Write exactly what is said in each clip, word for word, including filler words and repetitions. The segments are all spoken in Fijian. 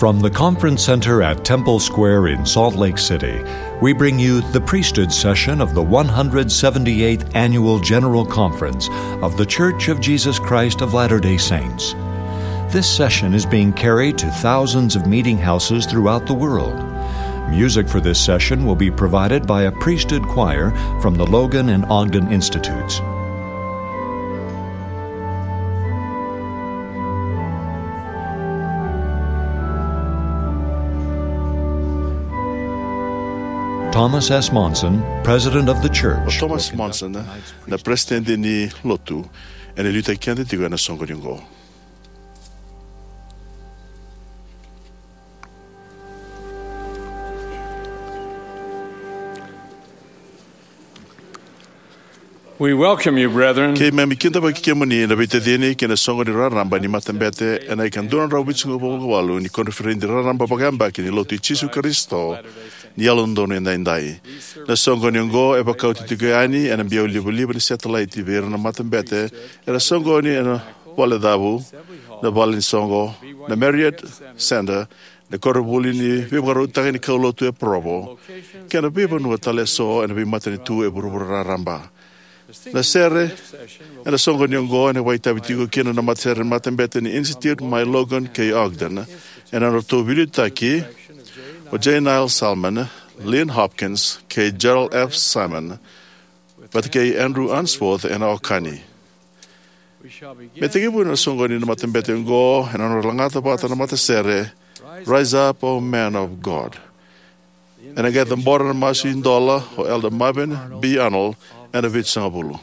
From the Conference Center at Temple Square in Salt Lake City, we bring you the priesthood session of the one hundred seventy-eighth Annual General Conference of The Church of Jesus Christ of Latter-day Saints. This session is being carried to thousands of meeting houses throughout the world. Music for this session will be provided by a priesthood choir from the Logan and Ogden Institutes. Thomas S. Monson, President of the Church. O Thomas Monson, na Peresitedi ni Lotu, ena liutaki keda tiko ena soqoni oqo. We welcome you, brethren. Keimami kidavaki kemuni na veitacini kei na soqoni raraba ni matabete ena ika dua na drau vitusagavulu ka walu ni koniferedi raraba vakayabaki ni Lotu i Jisu Karisito ni Yalododonu Edaidai. Na soqoni oqo e vakauti tiko yani ena biau livaliva ni satelaiti vei ira na matabete era soqoni ena Valecavu, na Vale ni Soqo, na Marriott Center, na koronivuli ni veivakarautaki ni kaulotu e Provo, kei na veivanua tale eso ena veimatanitu e vuravura raraba. Na sere ena soqoni oqo ena vakaitavi tiko kina na matasere ni matabete ni Institute mai Logan kei Ogden, ena nodratou veiliutaki o J. Niall Salmon, Lynn Hopkins, kei Gerald F. Simon, vata kei Andrew Unsworth ena okani. Me tekivu na soqoni ni matabete oqo ena nodra lagata vata na matasere Rise Up, O Men of God. Ena qai cabora na masu idola o Elder Marvin B. Arnold ena vitusagavulu.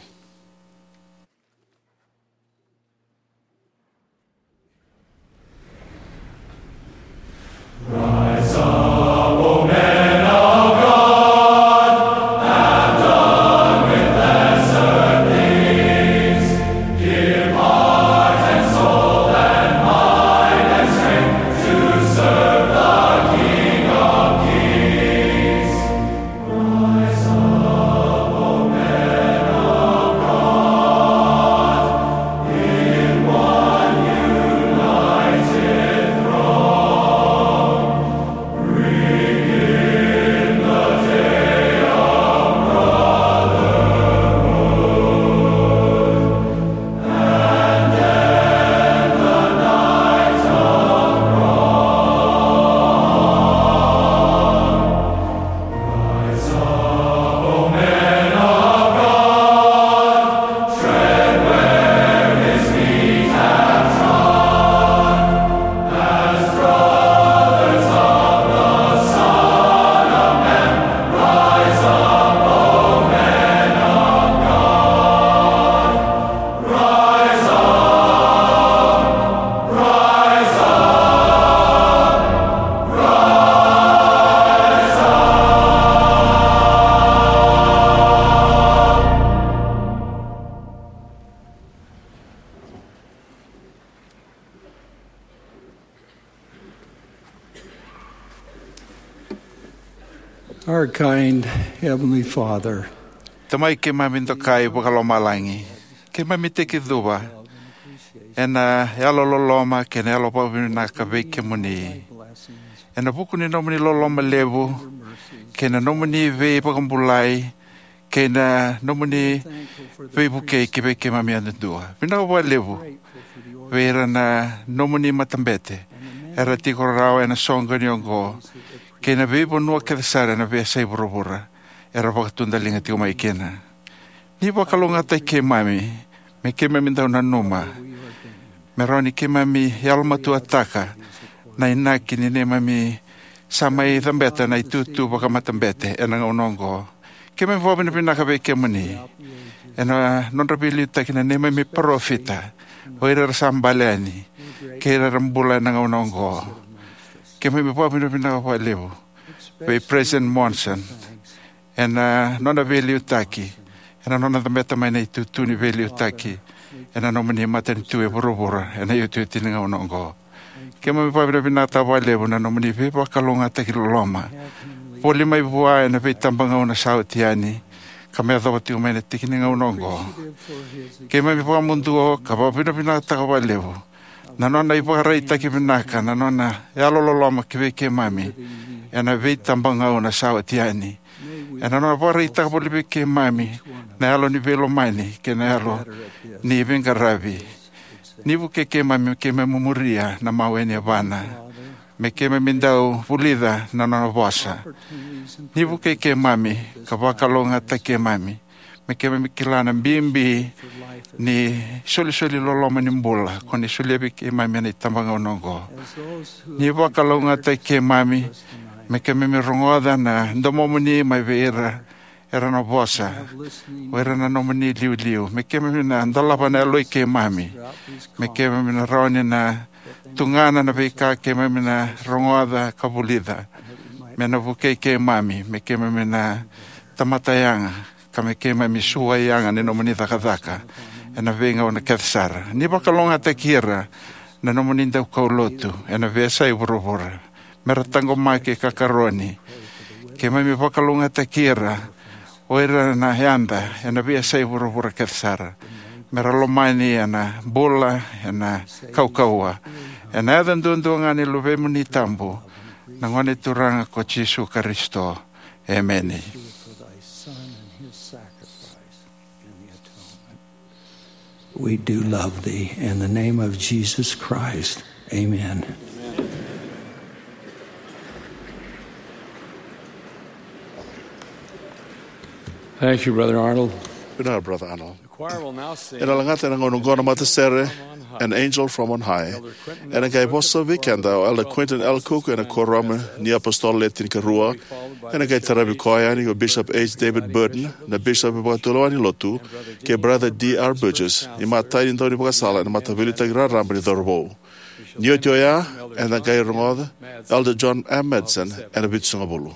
Our kind Heavenly Father, Tamai keimami dokai vakalomalagi, keimami tekicuva ena yalololoma kei na yalo vakavinavinaka vei kemuni. Ena vuku ni nomuni loloma levu kei na nomuni veivakabulai kei na nomuni veivukei ki vei keimami yadudua. Vinaka vakalevu vei ira na nomuni matabete era tiko rawa ena soqoni oqo kei na veivanua kece sara ena veiyasai vuravura era vakatudaliga tiko mai kina. Ni vakalougatataki keimami me keimami dau nanuma me rawa ni keimami yalomatuataka na inaki ni neimami sa mai cabeta na itutu vakamatabete ena gauna oqo. Keimami vakavinavinaka vei kemuni ena nodra veiliutaki na neimami parofita, o ira era sa bale yani kei ira era bula ena gauna oqo. Keimami vakavinavinaka vakalevu vei President Monson ena nona veiliutaki, ena nona cabeta mai na itutu ni veiliutaki ena nomuni matanitu e vuravura ena iotioti ni gauna oqo. Keimami vakavinavinakataka vakalevu na nomuni veivakalougatataki loloma. Voli mai vua ena veitabagauna sa oti yani ka me yacova tiko mai na tiki ni gauna oqo. Keimami vakamuduo ka vakavinavinakataka vakalevu Na nona ivakaraitaki vinaka na nona yalololoma ki vei keimami ena veitabagauna sa oti yani. Ena nona vakaraitaka voli vei keimami na yalo ni veilomani kei na yalo ni veiqaravi. Ni vukei keimami me keimami muria na mawe ni yavana, me keimami dau vulica na nona vosa. Ni vukei keimami ka vakalougatataki keimami me keimami kila na bibi ni solisoli loloma ni bula ko ni solia vei keimami ena itabagauna oqo. Ni vakalougatataki keimami me keimami rogoca na domomuni mai vei ira era na vosa, o ira na nomuni iliuliu. Me keimami na dolava na yaloi keimami, me keimami na rawa ni na tugana na veika keimami na rogoca ka vulica, me na vukei keimami me keimami na tamata yaga, ka me keimami suai yaga ni nomuni cakacaka ena veigauna kece sara. Ni vakalougatataki ira na nomuni daukaulotu ena veiyasai vuravura, me ra taqomaki ka karoni. Keimami vakalougatataki ira o ira na yada ena veiyasai vuravura kece sara, me ra lomani ena bula, ena kaukauwa. Ena yaca duadua ga ni Luvemuni tabu, na Gone Turaga ko Jisu Karisito. Emeni. We do love thee. In the name of Jesus Christ. Amen. Thank you, Brother Arnold. Vinaka, Brother Arnold. Ena lagata ena gauna oqo na matasere An Angel from on High. Ena qai vosa vei keda o Elder Quentin L. Cook ena Kuoramu ni iApositolo Le Tinikarua. Ena qai taravi koya yani o Bishop H. David Burton, na Bishop Vakatulewa ni Lotu, kei Brother D. R. Burgess, imatai ni daunivakasala ena Mataveiliutaki Raraba ni Cauravou. Ni oti oya, eda qai rogoca Elder John M. Madsen ena Vitusagavulu.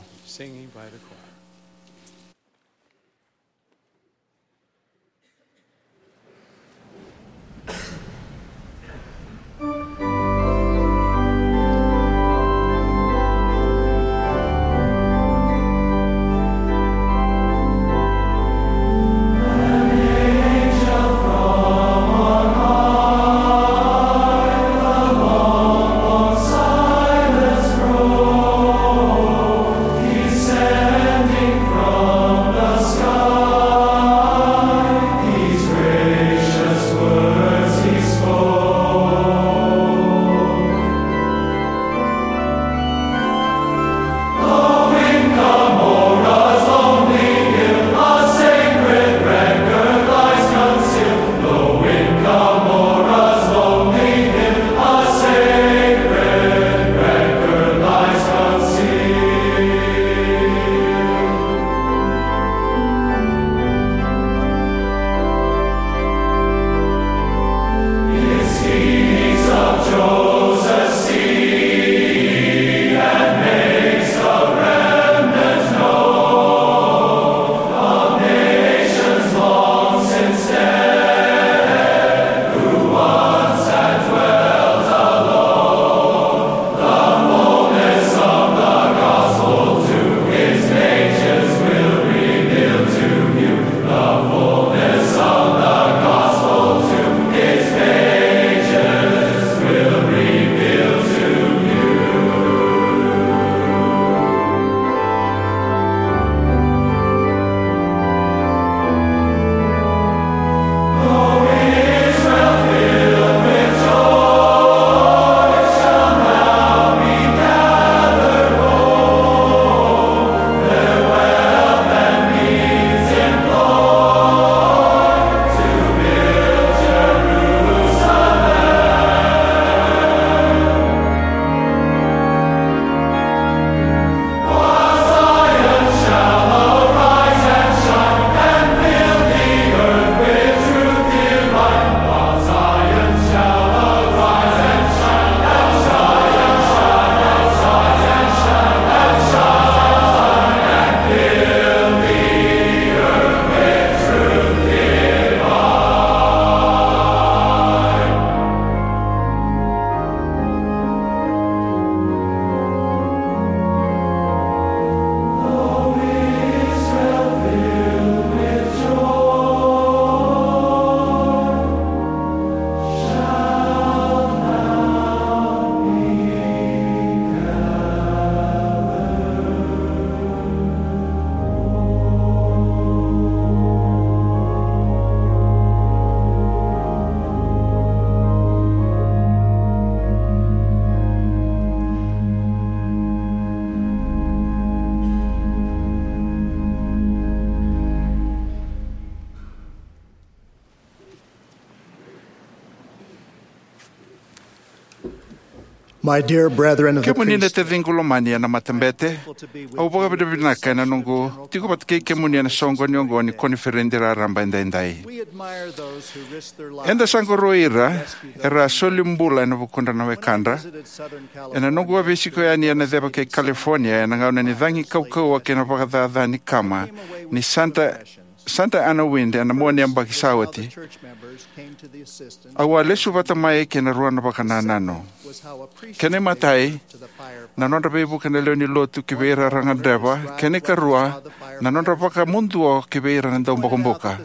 My dear brethren of the Kemuni na priesthood, taciqu lomani ena matabete, au vakavinavinaka ena noqu tiko vata kei kemuni ena soqoni oqo ni koniferedi raraba edaidai. We admire those who risk their lives Eda sa qoroya ira era a soli bula ena vukudra na wekadra. Ena noqu a veisiko yani ena ceva kei California ena gauna ni cagi kaukauwa kei na vakacaca ni kama ni Santa Santa Ana Wind ena mua ni yabaki sa oti, au a lesu vata mai kei na rua na vakanananu. Kena imatai, na nodra veivuke na lewe ni lotu ki vei ira era gadreva, kena ikarua, na nodra vakamuduo ki vei ira na daubokobuka.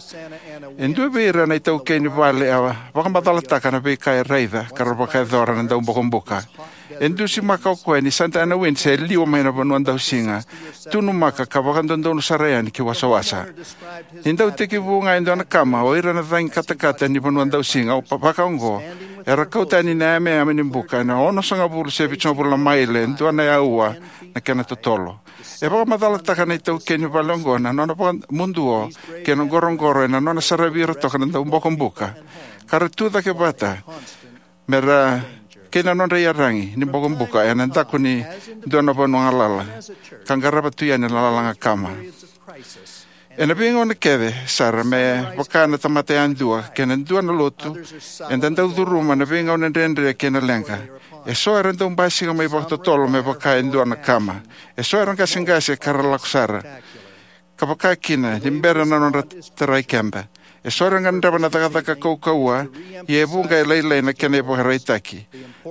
E dua vei ira na itaukei ni vale a vakamacalataka na veika e raica ka ra vakayacora na daubokobuka. E dusimaka o koya ni Santa Ana Wind se liwa mai na vanua dausiga, tunumaka ka vakadodonu sara yani ki wasawasa. Ni dau tekivu ga e dua na kama, o ira na cagi katakata ni vanua dausiga, o pa-, vakaoqo, era kau tani na yameyame ni buka ena onosagavulu se vitusagavulu na maile, e dua na aua na kena totolo. E vakamacalataka na itaukei ni vale oqo na nona vakamuduo kei na qoroqoro ena nona saravi ira toka na daubokobuka ka ra tu cake vata me ra kei na nodra iyaragi ni bokobuka ena daku ni dua na vanua galala ka qarava tu yani na lalaga kama. Ena veigauna kece sara me vaka na tamata yadua kei na dua na lotu, eda dau curuma na veigauna dredre kei na leqa. E so era dau basika mai vakatotolo me vaka e dua na kama. E so era qaseqase ka ra lako sara ka vaka kina ni bera na nodra tarai keda. E so era gadreva na cakacaka kaukauwa, ia e vuqa e lailai na kena ivakaraitaki.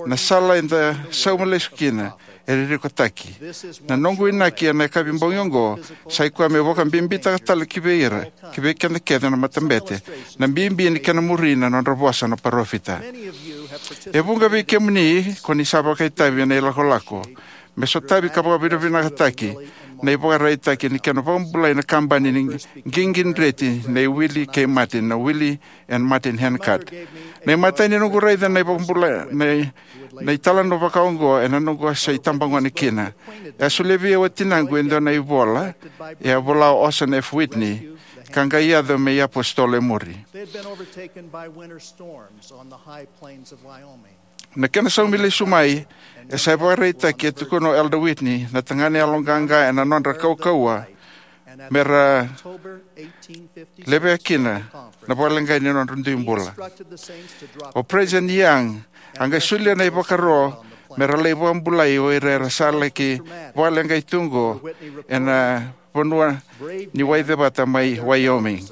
Na sala eda sauma lesu kina e ririkotaki. Na noqu inaki ena yakavi bogi oqo sa i koya meu vakabibitaka tale ki vei ira, ki vei keda kece na matabete, na bibi ni kena muri na nodra vosa na parofita. E vuqa vei kemuni ko ni sa vakaitavi ena ilakolako me sotavi ka vakavinavinakataki na ivakaraitaki ni kena vakabulai na kabani ni qiqi dreti nei Willie kei Martin, na Willie and Martin Handcart. Na imatai ni noqu raica na ivakabulai na, na italanoa vakaoqo ena noqu a sa itabagone kina. E a solia vei au e tinaqu e dua na ivola e a vola o Orson F Whitney ka qai yaco me iapositolo e muri. They had been overtaken by winter storms on the high plains of Wyoming. Na kena saumi lesu mai e sa ivakaraitaki e tukuna o Elder Whitney na tagane yaloqaqa ena nodra kaukauwa me ra levea kina na vakaleqai ni nodra dui bula. O President Young a qai solia na ivakaro me ra lai vakabulai o ira era sa laki vakaleqai tu oqo ena vanua ni waicevata mai Wyoming.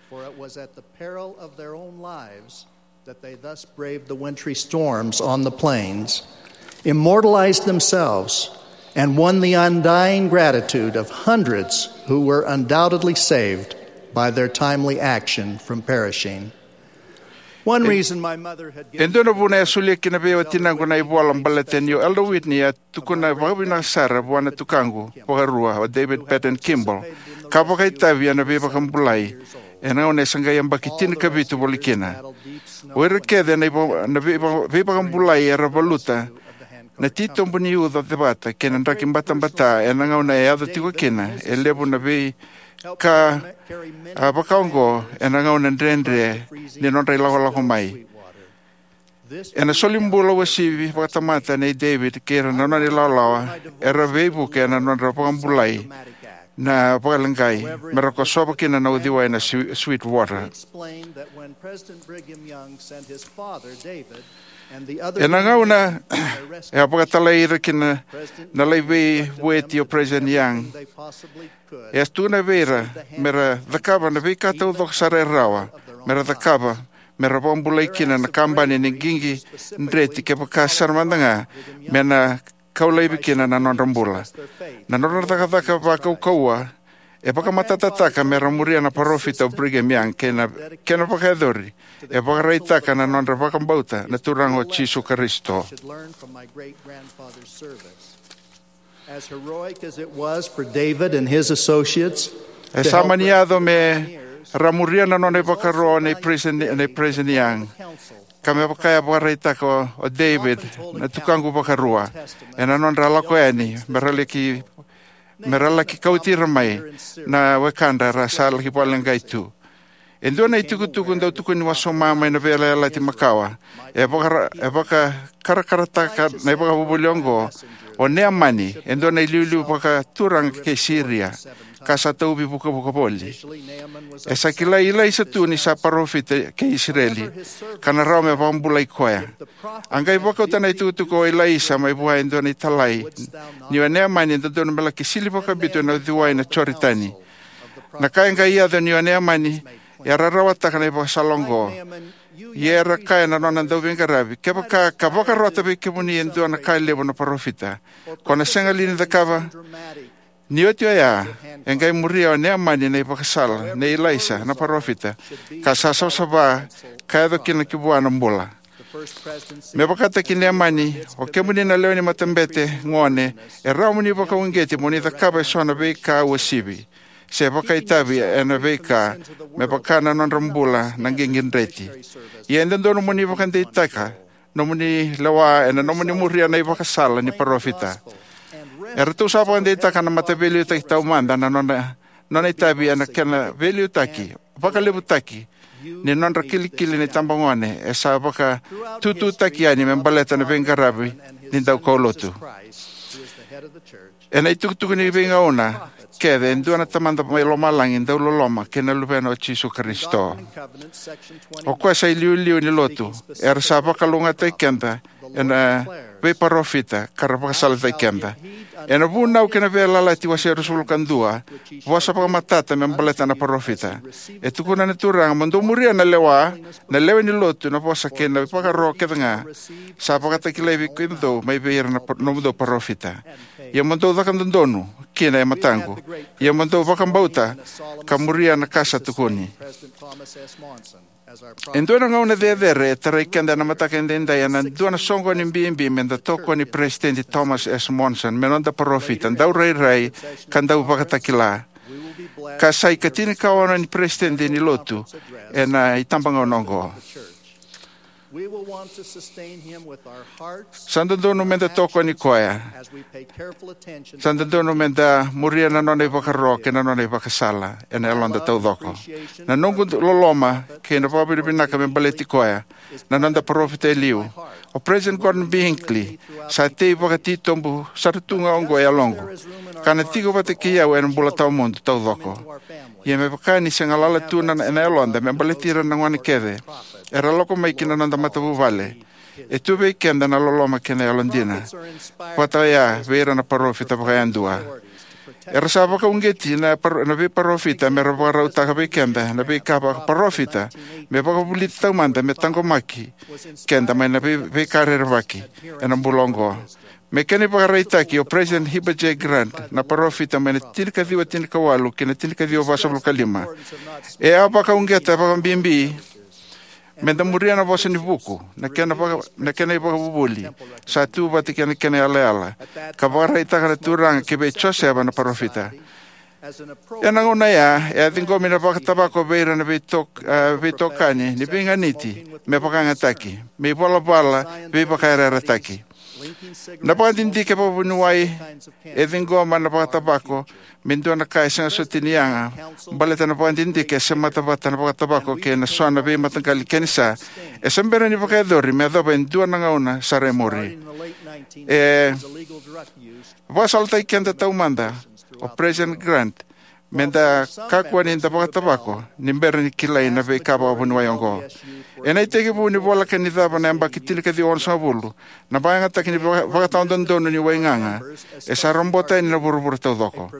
For it was at the peril of their own lives that they thus braved the wintry storms on the plains, immortalized themselves, and won the undying gratitude of hundreds who were undoubtedly saved by their timely action from perishing. One reason my mother had E given dua na vuna e solia kina vei au e tinaqu na ivola baleta ni o Elder Whitney e tukuna vakavinaka sara vua na tukaqu vakarua o David Patton Kimball ka vakaitavi ena veivakabulai ena gauna e sa qai yabaki tinikavitu voli kina. O ira kece na iva-, na veiva-, veivakabulai era valuta na titobu ni uca cevata kei na draki batabata ena gauna e yaco tiko kina e levu na veika a vakaoqo ena gauna dredre ni nodra ilakolako mai. Ena soli bula uasivi vakatamata nei David kei ira na nona ilawalawa era veivuke ena nodra vakabulai na vakaleqai me ra kosova kina na uciwai na Swe-, Sweetwater. Ena gauna e a vakatalai ira kina na lai veivueti o President Young, e a tukuna vei ira me ra cakava na veika taucoko sara e rawa me ra cakava me ra vakabulai kina na kabani ni qiqi dreti kevaka sara mada ga me na kau laivi kina na nodra bula. Na nodra cakacaka vakaukauwa e vakamatatataka me ra muria na parofita o Brigham Young kei na kena vakayacori e vakaraitaka na nodra vakabauta na Turaga o Jisu Karisito. As heroic as it was for David and his associates E sa mani yaco me ra muria na nona ivakaro nei President, nei President Young, ka me vaka e vakaraitaka o, o David, na tukaqu vakarua, ena nodra lako yani me ra laki, me ra laki kauti ira mai na wekadra ra sa laki vakaleqai tu. E dua na itukutuku dau tukuni wasoma mai na Veiyalayalati Makawa e vakara-, e vakakarakarataka na ivakavuvuli oqo. O Neamani, e dua na iliuliu vakaturaga kei Siria, ka sa tauvi vukavuka voli. E sa kilai Ilaisa tu ni sa parofita kei Isireli, ka na rawa me vakabulai koya. A qai vakauta na itukutuku o Ilaisa mai vua e dua na italai, ni o Neamani e dodonu me laki sili vakabitu ena uciwai na Joritani. Na ka e qai yaco ni o Neamani e a rarawataka na ivakasala oqo. Ia era kaya na nona dauveiqaravi, kevaka ka vakarota vei kemuni e dua na ka levu na parofita, ko na sega li ni cakava? Ni oti oya, e qai muria o Neamani na ivakasala nei Ilaisa na parofita, ka sa savasava, ka yaco kina ki vua na bula. Me vakataki Neamani, o kemuni na lewe ni matabete gone, e rawa mo ni vakauqeti mo ni cakava eso na veika uasivi, se vakaitavi ena veika, me vaka na nodra bula na qiqi dreti. Ia e dodonu mo ni vakadeitaka nomuni lewa ena nomuni muria na ivakasala ni parofita. Eratou sa vakadeitaka na mataveiliutaki taumada na nona, nona itavi ena kena veiliutaki, vakalevutaki ni nodra kilikili na itabagone, e sa vakatututaki yani me baleta na veiqaravi ni daukaulotu. Ena itukutuku ni veigauna kece, e dua na Tamada mai lomalagi dau loloma kei na Luvena o Jisu Karisito. O koya sa iliuliu ni lotu, era sa vakalougatataki keda ena veiparofita, ka ra vakasalataki keda. Ena Vunau kei na Veiyalayalati wase ruasagavulu ka dua, vosa vakamatata me baleta na parofita. E tukuna na Turaga, mo dou muria na lewa, na lewe ni lotu, na vosa kei na ivakaro kece ga sa vakatakilai vei kemudou mai vei ira na par-, nomudou parofita. Ia mo dou caka dodonu kina e mataqu. Ia mo dou vakabauta ka muria na ka sa tukuni. E dua na gauna cecere e tarai keda ena mataka edaidai ena dua na soqoni bibi me da tokoni Peresitedi Thomas S Monson me noda parofita daurairai ka dau vakatakila, ka sa ikatinikaono ni Peresitedi ni Lotu ena itabagauna oqo. Sa dodonu me da tokoni koya. Sa dodonu me da muria na nona ivakaro kei na nona ivakasala ena yaloda taucoko. Na noqu loloma kei na vakavinavinaka me baleti koya, na noda parofita e liu, o President Gordon B Hinckley, sa tei vakatitobu sara tu ga oqo e yaloqu. Ka na tiko vata kei au ena bula tawamudu taucoko. Ia me vaka ni se galala tu na, ena yaloda me baleti ira na gone kece era lako mai ki na noda matavuvale, e tu vei keda na loloma kei na yalodina vata oya vei ira na parofita vakayadua. Era sa vakauqeti na paro-, na veiparofita me ra vakarautaka vei keda na veika vakaparofita me vakavulici taumada me taqomaki keda mai na vei-, veika rerevaki ena bula oqo. Me kena ivakaraitaki, o President Heber J Grant, na parofita mai na tinikaciwa tinikawalu ki na tinikaciwa vasagavulu ka lima, e a vakauqeta vakabibi me da muria na Vosa ni Vuku, na kena vaka-, na kena ivakavuvuli sa tu vata kei na kena yalayala, ka vakaraitaka na Turaga ki vei Josefa na parofita. Ena gauna oya, e a ciqomi na vakatavako vei ira na veitok-, a, veitokani ni veiganiti me vakayagataki, me ivalavala veivakayarayarataki. Na vakadidike vakavuniwai e ciqoma na vakatavako me dua na ka e sega soti ni yaga, baleta na vakadidike e semata vata na vakatavako kei na so na veimataqali kenisa e se bera ni vakayacori me yacova e dua na gauna sara e muri. E vakasalataki keda taumada o President Grant me da kakua ni da vakatavako ni bera ni kilai na veika vakavuniwai oqo. Ena itekivu ni voleka ni cava na yabaki tinikaciwa onosagavulu, na vakayagataki ni vaka-, vakatawadodonu ni waigaga e sa robota yani na vuravura taucoko.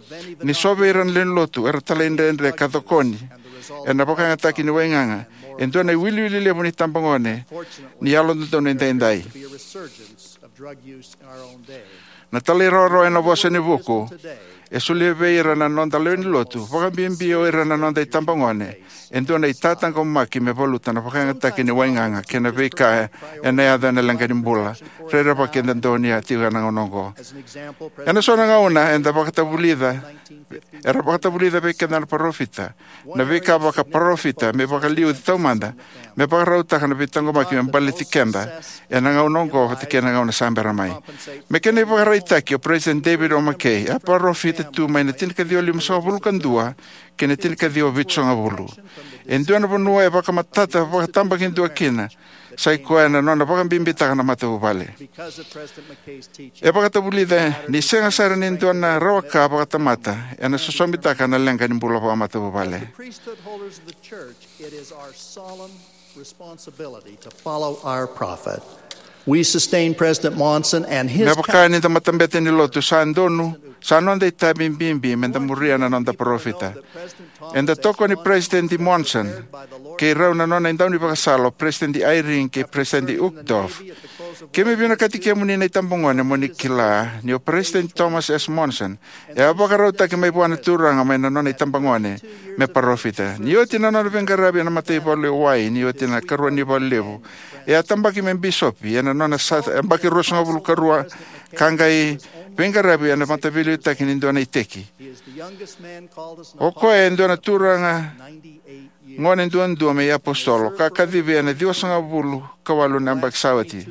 Ni so vei ira na lewe ni lotu era talaidredre ka cokoni ena vakayagataki ni waigaga, e dua na iwiliwili levu ni tabagone ni yalododonu edaidai. Na talairawarawa ena Vosa ni Vuku e solia vei ira na noda lewe ni lotu, vakabibi o ira na noda itabagone, e dua na itataqomaki me valuta na vakayagataki ni waigaga kei na veika ena yaco ena leqa ni bula rerevaki eda donuya tiko ena gauna oqo. Ena so na gauna eda vakatavulica, era vakatavulica vei keda na parofita na veika vakaparofita me vakaliuci taumada, me vakarautaka na veitaqomaki me baleti keda ena gauna oqo vata kei na gauna sa bera mai. Me kena ivakaraitaki, o President David O McKay a parofita tu mai na tinikaciwa limasagavulu ka dua ki na tinikaciwa vitusagavulu. E dua na vanua e vakamatata vakatabakidua kina, sa i koya na nona vakabibitaka na matavuvale. E vakatavulica ni sega sara ni dua na rawa ka vakatamata ena sosomitaka na leqa ni bula vakamatavuvale. Priesthood holders of the church, it is our solemn responsibility to follow our prophet. We sustain President Monson and his. Me vaka ni da matabete ni lotu, sa donu, sa noda itavi bibi me da muria na noda parofita. Eda tokoni President Monson kei rau na nona idaunivakasala o President Eyring kei President Uchtdorf. Keimami vinakati kemuni na itabagone mo ni kila ni o President Thomas S. Monson e a vakarautaki mai vua na Turaga mai na nona itabagone me parofita. Ni oti na nona veiqaravi ena mataivalu e wai, ni oti na ikarua ni valu levu, e a tabaki me bisopi ena nona sa yabaki ruasagavulu karua, ka qai veiqaravi ena mataveiliutaki ni dua na iteki. O koya e dua na turaga gone duadua me iapositolo, ka kacivi ena ciwasagavulu ka walu na yabaki sa oti.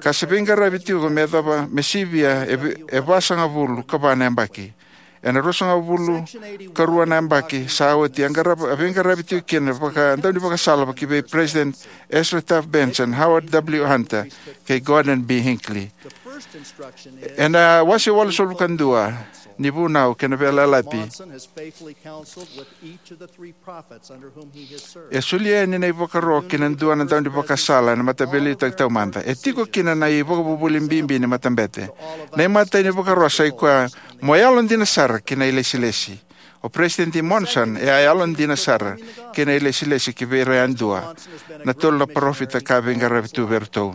Ka se veiqaravi tiko me yacova me sivia e vi-, e vasagavulu ka va na yabaki. Ena ruasagavulu ka rua na yabaki sa oti, a qarava, a veiqaravi tiko kina vakadaunivakasala ki vei President Ezra Taft Benson, Howard W. Hunter, kei Gordon B. Hinckley. Ena wase walusagavulu ka dua ni Vunau kei na Veiyalayalati, e solia yani na ivakaro ki na dua na daunivakasala ena mataveiliutaki taumada. E tiko kina na ivakavuvuli bibi ni matabete. Na imatai ni vakaro sa i koya, mo yalodina sara ki na ilesilesi. O President Monson e a yalodina sara ki na ilesilesi ki vei ira yadua na tolu na parofita ka veiqaravi tu vei iratou.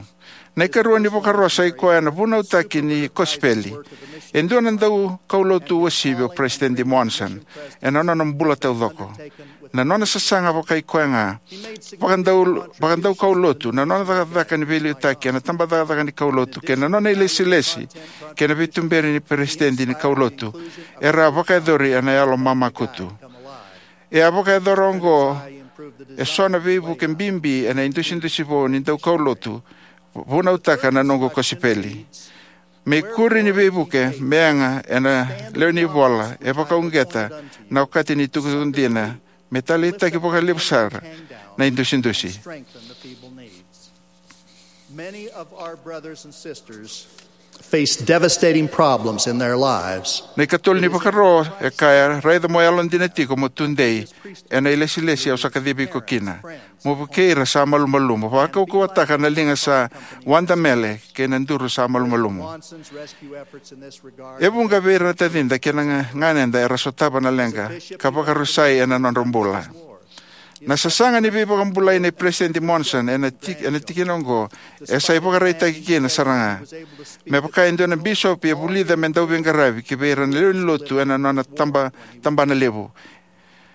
Na ikarua ni vakaro sa i koya na vunautaki ni kosipeli. E dua na daukaulotu uasivi o President Monson ena nona bula taucoko. Na nona sasaga vaka i koya ga vakadau, vakadaukaulotu, na nona cakacaka ni veiliutaki ena tabacakacaka ni kaulotu, kei na nona ilesilesi kei na veituberi ni peresitedi ni kaulotu, era a vakayacori ena yalo mamakutu. E a vakayacora oqo eso na veivuke bibi ena idusidusi vou ni daukaulotu, vunautaka na noqu kosipeli. Me ikuri ni veivuke me yaga ena lewe ni ivola, e vakauqeta na okati ni itukutuku dina me taleitaki vakalevu sara na idusidusi. Many of our brothers and sisters face devastating problems in their lives. Na ikatolu ni vakaro e kaya, raica mo yalodina tiko mo tudei ena ilesilesi au sa kacivi iko kina. Mo vukei ira sa malumalumu. Vakaukauwataka na liga sa wadamele kei na duru sa malumalumu. E vuqa vei ira na tacida kei na ga-, ganeda era sotava na leqa ka vakarusai ena nodra bula. Na sasaga ni veivakabulai nei President Monson ena tik-, ena tikina oqo e sa ivakaraitaki kina sara ga. Me vaka e dua na bisopi e vulica me dau veiqaravi ki vei ira na lewe ni lotu ena nona taba-, tabana levu.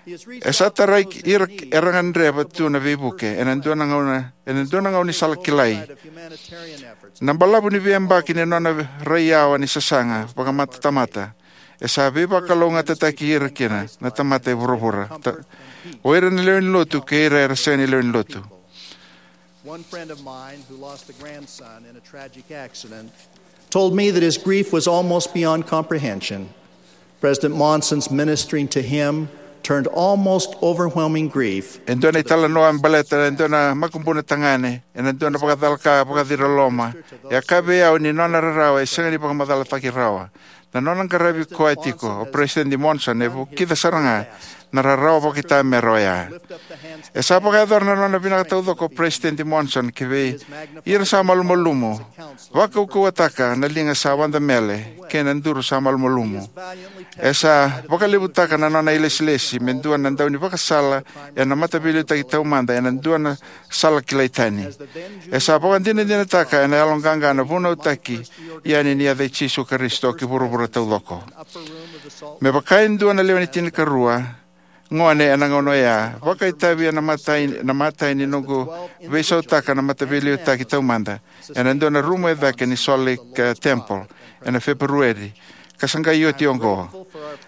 E sa tarai ki ira era gadreva tu na veivuke ena dua na gauna, ena dua na gaunisala kilai. Na balavu ni veiyabaki ni nona raiyawa ni sasaga vakamatatamata e sa veivakalougatataki ira kina na tamata e vuravura. Ta-, o ira na lewe ni lotu kei ira era sega ni lewe ni lotu. One friend of mine who lost a grandson in a tragic accident told me that his grief was almost beyond comprehension. President Monson's ministering to him turned almost overwhelming grief. E dua na italanoa me baleta e dua na makubuna tagane ena dua na vakacalaka vakaciraloma. E a kaya vei au ni nona rarawa e sega ni vakamacalataki rawa. Na nona qaravi koya tiko o President Monson e vukica sara ga na rarawa vakaitamera oya. E sa vakayacora na nona vinaka taucoko o President Monson ki vei ira sa malumalumu, vakaukauwataka na liga sa wadamele kei na duru sa malumalumu. E sa vakalevutaka na nona ilesilesi me dua na daunivakasala ena mataveiliutaki taumada ena dua na sala kilai tani. E sa vakadinadinataka ena yaloqaqa na vunautaki yani ni yaca i Jisu Karisito ki vuravura taucoko. Me vaka e dua na lewe ni tinikarua gone ena gauna oya, vakaitavi ena matai, na matai ni noqu veisautaka na mataveiliutaki taumada ena dua na rumu e cake ni Salt Lake, eh, Temple ena Feperueri, ka sa qai oti oqo.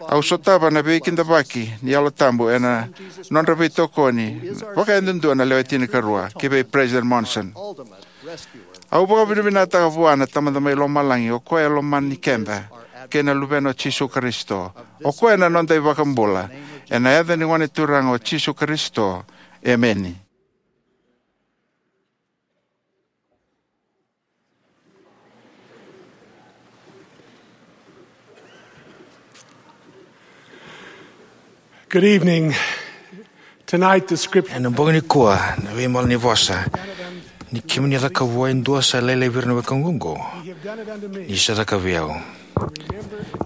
Au sotava na veikidavaki ni Yalo Tabu ena nodra veitokoni vakayadudua na lewe tinikarua ki vei President Monson. Au vakavinavinakataka vua na Tamada mai Lomalagi, o koya e lomani keda. kei na Luvena o Jisu Karisito. O koya na noda iVakabula. Ena yaca ni Gone Turaga o Jisu Karisito. Emeni. Good evening. Tonight, the scripture. Ena bogi nikua, na veimala ni vosa. Ni kemuni a cakava vua e dua sa lailai vei ira na wekaqu oqo, ni sa cakava vei au.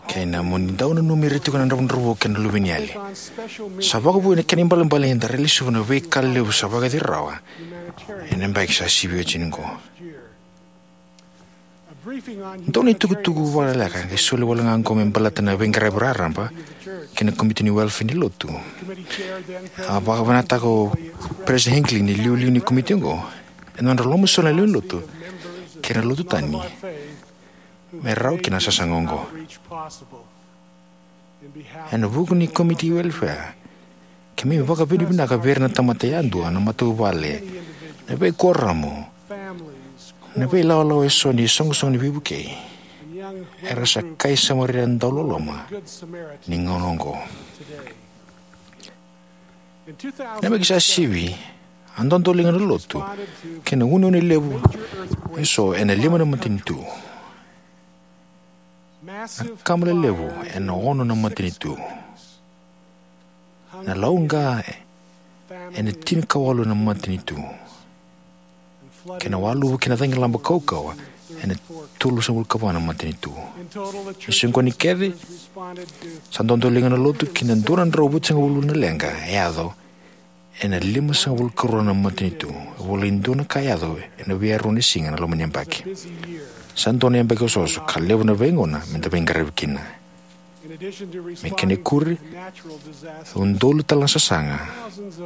Kei na mo ni dau nanumi ira tiko na dravudravua kei na luveniyali. Sa vakavui na kena ibalebale ni da rai lesuva na veika levu sa vakayaco rawa ena yabaki sa sivi oti oqo. Dua na itukutuku vakaleka qai soli wale ga oqo me baleta na veiqaravi raraba kei na komiti ni welfare ni lotu. A vakavinakataka o President Hinckley ni iliuliu ni komiti oqo ena nodra lomasoli na lewe ni lotu kei na lotu tani me rawa kina na sasaga oqo. Ena vuku ni komiti welfare, keimami vakavinavinaka vei ira na tamata yadua, na matavuvale, na veikuoramu, na veilawalawa eso ni soqosoqo ni veivukei, era sa kai Samaria dauloloma ni gauna oqo. Na yabaki sa sivi, a dodoliga na lotu kei na uneune levu eso ena lima na matanitu. Na kama lelevu ena ono na matanitu. Na lauqa ena tinikawalu na matanitu. Kei na waluvu kei na cagilaba kaukauwa ena tolusagavulukava na matanitu. Ni soqoni kece, sa dodoliga na lotu ki na dua na drau vitusagavulu na leqa e yaco ena limasagavulu karua na matanitu. E volai dua na ka e yaco ena veiyarua ni siga ena loma ni yabaki. Sa dua na yabaki osooso ka levu na veigauna me da veiqaravi kina. Me kena ikuri, e udolu tale na sasaga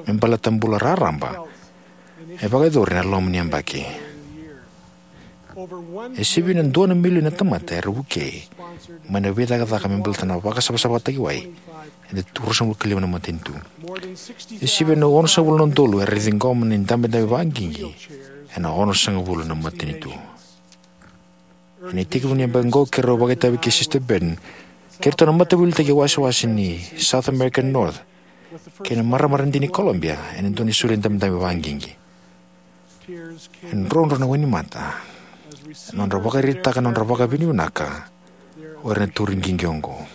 me baleta bula raraba e vakayacori ena loma ni yabaki. E sivia na dua na milioni na tamata era vukei mai na veicakacaka me baleta na vakasavasavataki wai ena ruasagavulu ka lima na matanitu. E sivia na onosagavulu na udolu era ciqoma na idabedabe vakaqiqi ena onosagavulu na matanitu. Ena itekivu ni yabaki oqo, keirau vakaitavi kei Sister Burton kei iratou na mataveiliutaki wasewase ni South American North kei na marama dina ni Colombia ena dua na isulu idabedabe vakaqiqi. E drodro na wainimata ena nodra vakaraitaka na nodra vakavinavinaka o ira na tauri qiqi oqo.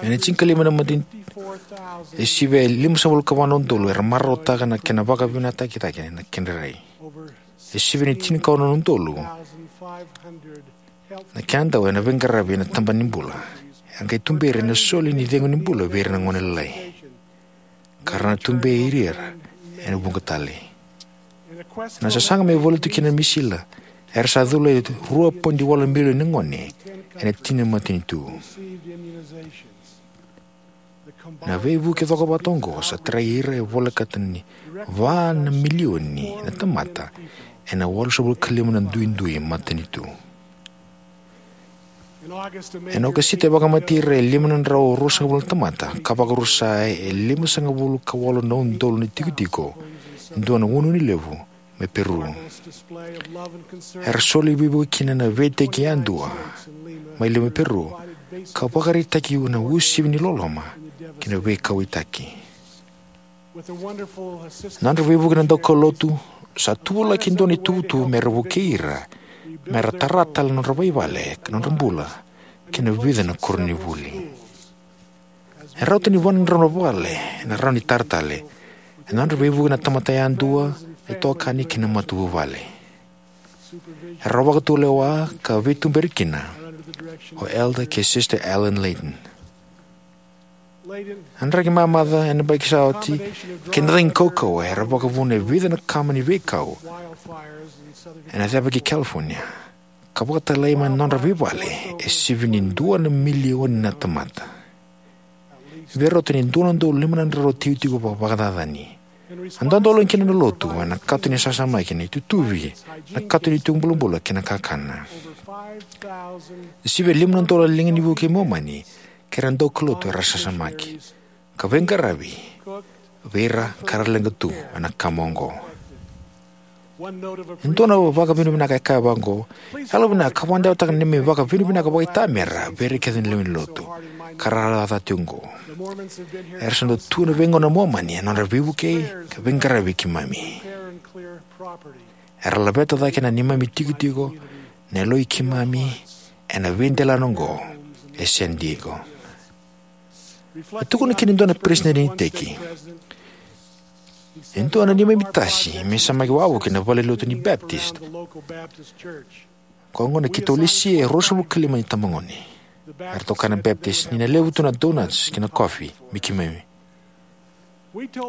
Ena tinikalima na matanitu, e sivia e limasagavulu ka va na udolu era marautaka na kena vakavinavinakataki na kedra rai. E sivia ni tinikaono na udolu na kena dau ena veiqaravi ena tabana ni bula. Era qai tuberi ena soli ni cegu ni bula vei ira na gone lalai, ka ra na tuberi ira ena vuqa tale. Ena sasaga me voli tu kina na misila, era sa cula e rua poidi walu milioni na gone ena tini na matanitu. Na veivuke cokovata oqo sa tarai ira e volekata ni va na milioni na tamata ena walusagavulu ka lima na duidui matanitu. Ena Okosita e vakamatei ira e lima na drau ruasagavulu na tamata ka vakarusa e limasagavulu ka walu na udolu na itikotiko e dua na uneune levu mai Peru. Era soli veivuke kina na veiiteki yadua mai Lima, Peru, ka vakaraitaki na uasivi ni loloma kei na veikauwaitaki. Na nodra veivuke na daukaulotu sa tuvalaki e dua na ituvatuva me ra vukei ira me ra tara tale na nodra veivale, nodra bula kei na vica na koronivuli. E rauta ni va na drau na vale ena rawa ni tara tale ena nodra veivuke na tamata yadua, na itokani kei na matavuvale. Era vakatulewa ka veituberi kina o Elder kei Sister Ellen Layton. Na draki mamaca ena yabaki sa oti kei na cagi kaukauwa era vakavuna e vica na kama ni veikau ena ceva ki California, ka vakatalai mai na nodra veivale e sivia ni dua na milioni na tamata. Vei rauta ni dua na udolu lima na drau tikotiko vakavakacacani. A dodoliga kina na lotu ena kato ni sasamaki, na itutuvi, na kato ni tiko bulabula kei na kakana. E sivia lima na udolu na liga ni vukei Momani kei ira na daukaulotu era sasamaki ka veiqaravi vei ira ka ra leqa tu ena kama oqo. E dua na vakavinavinaka e kaya vaqo: Yalovinaka, vakadewataka na neimami vakavinavinaka vakaitamera vei ira kece na lewe ni lotu ka rarawa ca tiko oqo. Era sa dau tu ena veigauna na Momani ena nodra veivukei ka veiqaravi vei keimami. Era laveta cake na neimami itikotiko, na yaloi keimami ena veidelana oqo e San Diego. E tukuna kina e dua na peresitedi ni iteki: E dua na neimami tasi me samaki wavoki ena valenilotu ni Baptist. Koya gona keitou lesia e ruasagavulu ka lima na itabagone. Eratou kaya na Baptist ni na levu tu na donuts kei na kofi me keimami.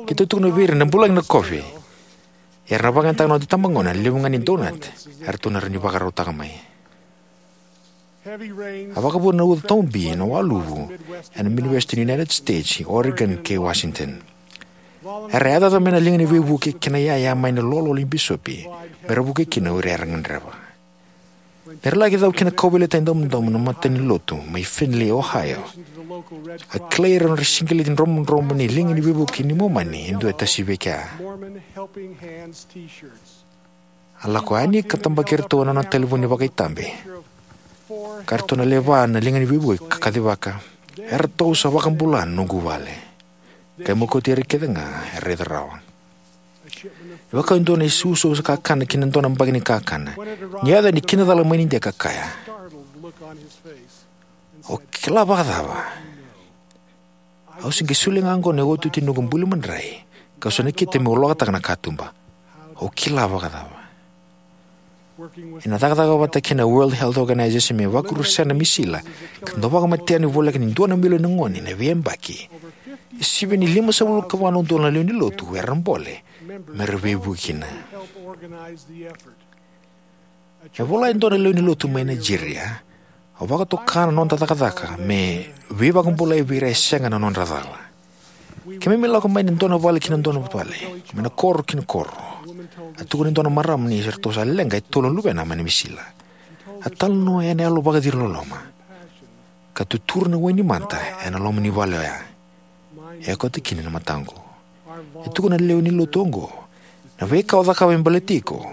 Keitou tukuna vei ira ni na bulagi na kofi, ia era na vakayagataka na noda itabagone na levu ga ni donut eratou na rawa ni vakarautaka mai. A vakavuna na uca taubi na waluvu ena Midwestern United States, Oregon kei Washington. Era yacoyaco mai na liga ni veivuke kei na iyaya mai na lololo ni bisopi me ra vukei kina o ira era gadreva. Ni ra laki cau ki na kauveilatai domodomo na matanilotu mai Findlay, Ohio, a kilai ira na nodra siqeleti dromodromo ni liga ni veivuke ni Momani e dua e tasi vei kea. A lako yani ka tabaki iratou ena nona talevoni vakaitabe, ka ratou na leva na liga ni veivuke ka kacivaka: Eratou sa vakabula na noqu vale. Qai mokoti ira kece ga e raica rawa. E vaka e dua na iusausa kakana ki na dua na baki ni kakana, ni yaco yani kina cala mai Nidia ka kaya: Au kila vakacava? Au se qai solia ga oqo na iotioti ni noqu buli madrai, kau sa nakita meu lokataka na katuba. Au kila vakacava? Ena cakacaka vata kei na World Health Organization me vakarusai na misila ka dau vakamatea na voleka ni dua na milioni na gone ena veiyabaki, e sivia ni limasagavulu ka va na udolu na lewe ni lotu era bole me ra veivuke kina. E vola e dua na lewe ni lotu mai Nigeria: Au vakatoka na noda cakacaka me veivakabulai vei ira e sega na nodra cala. Keimami lako mai na dua na vale ki na dua na vale, mai na koro ki na koro. A tukuna e dua na marama ni ratou sa leqa e tolu na luvena mai na misila. A talanoa ena yalo vakaciriloloma, ka tutura na wai ni mata ena loma ni vale oya. E okati kina na mataqu. E tukuna na lewe ni lotu oqo: Na veika o cakava me baleti iko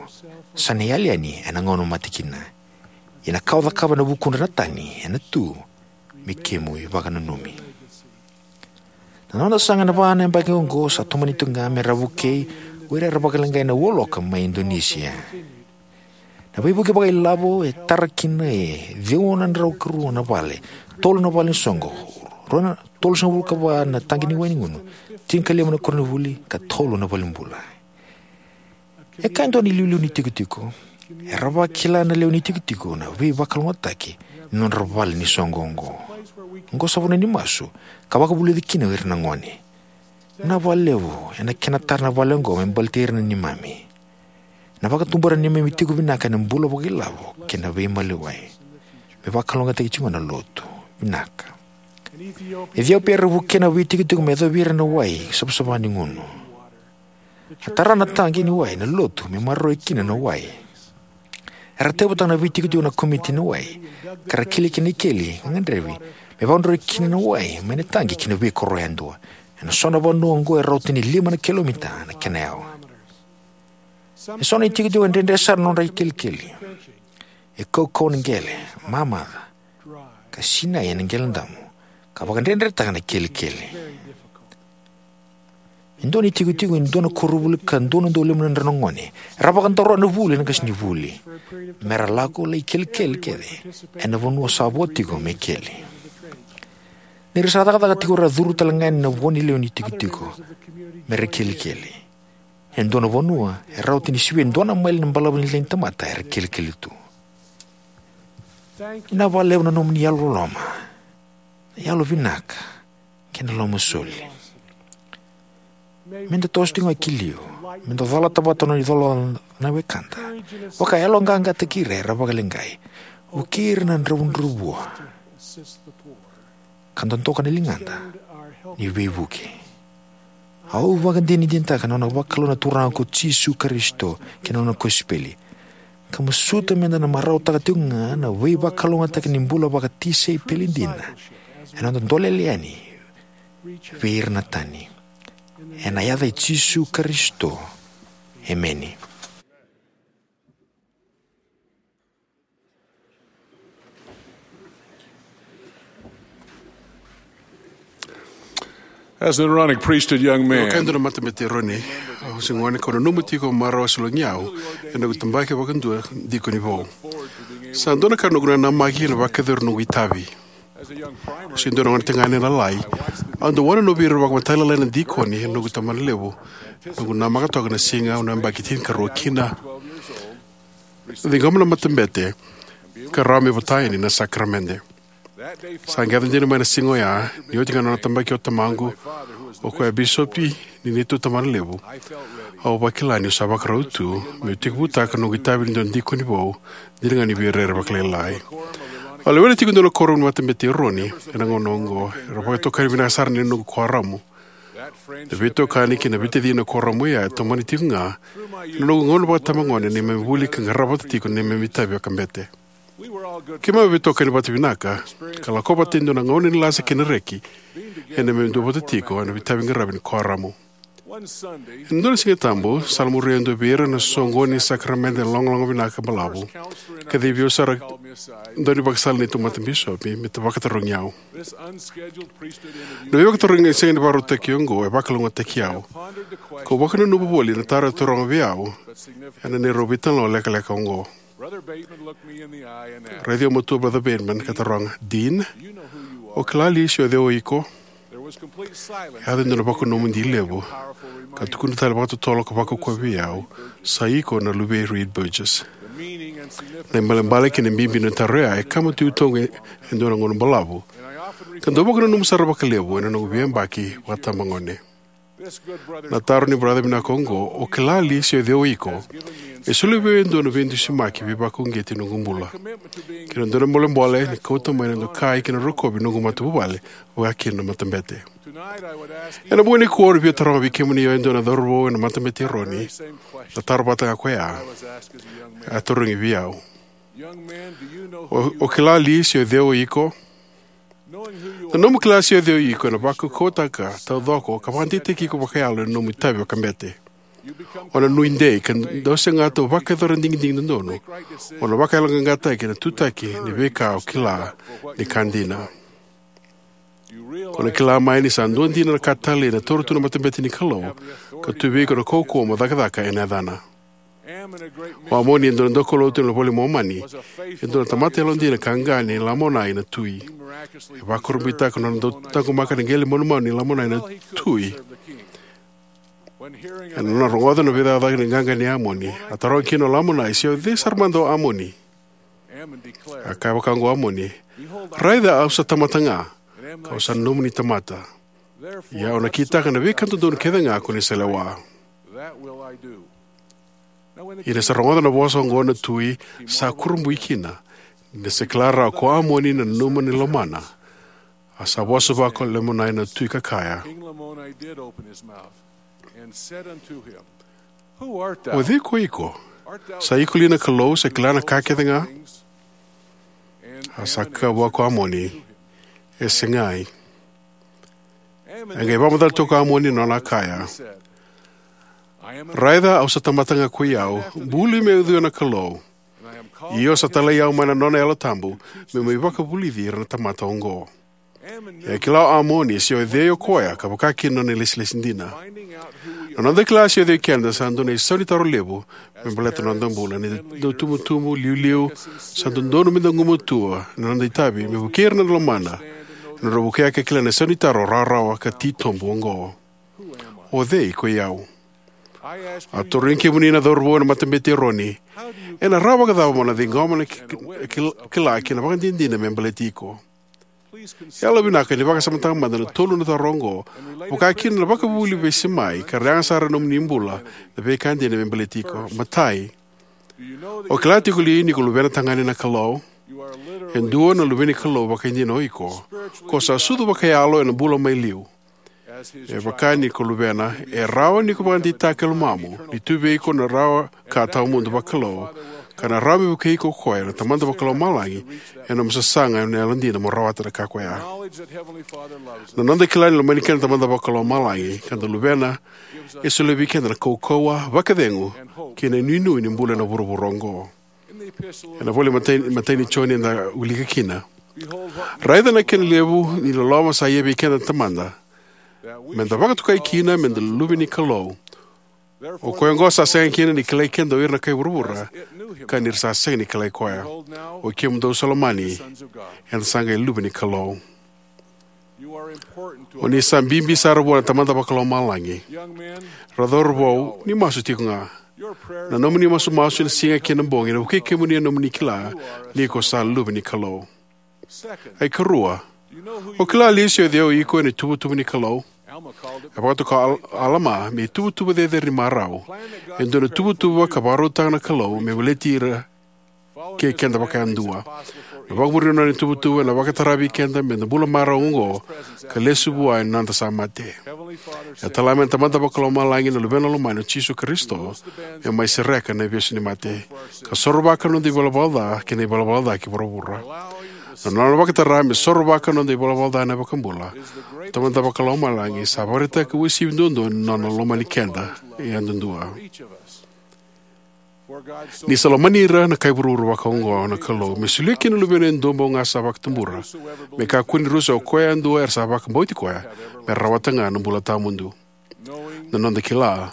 sa na yali yani ena gauna o mate kina. Ia na ka o cakava ena vukudra na tani ena tu me kemu ivakananumi. Na noda sasaga ena va na yabaki oqo sa tomani tu ga me ra vukei o ira era vakaleqai na ualoka mai Indonesia. Na veivuke vakailavo e tara kina e ciwa na drau ka rua na vale, tolu na vale ni soqo, rua na, tolusagavulu ka va na taqi ni wai ni gunu, tinikalima na koronivuli, ka tolu na valenibula. E kaya e dua na iliuliu ni itikotiko: Era vakila na lewe ni itikotiko na veivakalougatataki ni nodra vale ni soqo oqo. Oqo sa vanua ni masu ka vakavulici kina o ira na gone. Vinaka vakalevu ena kena tara na vale oqo me baleti ira na neimami. Ena vakatubura na neimami tiko vinaka ena bula vakailavo kei na veimaliwai, me vakalougatataki tiko ga na lotu. Vinaka. Iciopia era vukea na veitikotiko me yacovi ira na wai savasava ni gunu. A tara na taqi ni wai na lotu me maroroi kina na wai. Era tauyavutaka na veitikotiko na komiti ni wai, ka ra kila kina na ikeli ka gadrevi me vakadroi kina na wai mai na taqi ki na veikoro yadua, ena so na vanua oqo e rauta ni lima na kilomita na kena yawa. E so na itikotiko e dredre sara na nodra ikelikeli. E kaukauwa na qele, mamaca, ka sinai ena qele damu, ka vakadredretaka na ikelikeli. E dua na itikotiko e dua na koronivuli ka dua na udolu lima na drau na gone era vakadaroya na vuli ena qasenivuli me ra lako lai kelikeli kece ena vanua sa vo tiko me keli. Ni ra sa cakacaka tiko, era curu tale ga yani na vo ni lewe ni itikotiko me ra kelikeli. E dua na vanua e rauta ni sivia e dua na maile na balavu ni lewe ni tamata era kelikeli tu. Vinaka vakalevu na nomuni yalololoma, na yalovinaka, kei na lomasoli. Me da toso tiko ga ki liu, me da colata vata na nona icolacola na wekada. Vakayaloqaqataki ira era vakaleqai. Vukei ira na dravudravua, ka dodoka na ligada ni veivuke. Au vakadinadinataka na nona vakalou na Turaga ko Jisu Karisito kei na nona kosipeli, ka masuta me da na marautaka tiko ga na veivakalougatataki ni bula vakatisaipeli dina ena noda dolele yani vei ira na tani. Ena yaca i Jisu Karisito, emeni. As an Aaronic priesthood young man, ka dua na matabete Eroni, au se gone kau nanuma tiko marau a sologi au ena noqu tabaki vakadua dikoni vou. Sa dua na ka noqu nanamaki ena vakayacori noqu itavi. Au se dua na gone tagane lalai, au dau wanonovi ira vakamatailalai na dikoni ena noqu tabanalevu. Noqu namaka toka na siga au na yabaki tinikarua kina, ciqoma na matabete, ka rawa me vota yani na sakaramede. Sa qai yaco dina mai na siga oya, ni oti ga na nona tabaki o tamaqu, o koya a bisopi ni neitou tabanalevu. Au vakila niu sa vakarau tu meu tekivutaka noqu itavi ni dua na dikoni vou, dina ga ni via rere vakalailai. Au lewena tiko e dua na kuoramu ni matabete Eroni ena gauna oqo, era vakatokani vinaka sara ni noqu kuoramu. Na veitokani kei na veitacini ena kuoramu oya e tomani tiko ga ena noqu gauna vakatabagone, na neimami vuli ka qarava vata tiko na neimami itavi vakabete. Keimami a veitokani vata vinaka, ka lako vata e dua na gauna ni lasa kei na reki ena neimami duavata tiko ena veitaviqaravi ni kuoramu. Ena dua na Siga Tabu, sala muria e dua vei ira na soqoni ni sakaramede logaloga vinaka balavu, kacivi au sara e dua na ivakasala ni neitou matabisopi me ta vakatarogi au. Na veivakatarogi sega ni vakarautaki oqo e vakalougatataki au. Kau vakananuma voli na taro e taroga vei au ena neirau veitalanoa lekaleka oqo. Raici au matua Brother Bateman ka taroga, "Dean, o kila li se o cei o iko?" E yaco e dua na vakanomodi levu, ka tukuna tale vakatotolo ka vakaukauwa vei au, "Sa iko na luvei Reed Burgess." Na ibalebale kei na bibi ni taro oya e kama tu i toqu e dua na gauna balavu, ka dau vakananuma sara vakalevu ena noqu veiyabaki vakatabagone. Na taro ni baraca vinaka oqo, "O kila li se o cei o iko?" e solia vei au e dua na veidusimaki veivakauqeti ena noqu bula, kei na dua na bolebole ni kauta mai na dokai kei na rokovi ni noqu matavuvale, vaka kina na matabete. Ena bogi nikua au na via taroga vei kemuni e dua na cauravou ena matabete Eroni na taro vata ga ko ya a tarogi vei au. "O, o kila li se o cei o iko?" Na nomu kila se o cei o iko ena vakaukauwataka taucoko ka vakadeitaki iko vakayalo ena nomu itavi vakabete. O na nuidei ka dau segata mo vakayacora na digidigi dodonu. O na vakayaloqaqataki ena tutaki ni veika o kila ni ka dina. O na kila mai ni sa dua dina na ka talei ena taura tu na matabete ni Kalou, ka tu vei iko na kaukauwa mo cakacaka ena yacana. O Amoni e dua na daukaulotu ena iVola i Momani, e dua na tamata yalodina ka qaqa nei Lamonai na tui. E vakurabuitaka na nona dau taqomaka na qele manumanu nei Lamonai na tui. Ena nona rogoca na veicakacaka ni qaqa nei Amoni, a taroga kina o Lamonai se o cei sara mada o Amoni. A kaya vaka oqo o Amoni, "Raica au sa tamata ga, kau sa nomuni tamata. Ia au na kitaka na veika dodonu kece ga ko ni sa lewa." Ia ni sa rogoca na vosa oqo na tui, sa kurabui kina, ni sa kila rawa ko Amoni na nanuma ni lomana. A sa vosa vaka o Lamonai na tui ka kaya, "O cei ko iko? Sa iko li na Kalou sa kila na ka kece ga?" A sa kaya vua ko Amoni, "E segai." E qai vakamacala tu ko Amoni ena nona kaya, "Raica au sa tamata ga ko i au, buli me ucui na Kalou. Io sa talai au mai na nona Yalo Tabu, meu mai vakavulici ira na tamata oqo." E kila o Amoni se o cei o koya, ka vaka kina na nona ilesilesi dina. Na noda kila se o cei keda sa dua na isaunitaro levu me baleta na noda bula, na itubutubu, liuliu, sa dodonu meda gumatua ena noda itavi me vukei ira na lomada, ena nodra vukea ka kila na isaunitaro rawarawa ka titobu oqo. O cei ko i au? Au tarogi kemuni na cauravou ena matabete Eroni, ena rawa vakacava mo na ciqoma na ki-, ki-, kila kei na ivakadinadina me baleti iko? Yalovinaka ni vakasamataka mada na tolu na taro oqo, vaka kina na vakavuvuli vesimai ka ra yaga sara ena nomuni bula na veika dina me baleti iko. Matai, o kila tiko li ni ko luvena tagane na Kalou? E dua na luve ni Kalou vakaidina o iko. Ko sa sucu vakayalo ena bula mai liu. Me vaka ni ko luvena, e rawa ni ko vakadeitaka e lomamu ni tu vei iko na rawa ka tawamudu vakalou, ka na rawa me vukei iko o koya na Tamada Vakalomalagi ena nomu sasaga ena yalodina mo rawata na ka ko ya. Na noda kila ni lomani keda na Tamada Vakalomalagi ka da luvena, e solia vei keda na kaukauwa, vakacegu, kei na inuinui ni bula ena vuravura oqo. Ena ivola i matai, matai ni Joni eda wilika kina, "Raica na kena levu ni loloma sa ia vei keda na Tamada, me da vakatokai kina me da luve ni Kalou. O koya oqo sa sega kina ni kilai keda o ira na kai vuravura, ka ni ra sa sega ni kilai koya. O kemudou sa lomani, eda sa qai luve ni Kalou. O ni sa bibi sara vua na Tamada Vakalomalagi. Ra cauravou, ni masu tiko ga. Na nomuni masumasu ena siga kei na bogi ena vukei kemuni ena nomuni kila ni ko sa luve ni Kalou. Ai karua, o kila li se o cei o iko ena ituvatuva ni Kalou? E vakatoka o Al-, Alama me ituvatuva cecere ni marau. E dua na tuvatuva ka vakarautaka na Kalou me baleti ira kei keda vakayadua. Na vakamuri ni nona ituvatuva ena vakatara vei keda me da bula marau oqo ka lesu vua ena noda sa mate. E tala mai na Tamada Vakalomalagi na Luvena lomani o Jisu Karisito me mai sereka na ivesu ni mate, ka sorovaka na noda ivalavala ca kei na ivalavala ca ki vuravura. Na nona vakatara me sorovaka na noda ivalavala ca na iVakabula, o Tamada Vakalomalagi sa vakaraitaka uasivi duadua ni nona lomani keda yadudua. Ni sa lomani ira na kai vuravura vakaoqo na Kalou, me solia kina na Luvena e dua bau ga sa vakatubura, me kakua ni rusa o koya yadua era sa vakabauti koya, me rawata ga na bula tawamudu. Na noda kila,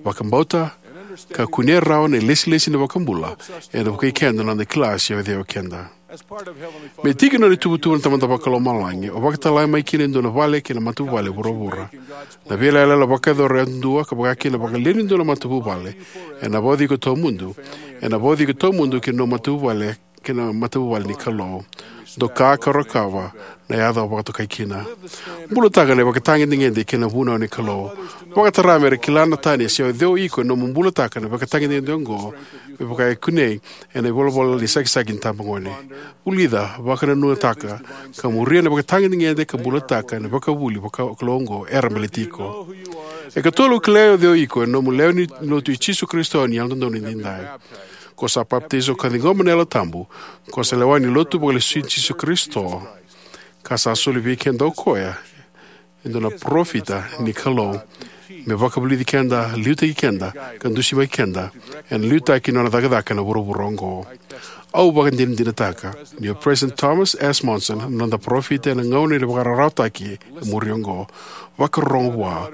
vakabauta, ka kunea rawa na ilesilesi ni iVakabula, ena vukei keda na noda kila se o cei o keda. Me tiki ni nona ituvatuva na Tamada Vakalomalagi, o vakatala mai kina e dua na vale kei na matavuvale vuravura. Na veiyalayala vakayacora yadudua ka vaka kina na vakalewe ni dua na matavuvale, ena vauci iko tawamudu, ena vauci iko tawamudu ki na nomu matavuvale, ki na matavuvale ni Kalou. Doka ka rokova na yaca o vakatokai kina. Bulataka na ivakatagedegede kei na vunau ni Kalou. Vakatara me ra kila na tani se o cei o iko ena nomu bulataka na ivakatagedegede oqo, me vaka e kunei ena ivolavola ni sakisaki ni tabagone. Vulica, vakanananutaka, ka muria na ivakatagedegede ka bulataka na ivakavuvuli vakakalou oqo era baleti iko. E katolu, o kilai o cei o iko ena nomu lewe ni Lotu i Jisu Karisito ni Yalododonu Edaidai. Ko sa papitaiso ka ciqoma na Yalo Tabu, ko sa lewe ni Lotu Vakalesui i Jisu Karisito, ka sa soli vei keda o koya e dua na parofita ni Kalou, me vakavulici keda, liutaki keda, ka dusimaki keda ena liutaki ni nona cakacaka ena vuravura oqo. Au vakadinadinataka ni o President Thomas S. Monson na noda parofita ena gauna ni vakararawataki e muri oqo. Vakarorogo vua.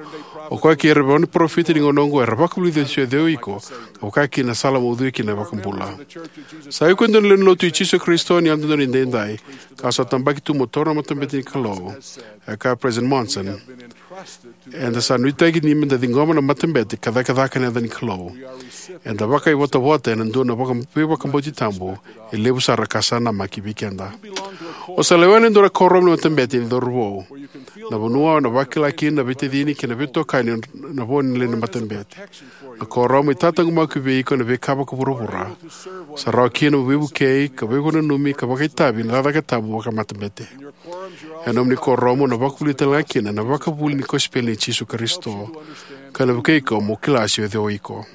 O koya kei ira na parofita ni gauna oqo era vakavulica se o cei o iko, ka vaka kina na sala mo ucui kina na iVakabula. Sa iko e dua na lewe ni Lotu i Jisu Karisito ni Yalododonu Edaidai, ka sa tabaki tu mo taura na matabete ni Kalou. E kaya o President Monson, eda sa nuitaki ni me da ciqoma na matabete ka cakacaka ena yaca ni Kalou. Eda vakaivotavota ena dua na vaka-, veivakabauti tabu e levu sara ka sa namaki vei keda. O sa lewena e dua na kuoramu ni matabete ni cauravou, na vanua o na vakila kina na veitacini kei na veitokani na vo ni lewe ni matabete. Na kuoramu e tataqomaki vei iko ena veika vakavuravura. Sa rawa kina mo veivukei, ka veivakananumi, ka vakaitavi ena cakacaka tabu vakamatabete. Ena nomuni kuoramu o na vakavulica tale ga kina na ivakavuvuli ni kosipeli i Jisu Karisito, ka na vukei iko mo kila se o cei o iko.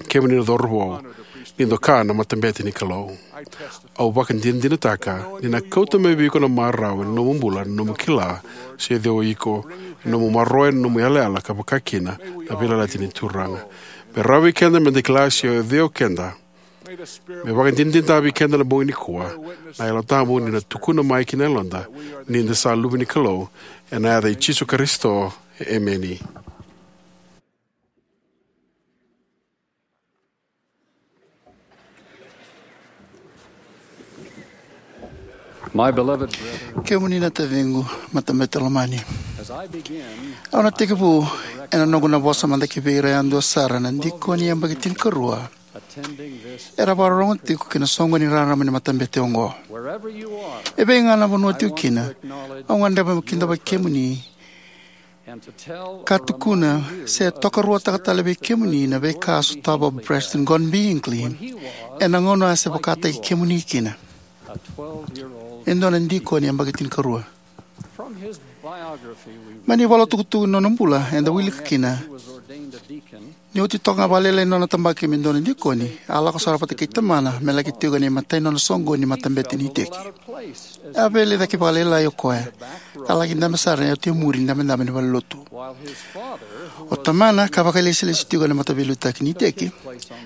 Kemuni na cauravou, ni doka na matabete ni Kalou. Au vakadinadinataka ni na kauta mai vei iko na marau ena nomu bula na nomu kila se o cei o iko, na nomu maroroya na nomu yalayala, ka vaka kina na veiyalayalati ni Turaga. Me rawa vei keda me da kila se o cei o keda. Me vakadinadinataka vei keda na bogi nikua na Yalo Tabu ni na tukuna mai ki na yaloda ni da sa luve ni Kalou, ena yaca i Jisu Karisito. Emeni. My beloved brethren, kemuni na taciqu, matabete lomani, as I begin, au na tekivu ena noqu na vosa mada ki vei ira yadua sara na dikoni yabaki tinikarua attending this era vakarorogo tiko ki na soqoni raraba ni matabete oqo. Wherever you are, e vei ga na vanua tiko kina, au gadreva meu kidavaki kemuni ka tukuna se tokaruataka tale vei kemuni na veika a sotava o President Gordon B. Hinckley ena gauna a se vakataki kemuni kina, e dua na dikoni yabaki tinikarua. Mai na ivola tukutuku ni nona bula eda wilika kina ni oti toka ga vakalailai na nona tabaki me dua na dikoni, a lako sara vata kei tamana me laki tiko ena imatai ni nona soqoni ni matabete ni iteki. A veilai cake vakalailai o koya, ka laki dabe sara ena oti e muri ni dabedabe ni valenilotu. O tamana, ka vakailesilesi tiko ena mataveiliutaki ni iteki,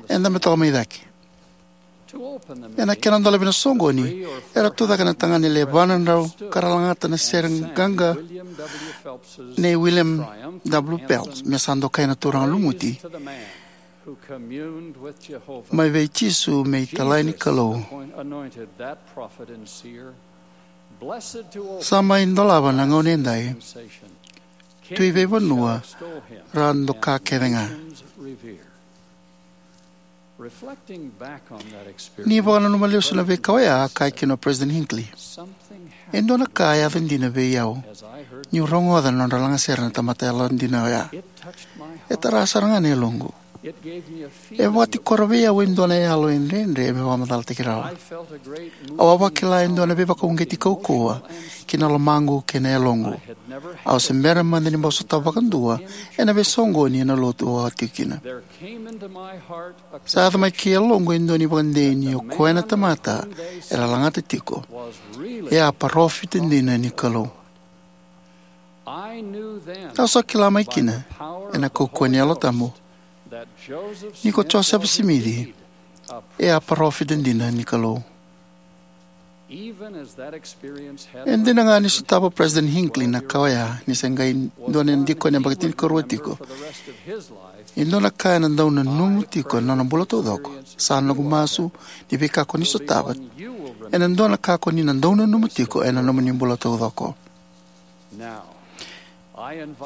e dabe toka mai cake. Ena kena dolavi na soqoni, era tucake na tagane lewe va na drau ka ra lagata na sere qaqa nei William W. Phelps, me sa dokai na turaga lumuti, mai vei Jisu me italai ni Kalou. Sa mai dolava na gauna edai, tui veivanua ra doka kece ga. Ni vakananuma lesu na veika oya, a kaya kina o President Hinckley, e dua na ka a yaco dina vei au niu rogoca na nodra lagasere na tamata yalodina oya. E tara sara ga na yaloqu. E vakatikora vei au e dua na yalo e dredre me vakamacalataki rawa. Au a vakila e dua na veivakauqeti kaukauwa ki na lomaqu kei na yaloqu. Au se bera mada ni bau sotava vakadua ena veisoqoni ena lotu au a tiko kina. Sa yaco mai ki yaloqu e dua na ivakadei ni o koya na tamata era lagata tiko e a parofita dina ni Kalou. Au sa kila mai kina ena kaukauwa ni Yalo Tabu ni ko Josefa Simici e a parofita dina ni Kalou. E dina ga ni sotava o President Hinckley na ka oya ni se qai dua na dikoni yabaki tinikarua tiko, e dua na ka ena dau nanuma tiko ena nona bula taucoko. Sa noqu masu ni veika ko ni sotava ena dua na ka ko ni na dau nanuma tiko ena nomuni bula taucoko.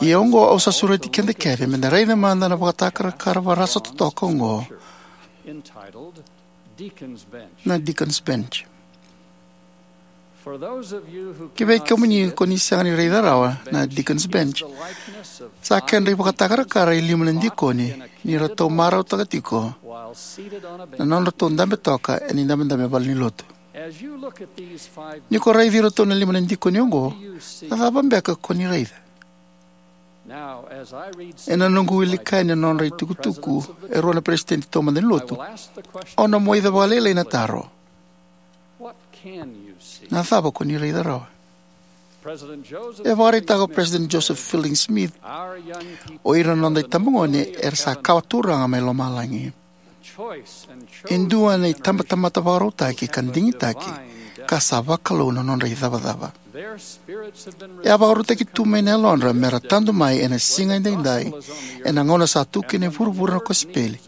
Ia oqo au sa sureti keda kece me da raica mada na vakatakarakara varasa totoka oqo, na Deacon's Bench. Ki vei kemuni ko ni sega ni raica rawa, na Deacon's Bench sa kedra ivakatakarakara e lima na dikoni ni ratou marautaka tiko na nodratou dabe toka ena idabedabe valenilotu. Ni ko raici iratou na lima na dikoni oqo, na cava beka ko ni raica? Ena noqu wilika yani na nodra itukutuku e rua na peresitedi taumada ni lotu, au na moica vakalailai na taro: Na cava ko ni raica rawa? E vakaraitaka o President Joseph Fielding Smith, o ira na noda itabagone era sa kawa turaga mai lomalagi. E dua na itabatamata vakarautaki ka digitaki, ka sa vakalou na nodra icavacava. E a vakarautaki tu mai na yalodra me ra tadu mai ena siga edaidai, ena gauna sa tu kina e vuravura na kosipeli,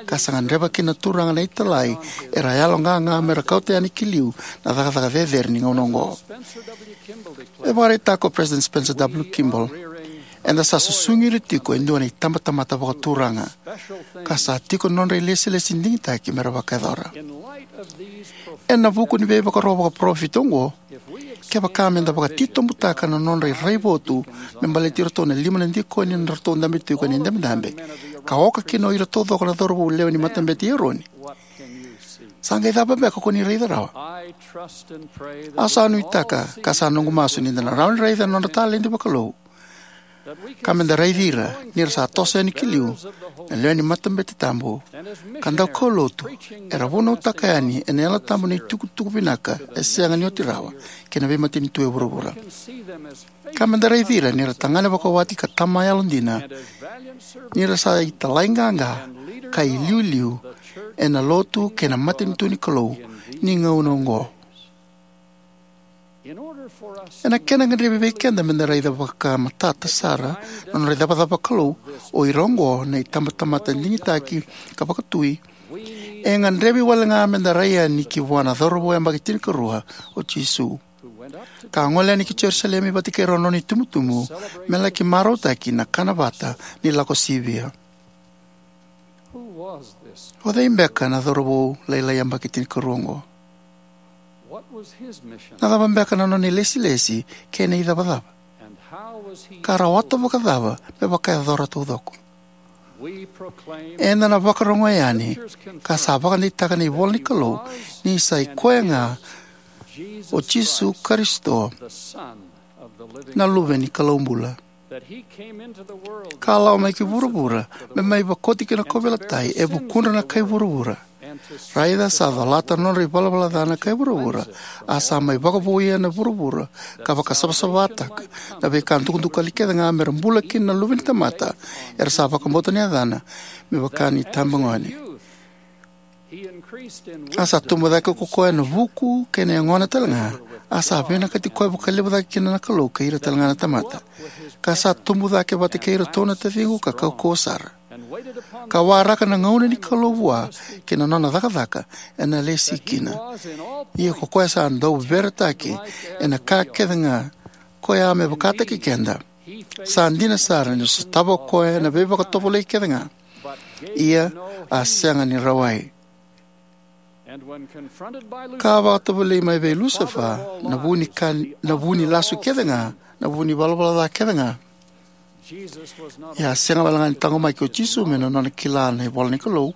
ka sa gadreva kina na Turaga na italai era yaloqaqa me ra kauta yani ki liu na cakacaka cecere ni gauna oqo. E vakaraitaka o President Spencer W. Kimball, eda sa susugi ira tiko e dua na itabatamata vakaturaga, ka sa tiko na nodra ilesilesi digitaki me ra vakayacora. Ena vuku ni veivakaro vakaparofita oqo, kevaka me da vakatitobutaka na nodra iraivotu me baleti iratou na lima na dikoni na nodratou dabe tiko ena idabedabe, ka oka kina o ira taucoko na cauravou lewe ni matabete i Eroni, sa qai cava beka ko ni raica rawa? Au sa nuitaka, ka sa noqu masu ni da na rawa ni raica na nodra taledi vakalou, ka me da raici ira ni ra sa toso yani ki liu na lewe ni matabete tabu, ka daukaulotu era vunautaka yani ena Yalo Tabu na itukutuku vinaka e sega ni oti rawa kei na veimatanitu e vuravura. Ka me da raici ira ni ra tagane vakawati ka tama yalodina, ni ra sa italai qaqa ka iliuliu ena lotu kei na matanitu ni Kalou ni gauna oqo. Ena kena gadrevi vei keda me da raica vakamatata sara na nodra icavacava vakalou o ira oqo na itabatamata digitaki ka vakatui, e gadrevi wale ga me da rai yani ki vua na cauravou yabaki tinikarua, o Jisu, ka a gole yani ki Jerusalemi vata kei rau na nona itubutubu me laki marautaki na kana vata ni Lakosivia. O cei beka na cauravou lailai yabaki tinikarua oqo? Na cava beka na nona ilesilesi kei na icavacava? Ka rawata vakacava me vakayacora taucoko? Eda na vakarogoya yani, ka sa vakadeitaka na ivola ni Kalou, ni sa i koya ga o Jisu Karisito, na Luve ni Kalou bula, ka a lako mai ki vuravura me mai vakoti kina na kauveilatai e vukudra na kai vuravura. Raica, sa colata na nodra ivalavala ca na kai vuravura, a sa mai vakavouya na vuravura ka vakasavasavataka na veika dukadukali kece ga me ra bula kina na luve ni tamata era sa vakabauta na yacana me vaka ni tabagone. A sa tubu cake ko koya ena vuku kei na yagona talega, a sa vinakati koya vakalevu cake kina na Kalou kei ira talega na tamata, ka sa tubu cake vata kei iratou na taciqu ka kaukauwa sara, ka waraka na gauna ni Kalou vua kei na nona cakacaka ena lesi kina. Ia ko koya sa dau veretaki ena ka kecega, koya me vakataki keda. Sa dina sara ni sotava o koya na veivakatovolei kecega, ia a sega ni rawai. Ka vakatovolei mai vei Lusefa, na vu ni ka, na vu ni lasu kecega, na vu ni valavala ca kecega, ia a sega walega ni taqomaki o Jisu mai na nona kila na ivola ni Kalou.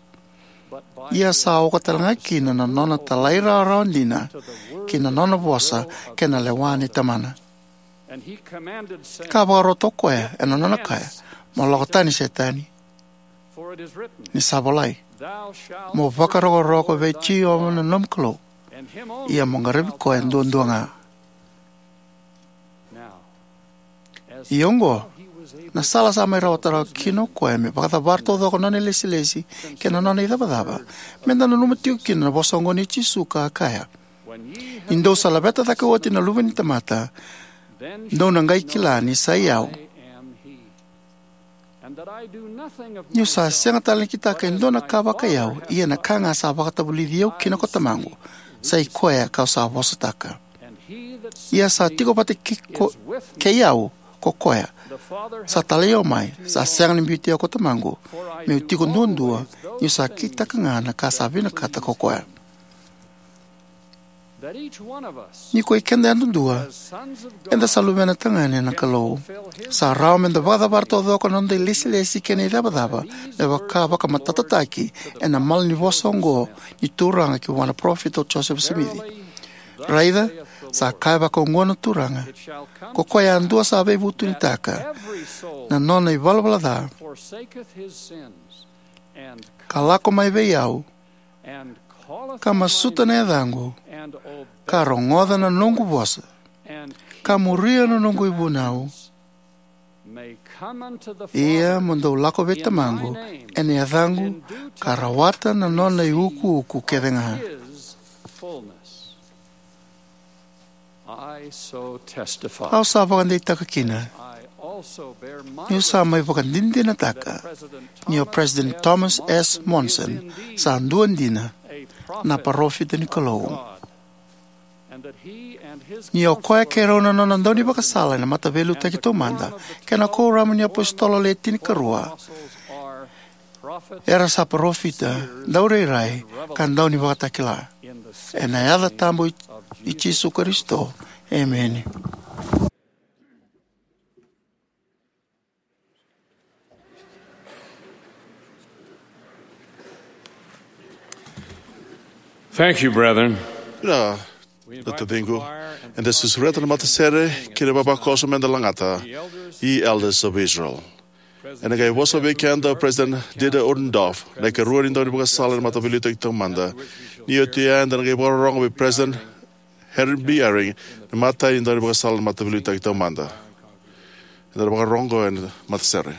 Ia sa oka talega kina na nona talairawarawa dina ki na nona vosa kei na lewa ni Tamana. Ka vakarota o koya ena nona kaya, "Mo lako tani, Setani, ni sa volai, 'Mo vakarokoroko vei Jiova na nomu Kalou, ia mo qaravi koya duadua ga.'" Ia oqo, na sala sa mai rawata rawa kina o koya me vakacavara taucoko na nona ilesilesi kei na nona icavacava, meda nanuma tiko kina na vosa oqo nei Jisu ka a kaya, "Ni dou sa laveta cake oti na Luve ni tamata, dou na qai kila ni sa i au, ni'u sa sega tale ni kitaka e dua na ka vakai au, ia na ka ga sa vakatavulici au kina ko Tamaqu, sa i koya ka'u sa vosataka. Ia sa tiko vata kei ko, kei au ko koya sa talai au mai, sa sega ni biuti au ko Tamaqu, me'u tiko duadua, ni'u sa kitaka ga na ka sa vinakata ko koya." Ni ko i keda yadudua, eda sa luvena tagane na Kalou. Sa rawa meda vakacavara taucoko na noda ilesilesi kei na icavacava, me vaka vakamatatataki ena malanivosa oqo ni Turaga ki vua na parofita o Josefa Simici. Raica, sa kaya vakaoqo na Turaga, ko koya yadua sa veivutunitaka na nona ivalavala ca, ka lako mai vei au, ka masuta na yacaqu, ka rogoca na noqu vosa, ka muria na noqu ivunau, ia mo dou lako vei Tamaqu ena yacaqu, ka rawata na nona iukuuku kece ga. Au sa vakadeitaka kina, ni'u sa mai vakadinadinataka ni o President Thomas S. Monson sa dua dina na parofita ni Kalou, ni o koya kei rau na nona daunivakasala ena Mataveiliutaki Taumada kei na Kuoramu ni iApositolo Le Tinikarua era sa parofita, daurairai, ka daunivakatakila. Ena yaca tabu i Jisu Karisito, emeni. Thank you, brethren. Na, na taciqu, eda sa sureta na matasere kei na ivavakoso meda lagata, ye elders of Israel. Ena qai vosa vei keda o President Dieter Uchtdorf, na ikarua ni daunivakasala ena Mataveiliutaki Taumada. Ni oti oya, eda na qai vakarorogo vei President Henry B. Eyring, na imatai ni daunivakasala ena Mataveiliutaki Taumada. Eda na vakarorogo ena matasere.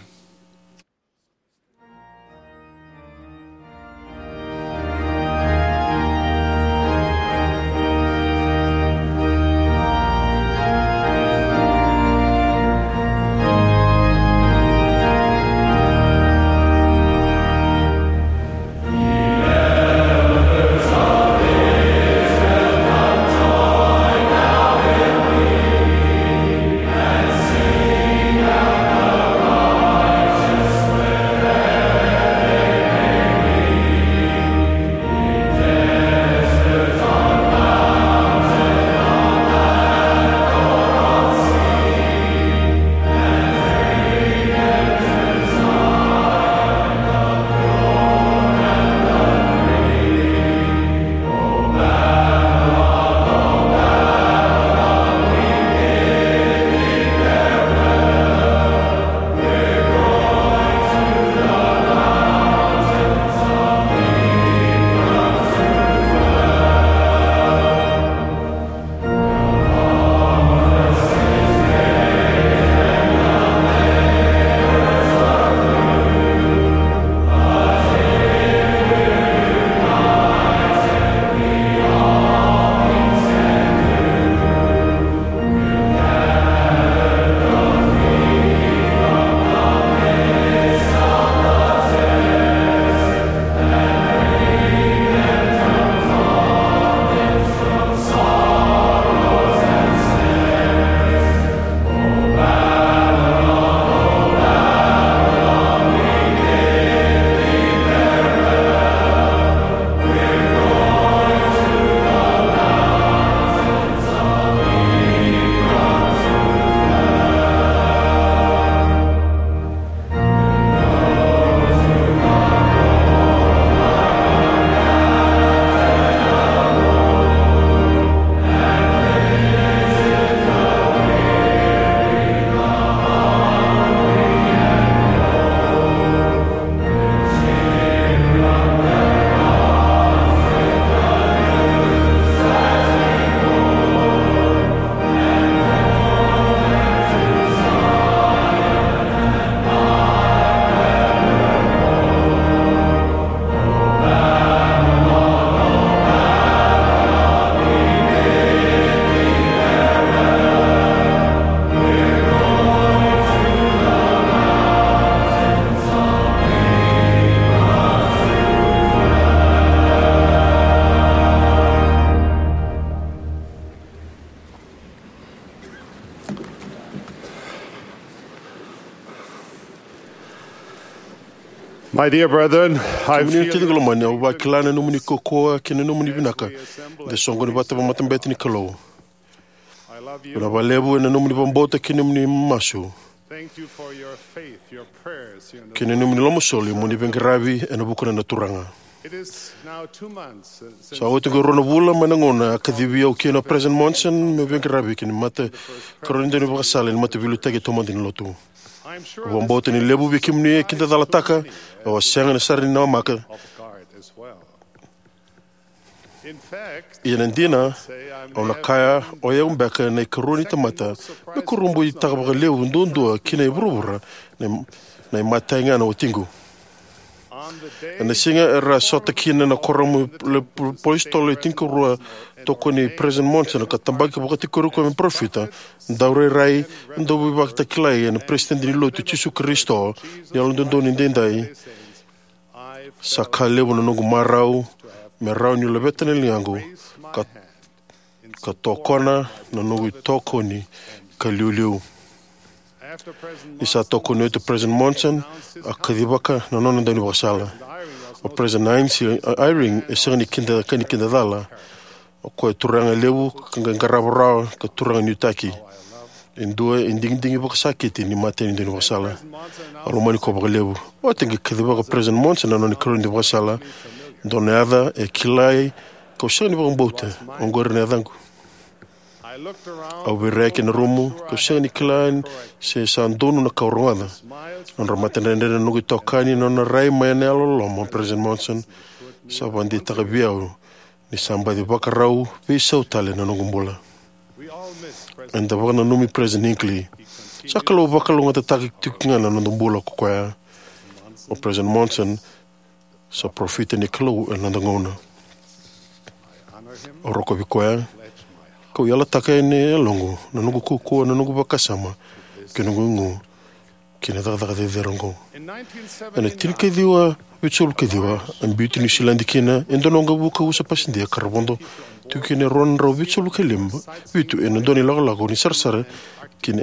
My dear brethren, I Kemuni na feel taciqu lomani, au vakila na nomuni kaukauwa kei na nomuni vinaka de soqoni vata vakamatabete ni Kalou. I love you. Vinaka vakalevu ena nomuni vakabauta kei na nomuni masu. Thank you for your faith, your prayers, your kei na nomuni lomasoli mo ni veiqaravi ena vuku na Turaga. It is now two months since Sa oti oqo e rua na vula mai na gauna a kacivi au kina o President Monson meu veiqaravi kina mata karua ni daunivakasala ni mataveiliutaki taumada ni lotu. I'm sure Au vakabauta ni levu vei kemuni e kidacalataka au a sega ni sara ni namaka. Of God as well. In fact, Ia na dina, say I'm au na kaya o yau beka na ikarua ni tamata me kurabuitaka vakalevu duadua kina e vuravura na, na imatai ga na watiqu. On the day Ena siga era sota kina na kuoramu le apositolo e tinikarua, tokoni President Monson ka tabaki vakatikori koya me parofita, daurairai, dauveivakitakilai ena Peresitedi ni Lotu i Jisu Karisito ni Yalododonu Edaidai, sa ka levu na noqu marau me rawa niu laveta na ligaqu ka, ka tokona na noqu itokani ka liuliu. Ni sa tokoni oti o President Monson, a kacivaka na nona daunivakasala. O President Heinz Eyring e sega ni kida, ka ni kidacala. O koya e turaga levu ka qai qarava rawa ka turaga nuitaki. E dua e digidigi vakasakiti ni mata ni daunivakasala. Au lomani koya vakalevu. Oti qai kacivaka o President Monson na nona ikarua ni daunivakasala. Dua na yaca e kilai kau sega ni vakabauta, oqori na yacaqu. Au veiraiyaki ena rumu, kau sega ni kila se sa donu na ka au rogoca. Nodra matadredre na noqu itokani, na nona rai mai na yalololoma o President Monson sa vakadeitaka vei au ni sa baci vakarau veisau tale na noqu bula. Eda vakananumi President Hinckley. Sa Kalou vakalougatataka tiko ga na noda bula ko koya. O President Monson sa parofita ni Kalou ena noda gauna. Au rokovi koya, kau yalataka ena yaloqu na noqu kaukauwa, na noqu vakasama, kei na noqu igu ki na cakacaka cecere oqo. Ena tinikaciwa vitusagavulu kaciwa, a biuti Niusiladi kina e dua na waqavuka usa pasidia ka ra vodo tiko kina e rua na drau vitusagavulu kalima, vitu ena dua na ilakolako ni sarasara ki na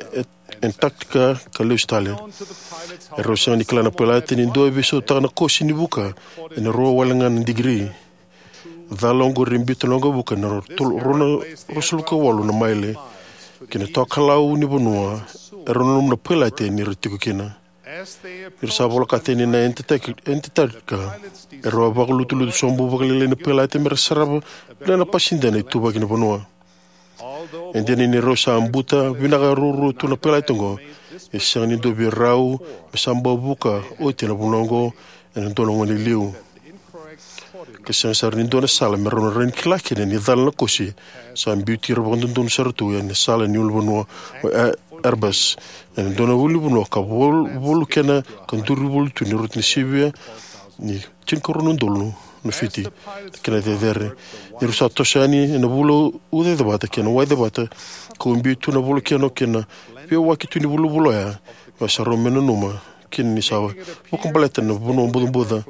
Antarctica ka lesu tale. Erau sega ni kila na pailate ni dua e veisautaka na kosi ni vuka ena rua wale ga na digiri. Cala oqori e biuta na waqavuka ena rua na, ruasagavulu ka walu na maile ki na tokalau ni vanua erau nanuma na pailate ni ra tiko kina. Ni ra sa volokata yani na Antarctica, erau a vakalutulutu sobu vakalailai na pailate me ra sarava na pasidia na ituvaki ni vanua. E dina ni rau sa buta vinaka ruarua tu na pailate oqo, e sega ni dua vei rau me sa bau vuka oti na vanua oqo ena dua na gauna e liu. Ka sega sara ni dua na sala me rau na rawa ni kila kina ni cala na kosi sa biuti ira vakadodonu sara tu ena sala ni ulunivanua o Erebus, ena dua na ulunivanua ka vol-, volu kena ka duri voli tu ni rauta ni sivia ni tinikarua na udolu na fiti kei na cecere. Ni rau sa toso yani ena vula ucacevata kei na waicevata, ka ubi tu na volokeno kei na veiwaki tu ni vulavula oya, me sa rau me nanuma kina ni sa vakabaleta na vanua bucabuca.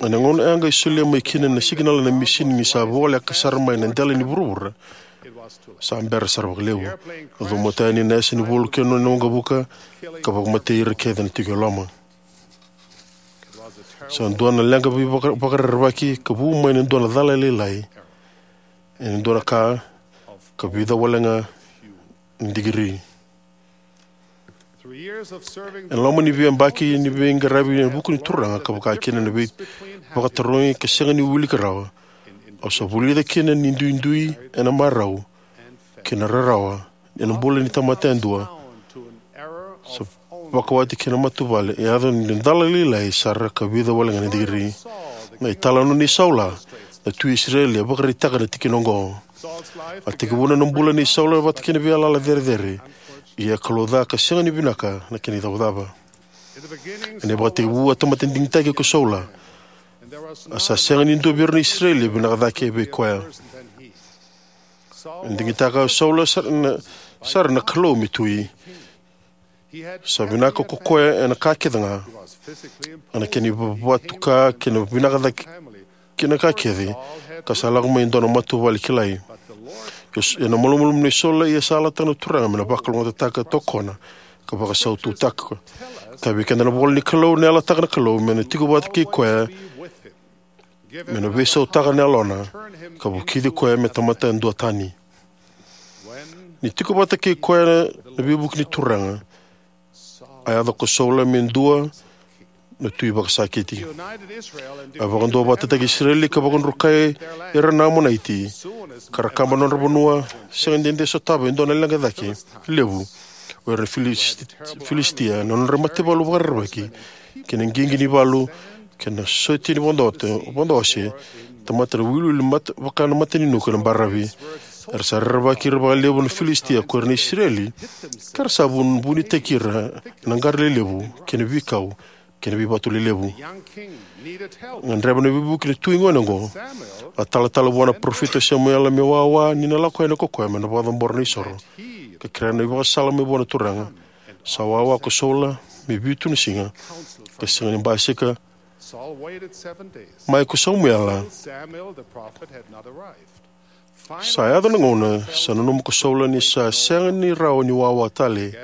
Ena gauna e a qai solia mai kina na sikinala na misini ni sa voleka sara mai na dela ni vuravura, sa bera sara vakalevu. A caumata yani na yasa ni volokeno ena waqavuka ka vakamatei ira kece na tiko e loma. Sa dua na leqa veivaka-, vakarerevaki ka vu mai na dua na cala lailai ena dua na ka ka vica wale ga na digiri. Ena loma ni veiyabaki ni veiqaravi ena vuku ni Turaga ka vaka kina na veivakatarogi ka sega ni wilika rawa, au sa vulica kina ni duidui ena marau kei na rarawa ena bula ni tamata yadua sa vakawati kei na matavuvale e yaco ni dua na cala lailai sara ka vica wale ga na digiri. Na italanoa nei Saula, na tui Isireli, e vakaraitaka na tikina oqo. A tekivuna na bula nei Saula vata kei na veiyalayala cerecere, ia e kalouca ka sega ni vinaka na kena icavacava. Ena ivakatekivu a tamata digitaki ko Saula, a sa sega ni dua vei ira na Isireli e vinaka cake vei koya. E digitaka o Saula sara na, sara na Kalou me tui. Sa vinaka ko koya ena ka kece ga, ena kena ivakavatuka kei na vinaka cake kei na ka kece, ka sa lako mai e dua na matavuvale kilai. Ena malumalumu nei Saula, ia sa yalataka na Turaga me na vakalougatataka, tokona, ka vakasaututaka. Ka vei keda na ivola ni Kalou, na yalataka na Kalou me na tiko vata kei koya, me na veisautaka na yalona, ka vukici koya me tamata duatani. Ni tiko vata kei koya na veivuke ni Turaga, a yaco ko Saula me dua na tui vakasakiti. A vakaduavatataki Isireli ka vakadrukai ira na Amonaiti, ka ra kaba nodra vanua, sega ni dede sotava e dua na leqa cake levu. O ira na Filisti-, Filisitia, na nodra mataivalu vakarerevaki, kei na qiqi ni valu, kei na sotia ni vodo-, vodo ose, tamata na wiliwili mat-, vaka na mataninuku ena baravi. Era sa rerevaki ira vakalevu na Filisitia ko ira na Isireli, ka ra sa vun-, vunitaki ira ena qara lelevu, kei na veikau, kei na veivatu lelevu. Gadreva na veivuke na tui gone oqo. A talatala vua na parofita o Samuela me wawa ni na lako yani ko koya me na vakacabora na isoro, ka kerea na ivakasala mai vua na Turaga. Sa wawa ko Saula me vitu na siga, ka sega ni basika mai ko Samuela. Sa yaco na gauna sa nanuma ko Saula ni sa sega ni rawa ni wawa tale.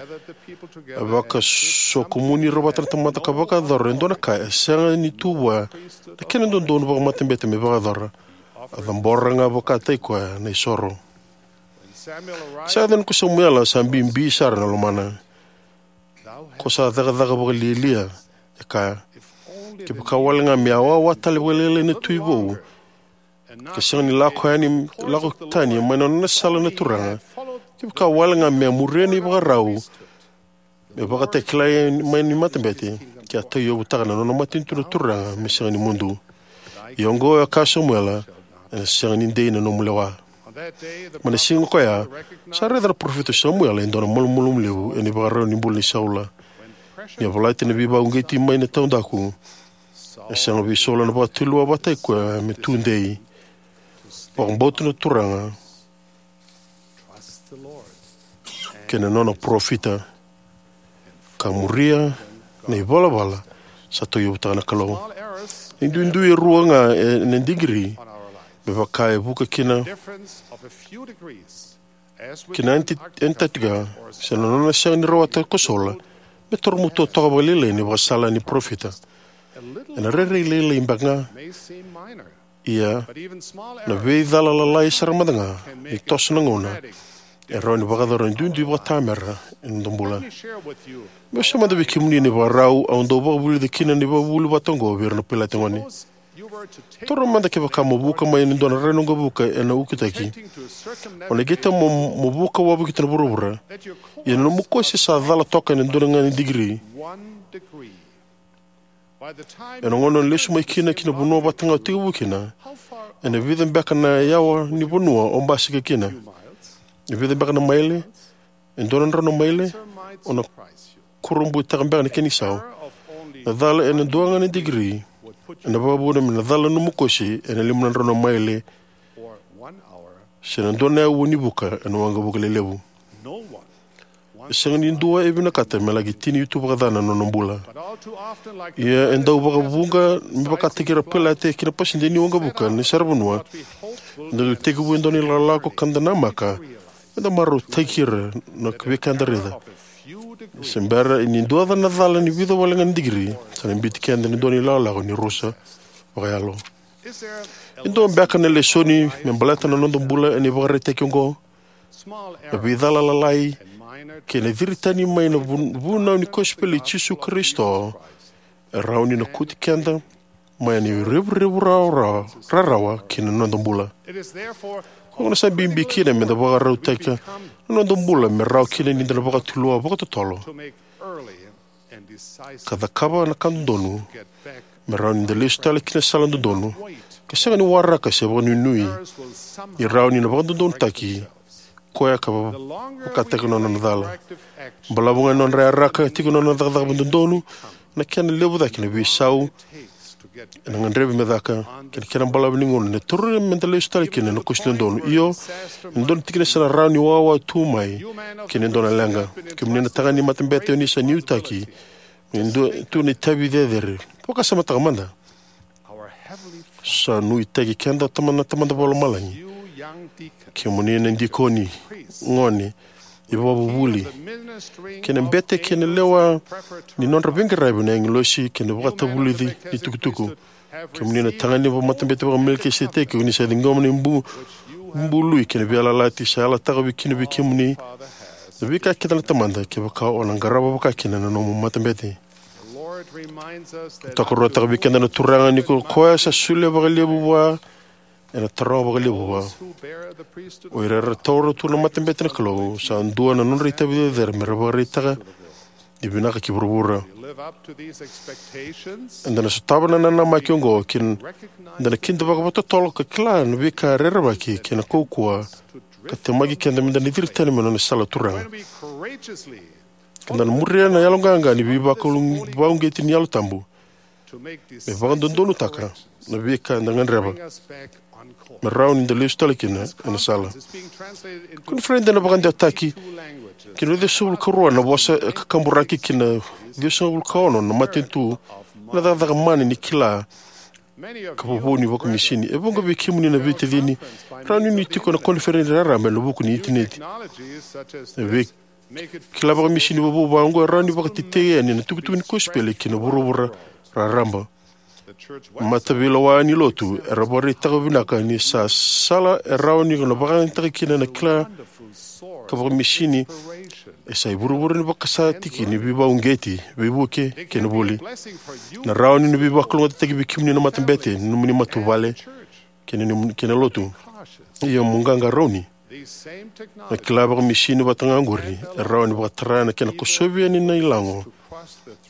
A vakasokomuni ira vata na tamata ka vakayacora e dua na ka e sega ni tu vua na kena dodonu vakamatabete me vakayacora. A cabora ga vakataki koya na isoro. Sa yaco yani ko Samuela, sa bibi sara na lomana. Ko sa cakacaka vakalialia, e kaya. Kevaka wale ga me a wawa tale vakalailai na tui vou, ka sega ni lako yani, lako tani mai na nona sala na Turaga. Kevaka wale ga me a muria na ivakarau me vakatakilai mai ni matabete, ke a tauyavutaka na nona matanitu na Turaga me sega ni mudu. Ia oqo, e kaya o Samuela, ena sega ni dei na nomu lewa. Mai na siga koya, sa raica na parofita o Samuela e dua na malumalumu levu ena ivakarau ni bula nei Saula. Ni a volati na veivakauqeti mai na taudaku, e sega vei Saula na vakatulewa vakataki koya me tudei, vakabauta na Turaga kei na nona parofita, ka muria na ivalavala sa tauyavutaka na Kalou. Na duidui e rua ga e, na digiri, me vaka e vuka kina, kina Anti-, Antarctica, se na nona sega ni rawata ko Saula, me taromatua toka vakalailai na ivakasala ni parofita. Ena rairai lailai beka ga, ia na veicala lalai sara mada ga ni toso na gauna e rawa ni vakayacora na duidui vakatamera ena noda bula. Meu sauma mada vei kemuni na ivakarau au dau vakavulica kina na ivakavuvuli vata oqo vei ira na pailate gone. Taura mada kevaka mo vuka mai ena dua na rai ni waqavuka ena ukutaki. O na qai tau mo, mo vuka wavokita na vuravura. Ia na nomu kosi sa cala toka ena dua ga na digiri. Ena gauna o lesu mai kina ki na vanua vata ga o tekivu kina, ena vica beka na yawa ni vanua o basika kina? E vica beka na maile? E dua na drau na maile? O na kurabuitaka beka na kena isau. Na cala ena dua ga na digiri ena vakavuna me na cala na nomu kosi ena lima na drau na maile, se na dua na aua ni vuka ena waqavuka lelevu. E sega ni dua e vinakata me laki tini tu vakacana na nona bula. Ia e dau vakavuqa me vakataki ira pailate ki na pasede ni waqavuka ni saravanua. Eda dau tekivu e dua na ilakolako ka da namaka me da marautaki ira na veika eda raica. Se bera ni dua na cala ni vica wale ga na digiri, sa na biuti keda ena dua na ilakolako ni rusa vakayalo. E dua beka na lesoni me baleta na noda bula ena ivakaraitaki oqo? Na veicala lalai kei na ciri tani mai na vu-, vunau ni kosipeli i Jisu Karisito e rawa ni na kauti keda mai na irevurevu rarawa, rarawa ki na noda bula. Koya gona sa bibi kina me da vakarautaka na noda bula me rawa kina ni da na vakatulewa vakatotolo ka cakava na ka dodonu, me rawa ni da lesu tale ki na sala dodonu, ka sega ni waraka se vakanuinui ni rawa ni na vakadodonutaki koya ka vakataki nona na cala. Balavu ga ni nodra yaraka tiko na nona cakacaka vakadodonu, na kena levu cake na veisau ena gadrevi me caka, kei na kena balavu ni gauna ena tauri me da lesu tale kina na kosi dodonu. Io, e dua na tikina sa na rawa ni wawa tu mai kei na dua na leqa. Kemuni na tagane ni matabete, o ni sa nuitaki me dua tu na itavi cecere. Vakasamataka mada. Sa nuitaki keda Tama-, na Tamada Vakalomalagi. Kemuni na dikoni, gone, ivakavuvuli, kei na bete kei na lewa ni nodra veiqaravi na agilosi kei na vakatavulici ni tukutuku. Kemuni na tagane vakaMatabete vakaMelikiseteki, o ni sa ciqoma na bu-, bului kei na veiyalayalati sa yalataka vei kina vei kemuni na veika kece na Tamada, kevaka o na qarava vakakina na nomu matabete. Tokaruataka vei keda na Turaga ni ko koya sa solia vakalevu vua ena taroga vakalevu vua. O ira era taura tu na matabete na Kalou sa dua na nodra itavi cecere me ra vakaraitaka ni vinaka ki vuravura. Eda na sotava na nanamaki oqo kei na, eda na kidavaka vakatotolo ka kila na veika rerevaki kei na kaukauwa ka temaki keda me da na ciri tani mai na nona sala Turaga. Keda na muria na yaloqaqa ni veivakalu-, vakauqeti ni Yalo Tabu me vakadodonutaka na veika eda gadreva me rawa ni da lesu tale kina ena sala. Koniferedi ena vakadewataki ki na ciwasagavulu ka rua na vosa e kakaburaki ki na ciwasagavulu ka ono na matanitu ena cakacaka mana ni kila ka vovou ni vakamisini. E vuqa vei kemuni na veitacini rawa ni ni tiko ena koniferedi raraba ena vuku ni initaneti. E vei kila vakamisini vovou vaqo e rawa ni vakatetei yani na tukutuku ni kosipeli ki na vuravura raraba. Mataveilawa ni lotu era vakaraitaka vinaka ni sa sala e rawa ni ko na vakayagataka kina na kila ka vakamisini e sa ivurevure ni vakasatiki ni veivakauqeti, veivuke kei na vuli. Na rawa ni na veivakalougatataki vei kemuni na matabete, nomuni matavuvale kei na, kei na lotu. Ia mo qaqarauni. Na kila vakamisini vata ga oqori e rawa ni vakatara na kena kosovi yani na ilago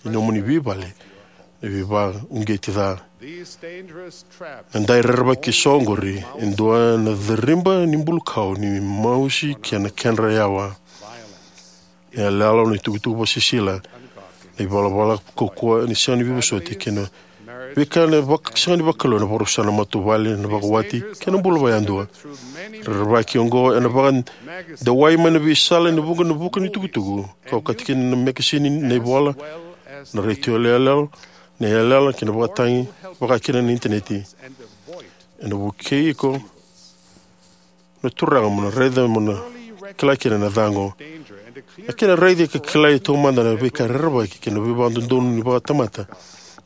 ni nomuni veivale na veivakauqeti ca. Na dai rerevaki eso oqori e dua na cariba ni bulukau ni mausi kei na kedra yawa. Na iyaloyalo, na itukutuku vakasisila, na ivalavala kaukauwa ni sega ni veivosoti kei na veika na vaka-, sega ni vakalou, na vakarusa na matavuvale, na vakawati kei na bula vakayadua. Rerevaki oqo ena vakadewai mai na veisala ena vuqa na vuka ni tukutuku, ka okati kina na mekasini, na ivola, na retio yaloyalo, na iyaloyalo kei na vakatagi, vaka kina na initaneti. Ena vukei iko na Turaga mo na raica, mo na kila kina na ca oqo. Na kena raici ka kilai taumada na veika rerevaki kei na veivakadodonu ni vakatamata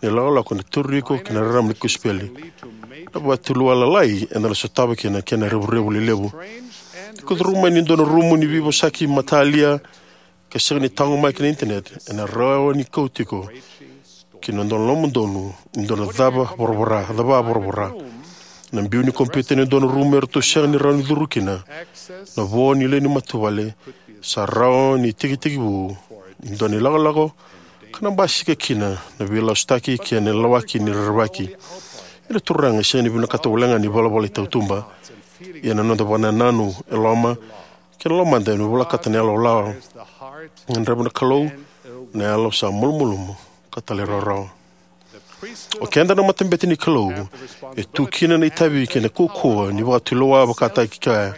ni lakolako ena tauri iko ki na rarama ni kosipeli. Na vakatulewa lalai eda na sotava kina na kena revurevu lelevu. Ni ko curu mai ni dua na rumu ni veivosaki matalia ka sega ni taqomaki na initaneti, ena rawa ni kauti iko ki na dua na lomadonu, ni dua na cava voravora, cava voravora. Na biu ni kompiuta ena dua na rumu eratou sega ni rawa ni curu kina. Na vo ni lewe ni matavuvale sa rawa ni tekitekivu ni dua na ilakolako ka na basika kina na veilasutaki kei na lawaki ni rerevaki. Ia na Turaga e sega ni vinakata walega na ivalavala i tautuba. Ia na noda vakanananu e loma kei na lomada ena volekata na yalo lala. E gadreva na Kalou na yalo sa malumalumu ka talairawarawa. O keda na matabete ni Kalou e tu kina na itavi kei na kaukauwa ni vakatulewa vakataki kaya.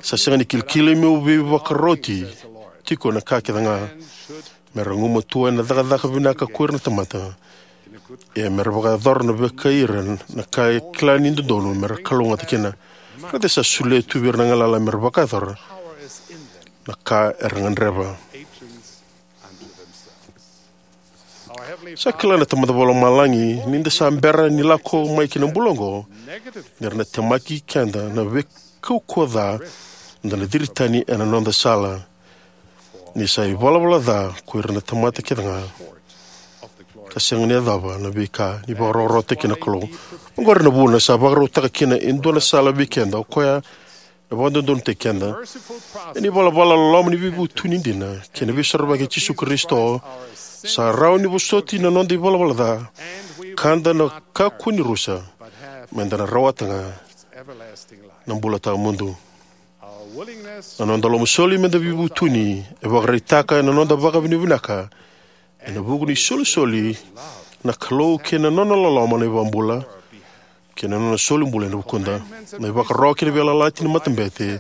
Sa sega ni kilikili meu veivakaroti tiko na ka kece ga. Me ra gumatua ena cakacaka vinaka ko ira na tamata. Ia me ra vakayacora na vakaira na ka e kila ni dodonu me ra kalougata kina. Raica sa solia tu vei ira na galala me ra vakayacora na ka era gadreva. Sa kila na Tamada Vakalomalagi ni da sa bera ni lako mai ki na bula oqo, ni ra na temaki keda na veikaukauwa ca, da na ciri tani ena noda sala. Ni sa ivalavala ca ko ira na tamata kece ga, ka sega ni yacova na veika ni vakarawarawataki na Kalou. Oqori na vuna sa vakarautaka kina e dua na sala vei keda, o koya e vakadodonutaki keda. Ena ivalavala loloma ni veivutuni dina kei na veisorovaki i Jisu Karisito, sa rawa ni vosoti na noda ivalavala ca, ka da na kakua ni rusa, me da na rawata ga na bula tawamudu. Na noda lomasoli me da veivutuni e vakaraitaka ena noda vakavinavinaka ena vuku ni solisoli na Kalou kei na nona loloma na iVakabula, kei na nona solibula ena vukuda. Na ivakaro kei na veiyalayalati ni matabete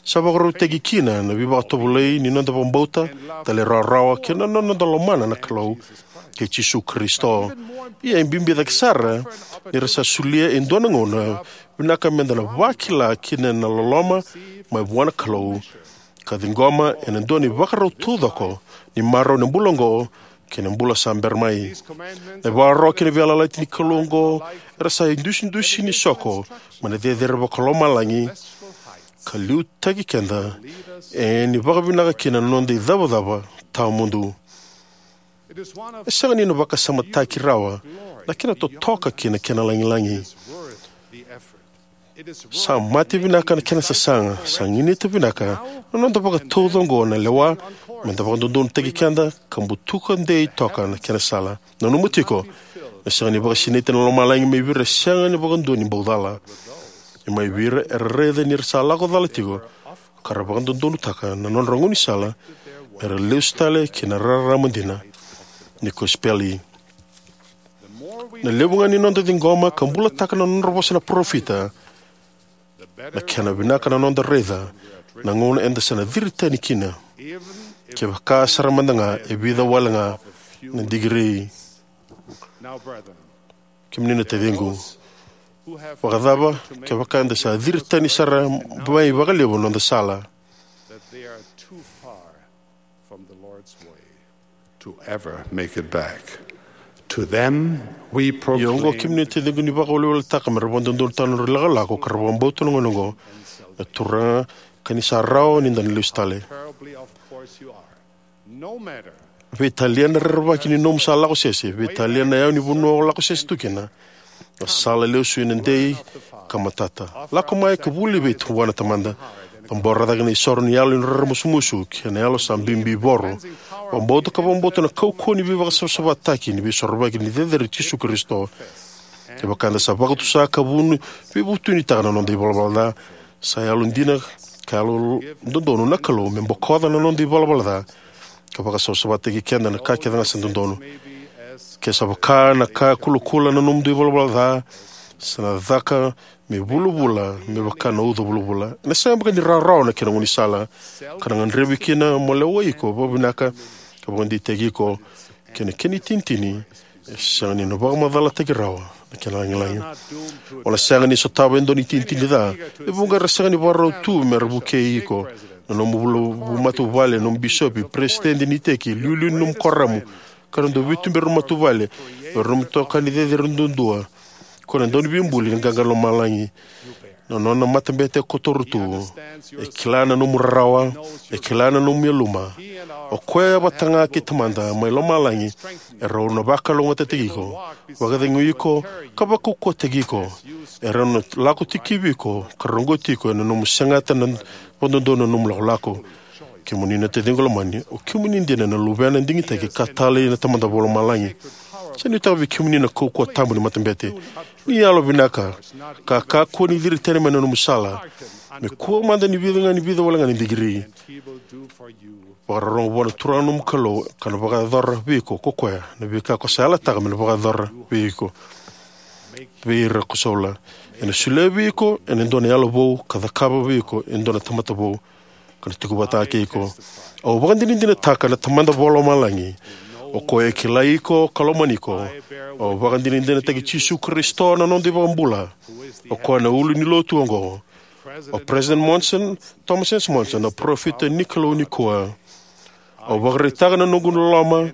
sa vakarautaki kina na veivakatovolei ni noda vakabauta, talairawarawa kei na noda lomana na Kalou. kei Jisu Karisito. Ia e bibi cake sara ni ra sa solia e dua na gauna vinaka meda na vakila kina na loloma mai vua na Kalou, ka ciqoma ena dua na ivakarau taucoko ni marau ena bula oqo kei na bula sa bera mai. Na ivakaro kei na veiyalayalati ni Kalou oqo era sa idusidusi ni soko mai na cecere vakalomalagi, ka liutaki keda ena vakavinaka kina na noda icavacava tawamudu. E sega ni na vakasamataki rawa na kena totoka kei na kena lagilagi. Sa mate vinaka na kena sasaga, sa ganita vinaka na noda vakatauca oqo na lewa meda vakadodonutaki keda ka butuka dei toka na kena sala. Nanuma tiko, na sega ni vakasinaiti na lomalagi mai vei ira e sega vakadua ni bau cala. Ia mai vei ira era raica ni ra sa lako cala tiko, ka ra vakadodonutaka na nodra gaunisala mera lesu tale ki na rarama dina ni kosipeli. Na levu ga ni noda ciqoma ka bulataka na nodra vosa na parofita, na kena vinaka na noda raica na gauna eda sa na ciri tani kina, kevaka sara mada ga e vica wale ga na digiri. Kemuni na taciqu, vakacava kevaka eda sa ciri tani sara mai vakalevu na noda sala? To ever make it back. To them, we proclaim. Ia oqo, kemuni na taciqu, ni vakaweleweletaka mera vakadodonutaka na nodra ilakolako ka ra vakabauta na gauna oqo na Turaga, ka ni sa rawa ni da na lesu tale. Terribly, of course you are. No matter. Veitalia na rerevaki ni nomu sa lako sese, veitalia na yawa ni vanua o lako sese tu kina, na sala lesu ena dei ka matata. Lako mai ka vuli vei vua na Tamada. Cabora cake na isoro ni yalo ni raramusumusu kei na yalo sa bibivoro. Vakabauta ka vakabauta na kaukauwa ni veivakasavasavataki ni veisorovaki ni cecere i Jisu Karisito. Kevaka eda sa vakatusa ka vuni veivutunitaka na noda ivalavala ca, sa yalodina ka yalododonu na Kalou me bokoca na noda ivalavala ca ka vakasavasavataki keda na ka kece ga sa dodonu. Ke sa vaka na ka kulakula na nomudou ivalavala ca, sa na caka me vulavula me vaka na uca vulavula. Ena sega beka ni rawarawa na kena gaunisala, ka na gadrevi kina mo lewai iko vakavinaka ka vakadeitaki iko, kei na kena itinitini e sega ni na vakamacalataki rawa na kena lagilagi. O na sega ni sotava e dua na itinitini ca e vuqa era sega ni vakarau tu mera vukei iko. Na nomu vula-, matavuvale, nomu bisopi, peresitedi ni iteki, iliuliu ni nomu kuoramu, ka ra dau veituberi na matavuvale, o ira nomu itokani cecere duadua, ko na dauniveibuli ni qaqa lomalagi. Na nona matabete e kotora tu. E kila na nomu rarawa, e kila na nomu yaluma. O koya vata ga kei Tamada mai lomalagi e rau na vakalougatataki iko, vakacegui iko, ka vakaukauwataki iko. E rau na lako tikivi iko ka roqoti iko ena nomu segata na vakadodonu na nomu lakolako. Kemuni na taciqu lomani, o kemuni dina na luvena digitaki ka talei na Tamada Vakalomalagi. Sa nuitaka vei kemuni na kaukauwa tabu ni matabete. Ni yalo vinaka ka kakua ni ciri tani mai na nomu sala, me kua mada ni vica ga ni vica wale ga na digiri. Vakarorogo vua na Turaga na nomu Kalou ka na vakayacora vei iko ko koya na veika ko sa yalataka me na vakayacora vei iko, vei ira ko Saula. Ena solia vei iko ena dua na yalo vou ka cakava vei iko e dua na tamata vou. Ka na tiko vata kei iko. Au vakadinadinataka na Tamada Vakalomalagi. O koya e kilai iko ka lomani iko. Au vakadinadinataki Jisu Karisito na noda iVakabula. O koya na ulu ni lotu oqo. O President Monson, Thomas S. Monson, na parofita ni Kalou nikua. Au vakaraitaka na noqu loloma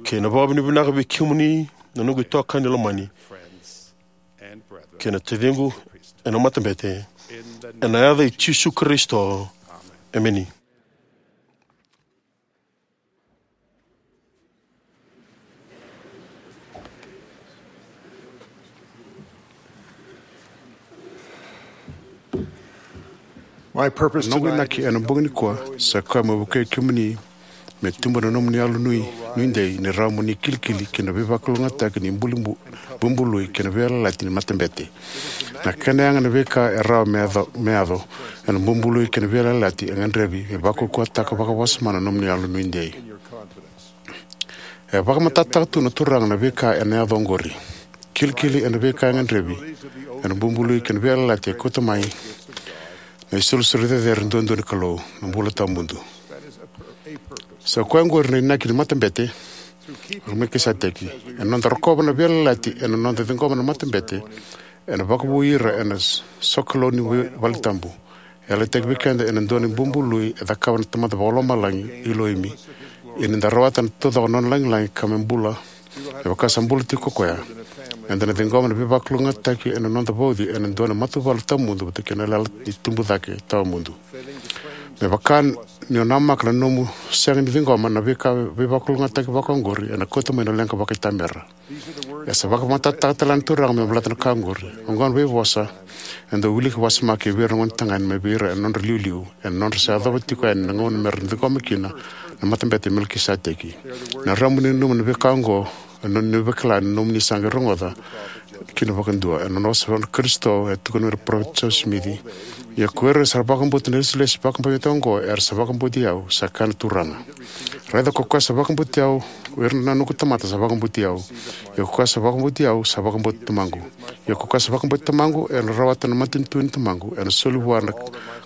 kei na vakavinavinaka vei kemuni na noqu itokani lomani kei na taciqu ena matabete. Ena yaca i Jisu Karisito. Emeni. My purpose tonight. Noqu inaki ena bogi nikua sa koya me vukei kemuni me tubu na nomuni yalo nui, nuidei ni rawa mo ni kilikili ki na veivakalougatataki ni buli bu-, bubului kei na veiyalayalati ni matabete. Na kena yaga na veika e rawa me yaco, me yaco ena bubului kei na veiyalayalati e gadrevi me vakaukauwataka vakawasoma na nomuni yalo nuidei. E vakamatatataka tu na Turaga na veika ena yaco oqori. Kilikili ena veika e gadrevi ena bubului kei na veiyalayalati e kauta mai na isolisoli cecere duadua ni Kalou, na bula tawamudu. Sa koya oqori na inaki ni matabete. Melkiseteki. Ena noda rokova na veiyalayalati ena noda ciqoma na matabete, ena vakavoui ira ena sokalou ni valetabu. E yalataki vei keda ena dua na ibubului e cakava na Tamada Vakalomalagi, Iloimi. Ia ni da rawata na taucoko na nona lagilagi ka me bula, me vaka sa bula tiko ko koya, eda na ciqoma na veivakalougatataki ena noda vauci ena dua na matavuvale tawamudu vata kei na yalayala ni tubu cake tawamudu. Me vaka ni o namaka na nomu sega ni ciqoma na veika veivakalougatataki vakaoqori, ena kauta mai na leqa vakaitamera. E sa vakamatatataka tale na Turaga me baleta na ka oqori. Oqo na veivosa e dau wiliki vakasimaki vei ira na gonetagane mai vei ira ena nodra liuliu, ena nodra sa yacova tiko yani na gauna mera ciqoma kina na matabete i Melkiseteki. Na rawa mo ni nanuma na veika oqo ena nona ni vakila na nomuni sa qai rogoca kina vakadua. Ena nona vosa na Karisito e tukuna vei ira na parofita Josefa Simici: Ia ko ira sa vakabauta na ilesilesi vakabibi oqo era sa vakabauti au, sa kaya na Turaga. Raica ko koya sa vakabauti au, o ira na noqu tamata sa vakabauti au. Ia ko koya sa vakabauti au sa vakabauta Tamaqu. Ia ko koya sa vakabauta Tamaqu ena rawata na matanitu ni Tamaqu, ena soli vua na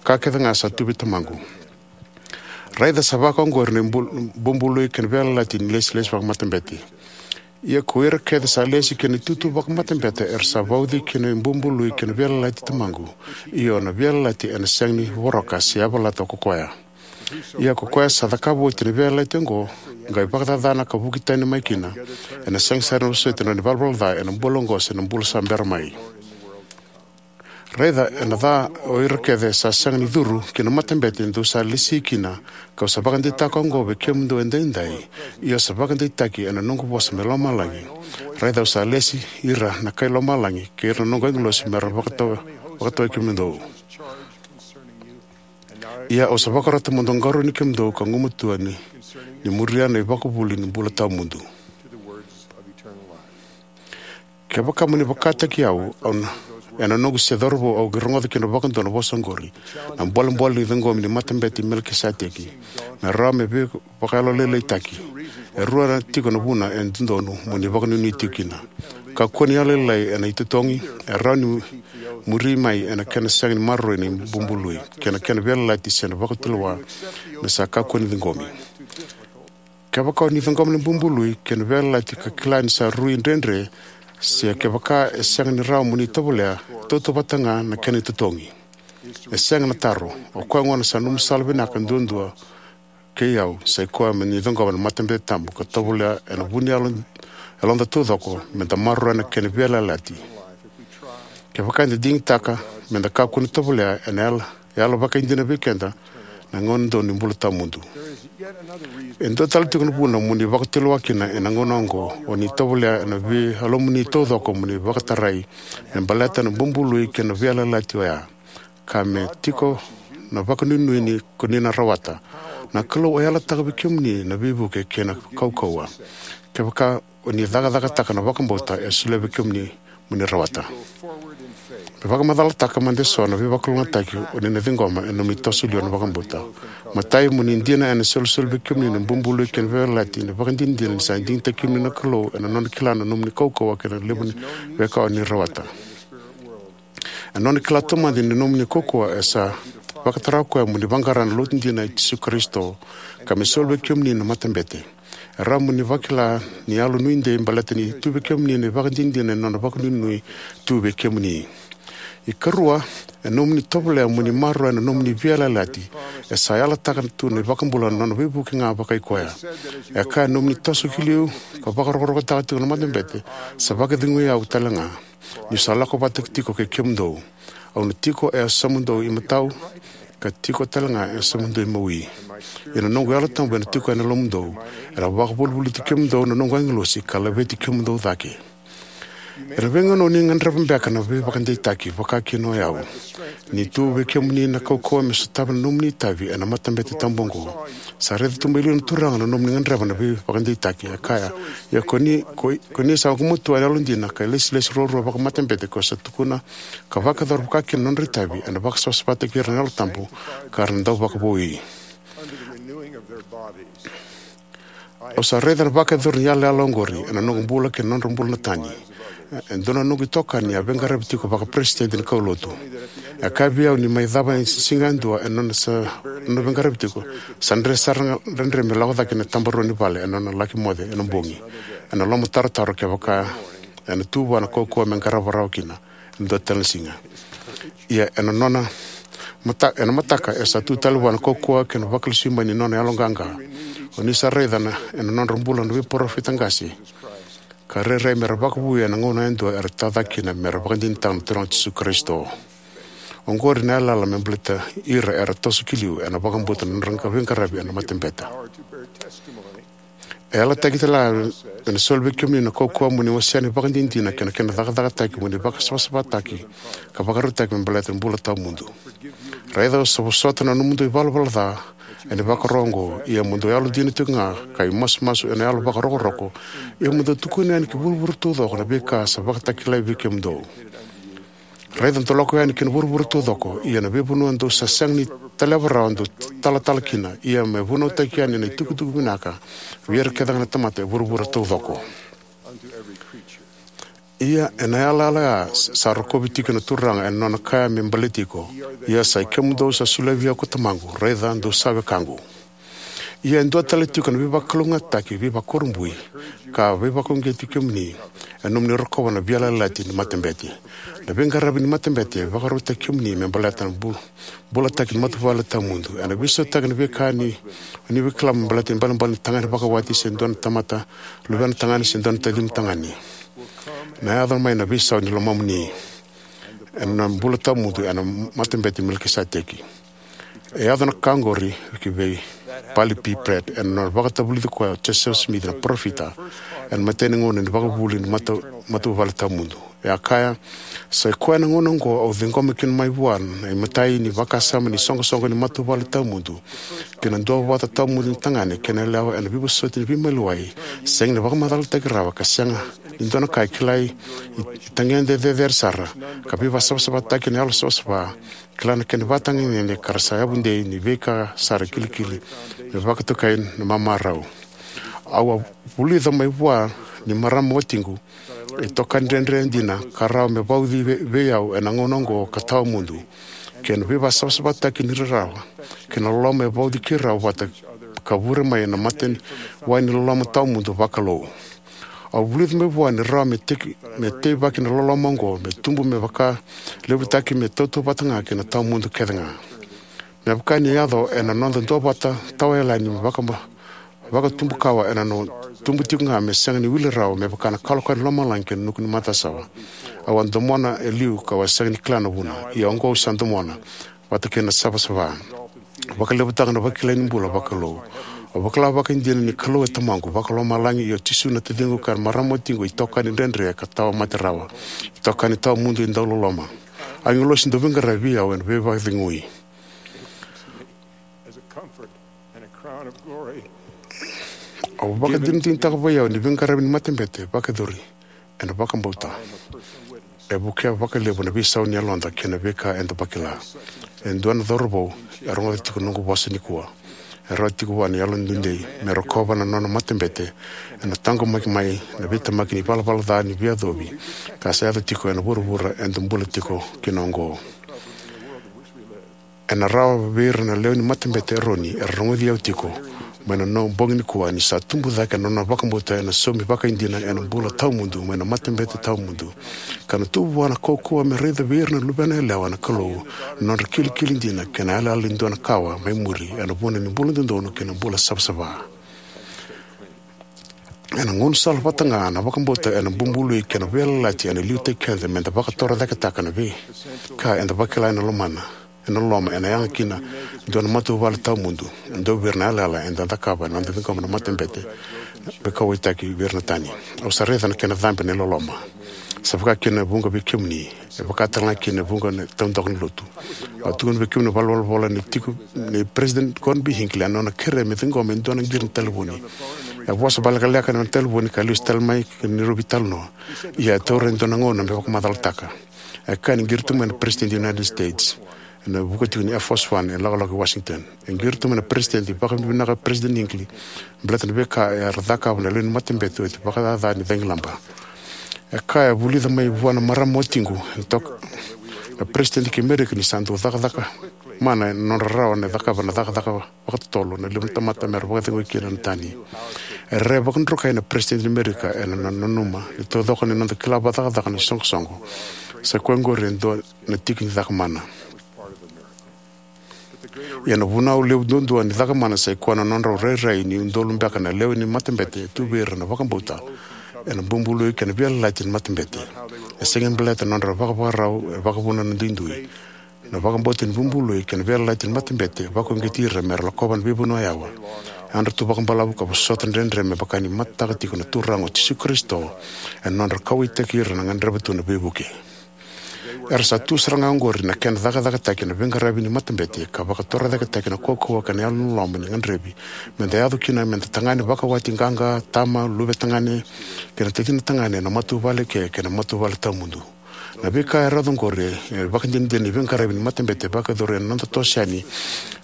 ka kece ga sa tu vei Tamaqu. Raica sa vaka oqori na bubului kei na veiyalayalati ni ilesilesi vakamatabete. Ia ko ira kece sa lesi ki na itutu vakamatabete era sa vauci ki na bubului kei na veiyalayalati i Tamaqu. Io, na veiyalayalati ena sega ni voroka se yavalata ko koya. Ia ko koya sa cakava oti na veiyalayalati oqo, qai vakacacana ka vuki tani mai kina, ena sega sara ni vosoti na nona ivalavala ca ena bula oqo se na bula sa bera mai. Raica, ena ca o ira kece sa sega ni curu ki na matabete dou sa lesi kina. Kau sa vakadeitaka oqo vei kemudou edaidai, io sa vakadeitaki ena noqu vosa mai lomalagi. Raica, au sa lesi ira na kai lomalagi kei ira na noqu agilosi mera vakatau, vakatawai kemudou. Ia au sa vakarota mo dou qarauni kemudou ka gumatua ni, ni muria na ivakavuvuli ni bula tawamudu. Kevaka mo ni vakataki au, au na, ena noqu se cauravou au qai rogoca kina vakadua na vosa oqori. Na bolebole ni ciqomi ni matabete i Melikiseteki me rawa me veivakayalolailaitaki. E rua na tiko na vuna e dodonu mo ni vakanuinui tiko kina. Kakua ni yalolailai ena itotogi. E rawa ni muri mai ena kena sega ni maroroi na bubului kei na kena veiyalayalati se na vakatulewa me sa kakua ni ciqomi. Kevaka o ni ciqoma na bubului kei na veiyalayalati ka kila ni sa rui dredre, se kevaka e sega ni rawa mo ni tovolea, e tautauvata ga na kena itotogi. E sega na taro. O koya gona sa nomu sala vinaka duadua kei au, sa i koya me ni ciqoma na matabete tabu ka tovolea ena vu ni yalo, yaloda taucoko, me da maroroya na kena veiyalayalati. Kevaka eda digitaka me da kakua ni tovolea, ena yala, yala vakaidina vei keda na gauna donu ni bula tawamudu. E dua tale tiko na vuna mo ni vakatulewa kina ena gauna oqo, o ni tovolea ena veiyalomuni taucoko mo ni vakatarai me baleta na bubului kei na veiyalayalati oya, ka me tiko na vakanuinui ni ko ni na rawata. Na Kalou e yalataka vei kemuni na veivuke kei na kaukauwa. Kevaka o ni cakacakataka na vakabauta e solia vei kemuni mo ni rawata. Me vakamacalataka mada eso na veivakalougatataki o ni na ciqoma ena nomuni toso liwa na vakabauta. Matai, mo ni dina ena isolisoli vei kemuni na bubului kei na veiyalayalati, na ivakadinadina ni sa digitaki kemuni na Kalou ena nona kila na nomuni kaukauwa kei na levu ni veika o ni rawata. Ena nona kila taumada ni nomuni kaukauwa, e sa vakatara o koya mo ni vaqara na lotu dina i Jisu Karisito, ka me soli vei kemuni na matabete. E rawa mo ni vakila ni yalonuidei baleta ni tu vei kemuni na ivakadinadina ni nona vakanuinui tu vei kemuni. Ikarua, e nomuni tovolea mo ni maroroya na nomuni veiyalayalati. E sa yalataka tu na iVakabula na nona veivuke ga vakai koya. E kaya, e nomuni toso ki liu ka vakarokorokotaka tiko na matabete, sa vakacegui au tale ga, niu sa lako vata tiko kei kemudou. Au na tiko e yasamudou imatau, ka tiko tale ga e yasamudou imawi. Ia na noqu Yalo Tabu ena tiko ena yalomudou. Ena vakavolivoliti kemudou na noqu agilosi ka laveti kemudou cake. Ena veigauna o ni gadreva beka na veivakadeitaki, vaka kina o yau, ni tu vei kemuni na kaukauwa me sotava na nomuni itavi ena matabete tabu oqo. Sa raica tu mai liu na Turaga na nomuni gadreva na veivakadeitaki. E kaya, ia ko ni, ko, ko ni sa gumatua ena yalodina ka ilesilesi ruarua vakamatabete, ko sa tukuna ka vakayacora vaka kina na nodra itavi, ena vakasavasavataki ira na Yalo Tabu ka ra na dau vakavoui. Au sa raica na vakayacori ni yalayala oqori ena noqu bula kei na nodra bula na tani. E dua na noqu itokani a veiqaravi tiko vakaperesitedi ni kaulotu. E kaya vei au ni mai cava e siga yadua ena nona sa, nona veiqaravi tiko, sa dre sara ga, dredre me lako cake ena tabarua ni vale ena nona laki moce ena bogi, ena lomatarotaro kevaka ena tu vua na kaukauwa me qarava rawa kina ena dua tale na siga. Ia ena nona mata, ena mataka e sa tu tale vua na kaukauwa kei na vakalesui mai ni nona yaloqaqa. O ni sa raica na, ena nodra bula na veiparofita qase ka rairai me ra vakavouya ena gauna yadua era tacake kina me ra vakadinadinataka na Turaga o Jisu Karisito. Oqori na yalayala me baleti ira era toso ki liu ena vakabauta na nodra veiqaravi ena matabete. E yalataki tale ga ena soli vei kemuni na kaukauwa mo ni wasea na ivakadinadina kei na kena cakacakataki mo ni vakasavasavataki ka vakarautaki me baleta na bula tawamudu. Raica, au sa vosota na nomudou ivalavala ca ena ivakaro oqo, ia mo dou yalodina tiko ga ka imasumasu ena yalo vakarokoroko, ia mo dou tukuna yani ki vuravura taucoko na veika sa vakatakilai vei kemudou. Raica, dou lako yani ki na vuravura taucoko, ia na veivanua dou sa sega ni taleva rawa dou talatala kina, ia me vunautaki yani na itukutuku vinaka vei ira kece ga na tamata e vuravura taucoko. Ia ena yalayala ya sa rokovi tiko na Turaga ena nona kaya me baleti iko: Ia sa i kemudou sa solia vei au ko Tamaqu, raica, dou sa wekaqu. Ia e dua tale tiko na veivakalougatataki, veivakakurabui, ka veivakauqeti kemuni, ena nomuni rokova na veiyalayalati ni matabete. Na veiqaravi ni matabete e vakarautaki kemuni me baleta na bul-, bulataki ni matavuvale tawamudu. Ena veisautaki na veika ni, ni veikilai me baleta ibalebale ni tagane vakawati se dua na tamata luvena tagane se dua na tacimu tagane. Na yaco mai na veisau ni lomamuni ena bula tawamudu ena matabete Melikiseteki. E yaco na ka oqori ki vei Parley P Pratt ena nona vakatavulici koya o Joseph Smith na parofita ena imatai ni gauna ni vakavuvuli ni mata-, matavuvale tawamudu. E a kaya: Sa i koya na gauna oqo au ciqoma kina mai vua na imatai ni vakasama ni soqosoqo ni matavuvale tawamudu, kei na duavata tawamudu ni tagane kei na yalewa ena veivosoti ni veimaliwai sega ni vakamacalataki rawa ka sega ni dua na ka e kilai, i, itagede cecere sara, ka veivasavasavataki na yalo savasava, kila na kena ivakatagedegede ka ra sa yavudei ni veika sara kilikili me vakatokai na mamarau. Au a vulica mai vua ni marama watiqu, itokani dredre dina ka rawa me vauci vei, vei au ena gauna oqo ka tawamudu, kei na veivasavasavataki ni rarawa kei na loloma e vauci keirau vata ka vure mai ena mata ni wai ni loloma tawamudu vakalou. Au vulica mai vua ni rawa me tei, me teivaki na loloma oqo me tubu me vakalevutaki me tautauvata ga kei na tawamudu kece ga. Me vaka ni yaco ena noda duavata tawayalani me vaka, vakatubukawa ena noda tubu tiko ga me sega ni wili rawa me vaka na kalokalo ni lomalagi kei na nuku ni matasawa. Au a domona e liu kau a sega ni kila na vuna, ia oqo au sa domona vata kei na savasava. Vakalevutaka na vakilai ni bula vakalou. Au vakila vakaidina ni Kalou e Tamaqu vakalomalagi, ia o Jisu na taciqu, ka na marama watiqu itokani dredre ka tawa mate rawa, itokani tawamudu e dau loloma, agilosi dauveiqaravi vei au ena veivakacegui. Au vakadinadinataka vei au ni veiqaravi ni matabete vakayacori ena vakabauta e vukea vakalevu na veisau ni yaloda kei na veika eda vakila. E dua na cauravou e rogoca tiko na noqu vosa nikua. E rawa tiko vua na yalododonu me rokova na nona matabete ena taqomaki mai na veitemaki ni valavala ca ni veiyacovi ka sa yaco tiko ena vuravura eda bula tiko kina oqo. Ena rawa vei ira na lewe ni matabete Eroni era rogoci au tiko mai na noqu bogi nikua ni sa tubu cake na nona vakabauta ena saumi vakaidina ena bula tawamudu mai na matabete tawamudu, ka na tu vua na kaukauwa me raica vei ira na luvena yalewa na Kalou na nodra kilikili dina kei na yalayala ni dua na kawa mai muri ena vuna ni bula dodonu kei na bula savasava. Ena gaunisala vata ga na vakabauta ena bubului kei na veiyalayalati ena liutaki keda meda vakatorocaketaka na veika eda vakila ena lomana, ena loma, ena yaga kina dua na matavuvale tawamudu. E dua vei ira na yalayala eda cakava ena noda ciqoma na matabete me kauwaitaki vei ira na tani. Au sa raica na kena cabe na iloloma. Sa vaka kina e vuqa vei kemuni, e vaka tale ga kina e vuqa na taudaku ni lotu. Au tukuna vei kemuni na valenivolavola ni tiko nei President Gordon B Hinckley ena nona kerea me ciqoma e dua na qiri ni talevoni. E vosa vakalekaleka na talevoni ka lesu tale mai ki na neirau veitalanoa. Ia e taura e dua na gauna me vakamacalataka. E kaya ni qiri tu mai na President ni United States ena vuku tiko ni Air Force One e lakolako i Washington. E qiri tu mai na President, vakavinavinaka President Hinckley baleta na veika era cakava na lewe ni matabete oti vakacaca ni cagilaba. E kaya e vulica mai vua na marama watiqu, e toka, Na peresitedi kei Merika ni sa dau cakacaka mana ena nodra rawa ni cakava na cakacaka vakatotolo na levu ni tamata mera vakacegui kina na tani. E rairai vakadrukai na peresitedi ni Merika ena nona nanuma ni taucoko ni noda kila vakacakacaka na isoqosoqo, sa i koya oqori e dua na tiki ni caka mana. Ia na vunau levu duadua ni caka mana sa i koya na nodrau rairai ni udolu beka na lewe ni matabete e tu vei ira na vakabauta ena bubului kei na veiyalayalati ni matabete. E sega ni baleta na nodra vakavakarau e vakavuna na duidui. Na vakabauta ni bubului kei na veiyalayalati ni matabete e vakauqeti ira mera lakova na veivanua yawa. E yadra tu vakabalavu ka vosota dredre me vaka ni matataka tiko na Turaga o Jisu Karisito ena nodra kauwaitaki ira na gadreva tu na veivuke. Era sa tu sara ga oqori na kena cakacakataki na veiqaravi ni matabete ka vakatorocaketaki na kaukauwa kei na yalo ni loloma ni gadrevi meda yaco kina meda tagane vakawati, qaqa, tama, luve tagane kei na tacina tagane ena matavuvale ke kei na matavuvale tawamudu. Na veika e rauta oqori e vakadinadina ni veiqaravi ni matabete e vakayacori ena noda toso yani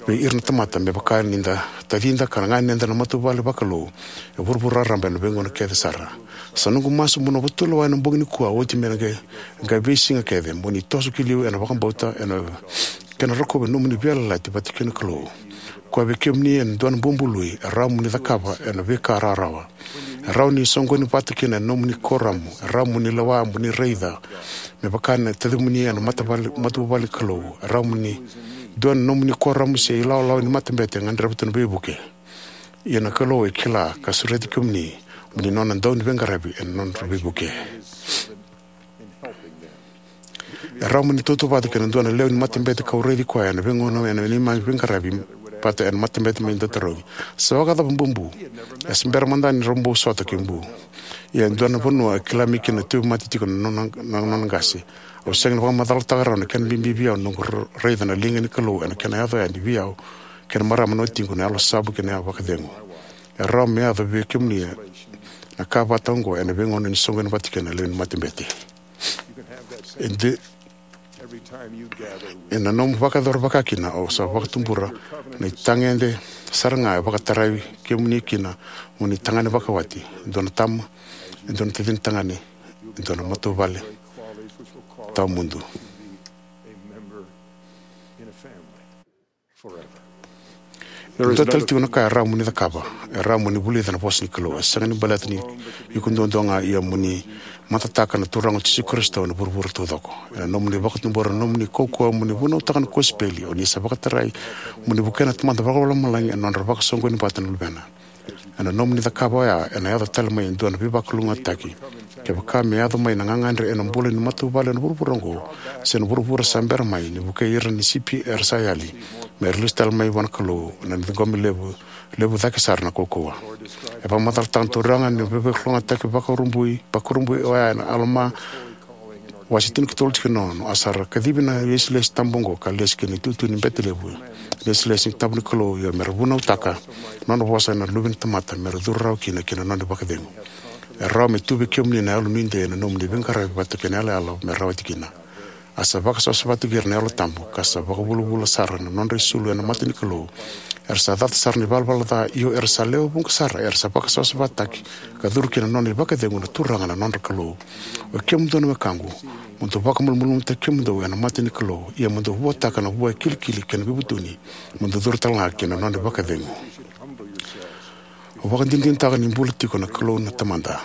vei ira na tamata me vaka ni da tacida ka ganeda na matavuvale vakalou e vuravura raraba ena veigauna kece sara. Sa noqu masu mo na vakatulewa ena bogi nikua oti me na qai, qai veisiga kece mo ni toso ki liu ena vakabauta ena kena rokovi na nomuni veiyalayalati vata kei na Kalou. Koya vei kemuni ena dua na bubului e rawa mo ni cakava ena veika rawarawa. E rawa ni soqoni vata kina ena nomuni kuoramu. E rawa mo ni lewa mo ni raica me vaka na tacimuni ena matavuvale, matavuvale ni Kalou. E rawa mo ni dua na nomuni kuoramu se ilawalawa ni matabete e gadreva tu na veivuke. Ia na Kalou e kila ka sureti kemuni mo ni nona dauniveiqaravi ena nodra veivuke. E rawa mo ni tautauvata kei na dua na lewe ni matabete kau raici koya ena veigauna ena neimami veiqaravi vata ena matabete mai Dautarogi. Sa vakacava Bubu? E se bera mada ni rau bau sota kei Bu. Ia e dua na vanua e kila mai kina na tauvimate tiko na nona, na nona qase. Au sega ni vakamacalataka rawa na kena bibi vei au na noqu ra-, raica na liga ni Kalou ena kena yaco yani vei au kei na marama na watiqu na Yalo Savu kei na vakacegu. E rawa me yaco vei kemuni na ka vata oqo ena veigauna ni soqoni vata kei na lewe ni matabete. E de, ena nomu vakayacora vaka kina, au sa vakatubura na itagede sara ga e vakatarai kemuni kina mo ni tagane vakawati, e dua na tama, e dua na tacina tagane, e dua na matavuvale tawamudu. E dua tale tiko na ka e rawa mo ni cakava. E rawa mo ni vulica na vosa ni Kalou. E sega ni baleta ni iko duadua ga, ia mo ni matataka na Turaga o Jisu Karisito ena vuravura taucoko. Ena nomuni vakatubura na nomuni kaukauwa mo ni vunautaka na kosipeli, o ni sa vakatarai mo ni vukea na Tamada Vakalomalagi ena nodra vakasoqoni vata na Luvena. Ena nomuni cakava oya, ena yaco tale mai e dua na veivakalougatataki. Kevaka me yaco mai na gagadre ena bula ni matavuvale ena vuravura oqo se na vuravura sa bera mai, ni vukei ira ni sipi era sa yali, mera lesu tale mai vua na Kalou, na ciqomi levu, levu cake sara na kaukauwa. E vakamacalataka na Turaga ni veivakalougatataki vakurabui, vakurabui oya ena Alama, wase tinikatolu, tikina ono: A sa ra kacivi na ilesilesi tabu oqo ka lesi ki na itutu ni bete levu, ilesilesi ni tabu ni Kalou, ia mera vunautaka na nona vosa na luve ni tamata, mera curu rawa kina ki na nona vakacegu. E rawa me tu vei kemuni na yalo nuidei ena nomuni veiqaravi vata kei na yalayala me rawati kina. A sa vakasavasavataki ira na Yalo Tabu, ka sa vakavulavula sara na nodra isulu ena mata ni Kalou. Era sa cata sara na ivalavala ca, io era sa lewe vuqa sara, era sa vakasavasavataki ka curu ki na nona ivakacegu na Turaga na nodra Kalou. Oi kemudou na wekaqu, mo dou vakamalumalumutaki kemudou ena mata ni Kalou, ia mo dou vuataka na vua e kilikili kei na veivutuni, mo dou curu tale ga ki na nona ivakacegu. Au vakadinadinataka ni bula tiko na Kalou na Tamada.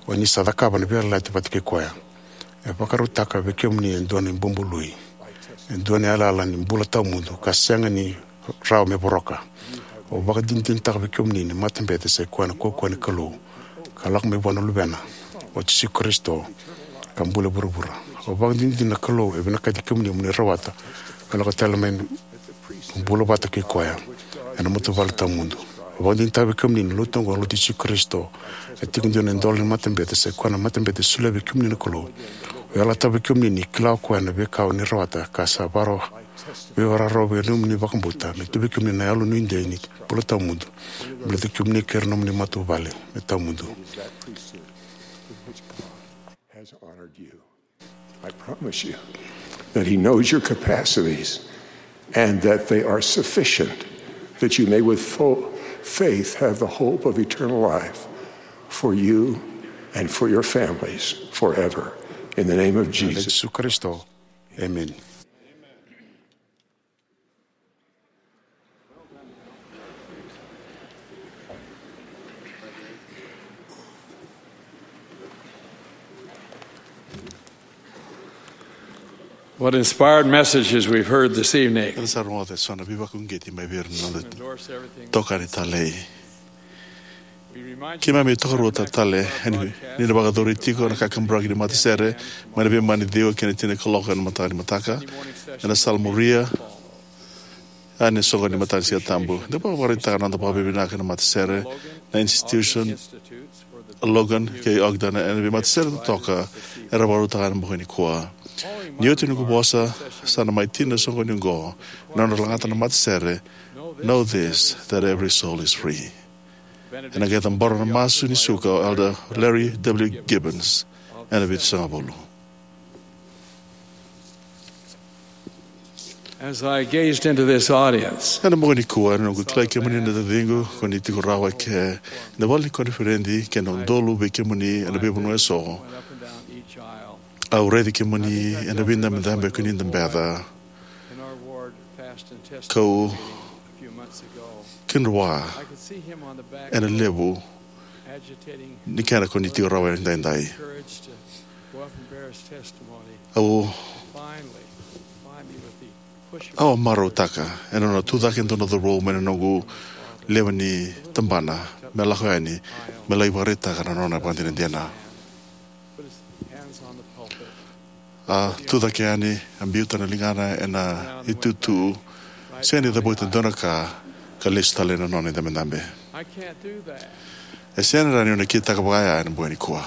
O ni sa cakava na veiyalayalati vata kei koya. E vakarautaka vei kemuni e dua na ibulubului, e dua na yalayala ni bula tawamudu ka sega ni rawa me voroka. Au vakadinadinataka vei kemuni ni matabete sa i koya na kaukauwa ni Kalou, ka lako mai vua na Luvena, o Jisu Karisito, ka bula e vuravura. Au vakadinadina na Kalou e vinakati kemuni mo ni rawata ka lako tale mai na bula vata kei koya ena matavuvale tawamudu. Au vakadinadinataka vei kemuni ni lotu oqo na Lotu i Jisu Karisito e Tiko Dina ni Idola ni Matabete, sa i koya na matabete e solia vei kemuni na Kalou. Au yalataka vei kemuni ni kila o koya na veika o ni rawata ka sa varo, veivakararavi ena nomuni vakabauta, me tu vei kemuni na yalo nuidei ni bula tawamudu, me baleti kemuni kei ira na nomuni matavuvale me tawamudu. Has honored you. I promise you that He knows your capacities and that they are sufficient, that you may with full faith have the hope of eternal life for you and for your families forever. In the name of Jesus. Jisu Karisito. Amen. What inspired messages we've heard this evening. Eda sa rogoca e so na veivakauqeti mai vei ira na noda itokani talei. Keimami tokaruataka tale ni na vakayacori tiko na kakaburaki ni matasere mai na veimama ni ciwa ki na tini kaloko ena mataka ni mataka ena sala muria yani e soqoni ni mataka ni Siga Tabu. Da vakavakaraitaka na noda vakavinavinaka na matasere, na institution Logan kei Ogden ena veimatasere totoka era vakarautaka ena bogi nikua. Ni oti noqu vosa, sa na mai tini na soqoni oqo na nodra lagata na matasere Know This, That Every Soul Is Free. Ena qai cabora na masu ni suka o Elder Larry W. Gibbons ena vitusagavulu. As I gazed into this audience, ena bogi nikua, ena noqu kilai kemuni na taciqu, ko ni tiko rawa eke ena vale ni koniferedi kei na udolu vei kemuni ena veivanua eso. Au raici kemuni ena veidabedabe ko ni dabeca. Kau kidroa ena levu ni kena ko ni tiko rawa ena daidai. Au au a marautaka ena nona tucake e dua na cauravou mai na noqu lewe ni tabana me lako yani me lai vakaraitaka na nona vakadinadina. A tucake yani, a biuta na ligana ena itutu, sega ni cavuta e dua na ka, ka lesu tale ena nona idabedabe. E sega ni rawa niu na kitaka vakaya ena bogi nikua.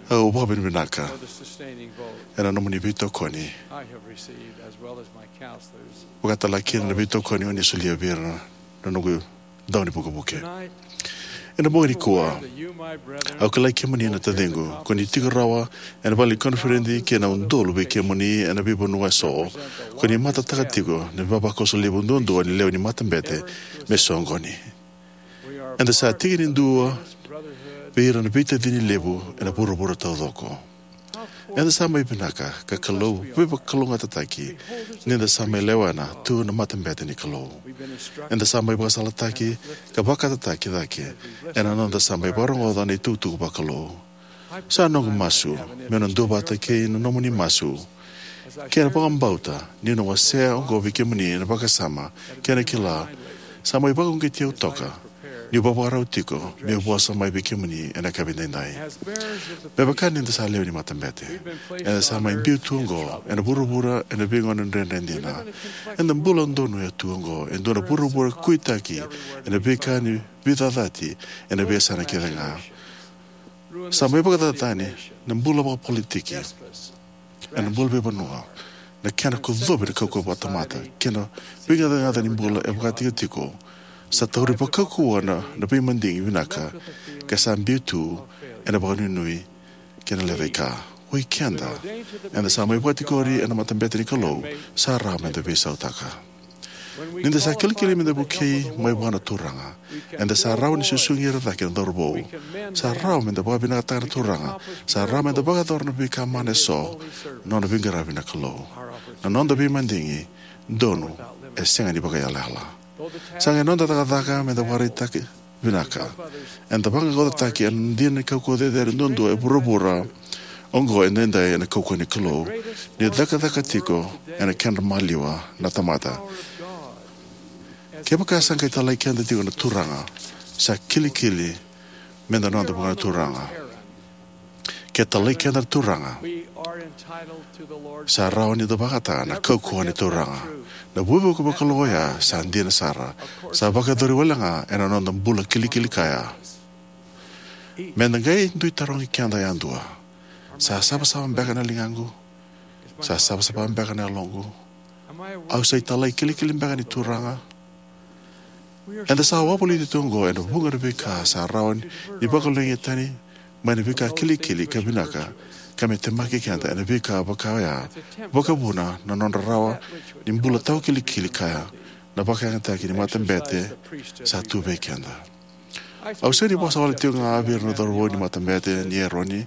Au vakavinavinaka ena nomuni veitokoni, vakatalega kina na veitokoni o ni solia vei ira na noqu dau ni vukevuke. Ena bogi nikua, au kilai kemuni na taciqu, ko ni tiko rawa ena vale ni koniferedi kei na udolu vei kemuni ena veivanua eso, ko ni matataka tiko na ivavakoso levu duadua ni lewe ni matabete me soqoni. Eda sa tiki ni dua vei ira na veitacini levu ena vuravura taucoko. Eda sa mai vinaka ka Kalou veivakalougatataki ni da sa mai lewena tu na matabete ni Kalou. Eda sa mai vakasalataki ka vakatataki cake ena noda sa mai vakarogoca na itukutuku vakalou. Sa noqu masu meu na duavata kei na nomuni masu kei na vakabauta niu na wasea oqo vei kemuni ena vakasama kei na kila sa mai vakauqeti au toka niu vakavakarau tiko meu vosa mai vei kemuni ena yakavi edaidai. Me vaka ni da sa lewe ni matabete, eda sa mai biu tu oqo ena vuravura ena veigauna dredre dina. Eda bula donuya tu oqo e dua na vuravura kuitaki ena veika ni veicacati ena veiyasana kece ga. Sa mai vakacacani na bula vakapolitiki ena bula veivanua, na kena kocovi na kaukauwa vakatamata kei na veigacagaca ni bula e vakatikotiko. Sa tauri vakaukauwa na, na veimadigi vinaka ka sa biu tu ena vakanuinui kei na lecaika. Oi keda, eda sa mai vakatikori ena matabete ni Kalou, sa rawa meda veisautaka. Ni da sa kilikili meda vukei mai vua na Turaga, eda sa rawa ni susugi ira cake na cauravou. Sa rawa meda vakavinakataka na Turaga. Sa rawa meda vakayacora na veika mana eso, na nona veiqaravi na Kalou. Na noda veimadigi donu e sega ni vakaiyalayala. Sa qai noda cakacaka meda vakaraitaka vinaka, eda vaqaqacotaki ena dina ni kaukauwa cecere duadua e vuravura oqo edaidai ena kaukauwa ni Kalou, ni cakacaka tiko ena kedra maliwa na tamata. Kevaka sa qai talai keda tiko na Turaga, sa kilikili meda noda vua na Turaga. Ke talai keda na Turaga, sa rawa ni da vakayagataka na kaukauwa ni Turaga. Na vukevuke vakalou oya sa dina sara, sa vakayacori wale ga ena noda bula kilikili kaya. Meda qai dui tarogi keda yadua: sa savasava beka na ligaqu? Sa savasava beka na yaloqu? Au sa italai kilikili beka ni Turaga? Eda sa wavoliti tu oqo ena vuqa na veika sa rawa ni vakaloligitaki mai na veika kilikili ka vinaka, ka me temaki keda ena veika vaka oya, vakavuna na nodra rawa ni bula tawa kilikili kaya na vakayagataki ni matabete sa tu vei keda. Au sega ni vosa wale tiko ga vei ira na cauravou ni matabete ni Eroni,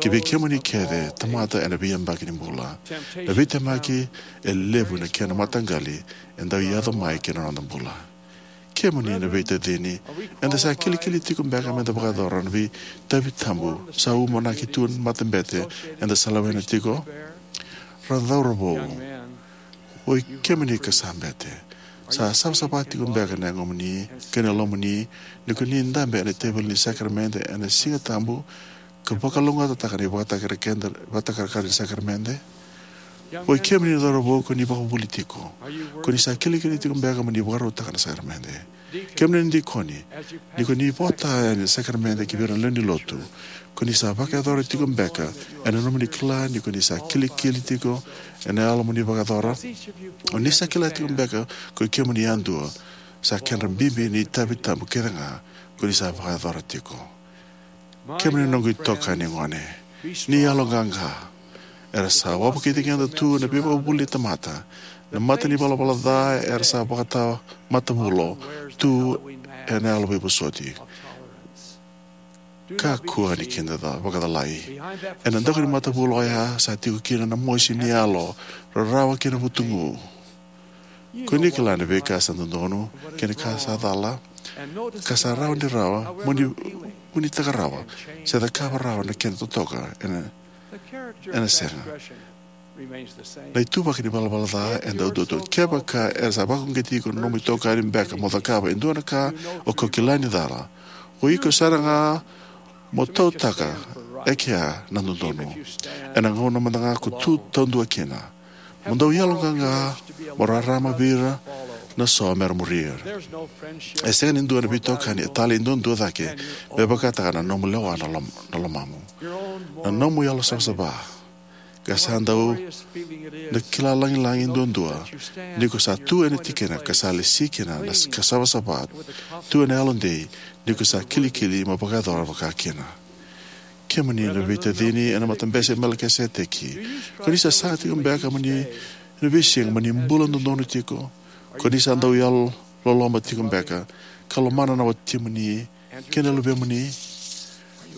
ki vei kemuni kece tamata ena veiyabaki ni bula. Na veitemaki e levu na kena mataqali e dau yaco mai ki na noda bula. Kemuni na veitacini, eda sa kilikili tiko beka meda vakayacora na veitavi tabu sa umanaki tu na matabete eda sa lewena tiko? Ra cauravou, oi kemuni ka sa bete, sa savasava tiko beka na yagomuni kei na lomamuni ni ko ni dabe ena teveli ni sakaramede ena Siga Tabu ka vakalougatataka na ivakatakarakara ni sakaramede? Oi kemuni na cauravou ko ni vakavuvuli tiko, ko ni sa kilikili tiko beka mo ni vakarautaka na sakaramede? Kemuni na dikoni, ni ko ni vota ena sakaramede ki vei ira na lewe ni lotu, ko ni sa vakayacora tiko beka ena nomuni kila ni ko ni sa kilikili tiko ena yalo mo ni vakayacora? O ni sa kila tiko beka ko kemuni yadua sa kedra bibi ni itavi tabu kece ga ko ni sa vakayacora tiko? Kemuni na noqu itokani gone, ni yaloqaqa. Era sa wavokiti keda tu na veivakavuvuli ni tamata, na mata ni valavala ca era sa vakatamatavulo tu ena yalo veivosoti. Kakua ni keda vakacalai. Ena daku ni matavulo oya sa tiko kina na mosi ni yalo, rarawa kei na vutugu. Ko ni kila na veika sa dodonu kei na ka sa cala, ka sa rawa ni rawa mo ni vunitaka rawa se cakava rawa na kena totoka ena, ena sega. Na ituvaki ni valavala ca e dau duatani. Kevaka era sa vakauqeti iko na nomu itokani beka mo cakava e dua na ka o kila ni cala, o iko sara ga mo tautaka e kea na dodonu. Ena gauna mada ga ko tu taudua kina, mo dau yaloqaqa mo rarama vei ira na so mera muri ira. E sega ni dua na veitokani e talei duadua cake me vakataka na nomu lewa na, lom, na lomamu. Na nomu yalo savasava ka sa dau na kila lagilagi duadua ni ko sa tu ena tikina ka sa lesi kina na ka savasava tu ena yalodei ni ko sa kilikili mo vakayacora vaka kina. Kemuni na veitacini ena Matabese Melikiseteki, ko ni sa saga tiko beka mo ni, ena veisiga mo ni bula dodonu tiko? Ko ni sa dau yalololoma tiko beka ka lomana na watimuni kei na luvemuni?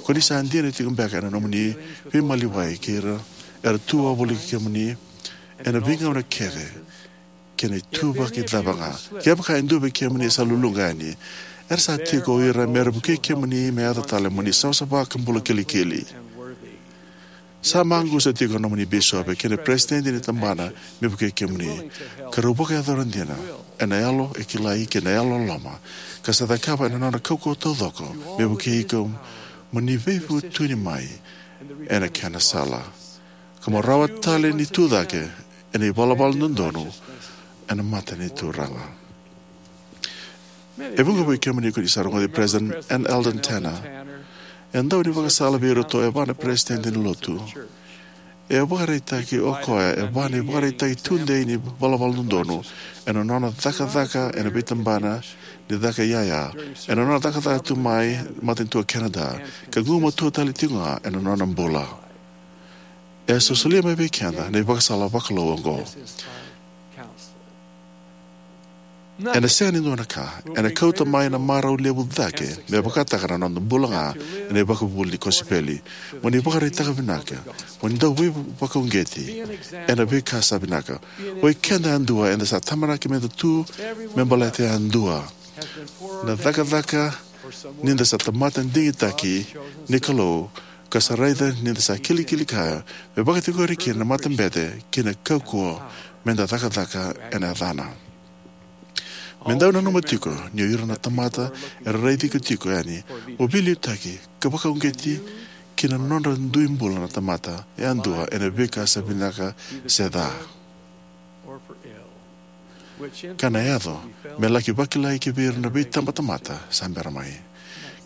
Ko ni sa dina tiko beka ena nomuni veimaliwai kei ira era tu wavoliti kemuni ena veigauna kece kei na ituvaki cava ga? Kevaka e dua vei kemuni e sa luluqa yani, era sa tiko o ira mera vukei kemuni me yaco tale mo ni savasava ka bula kilikili. Sa maqusa tiko na nomuni bisopi kei na peresitedi ni tabana me vukei kemuni, ka rau vakayacora dina ena yalo e kilai kei na yalololoma, ka sa cakava ena nona kaukauwa taucoko me vukei iko mo ni veivutuni mai ena kena sala, ka mo rawa tale ni tu cake ena ivalavala dodonu ena mata ni Turaga. E vuqa vei kemuni ko ni sa rogoci President N. Eldon Tanner, e dau ni vakasala vei iratou e va na peresitedi ni lotu. E vakaraitaki o koya e va na ivakaraitaki tudei ni valavala dodonu ena nona cakacaka ena veitabana ni caka iyaya, ena nona cakacaka tu mai matanitu o Canada, ka gumatua tale tiko ga ena nona bula. E sosolia mai vei keda na ivakasala vakalou oqo. Ena sega ni dua na ka ena kauta mai na marau levu cake me vakataka na noda bula ga ena ivakavuvuli ni kosipeli. Mo ni vakaraitaka vinaka, mo ni dau veivakauqeti ena veika sa vinaka. O i keda yadua eda sa tamanaki meda tu me baleta yadua. Na cakacaka ni da sa tamata digitaki ni Kalou, ka sa raica ni da sa kilikili kaya me vakatikori kina na matabete ki na kaukauwa me da cakacaka ena yacana. Me dau nanuma tiko ni o ira na tamata era raici iko tiko yani o veiliutaki ka vakauqeti ki na nodra dui bula na tamata yadua ena veika sa vinaka se ca, ka na yaco me laki vakilai ki vei ira na veitabatamata sa bera mai.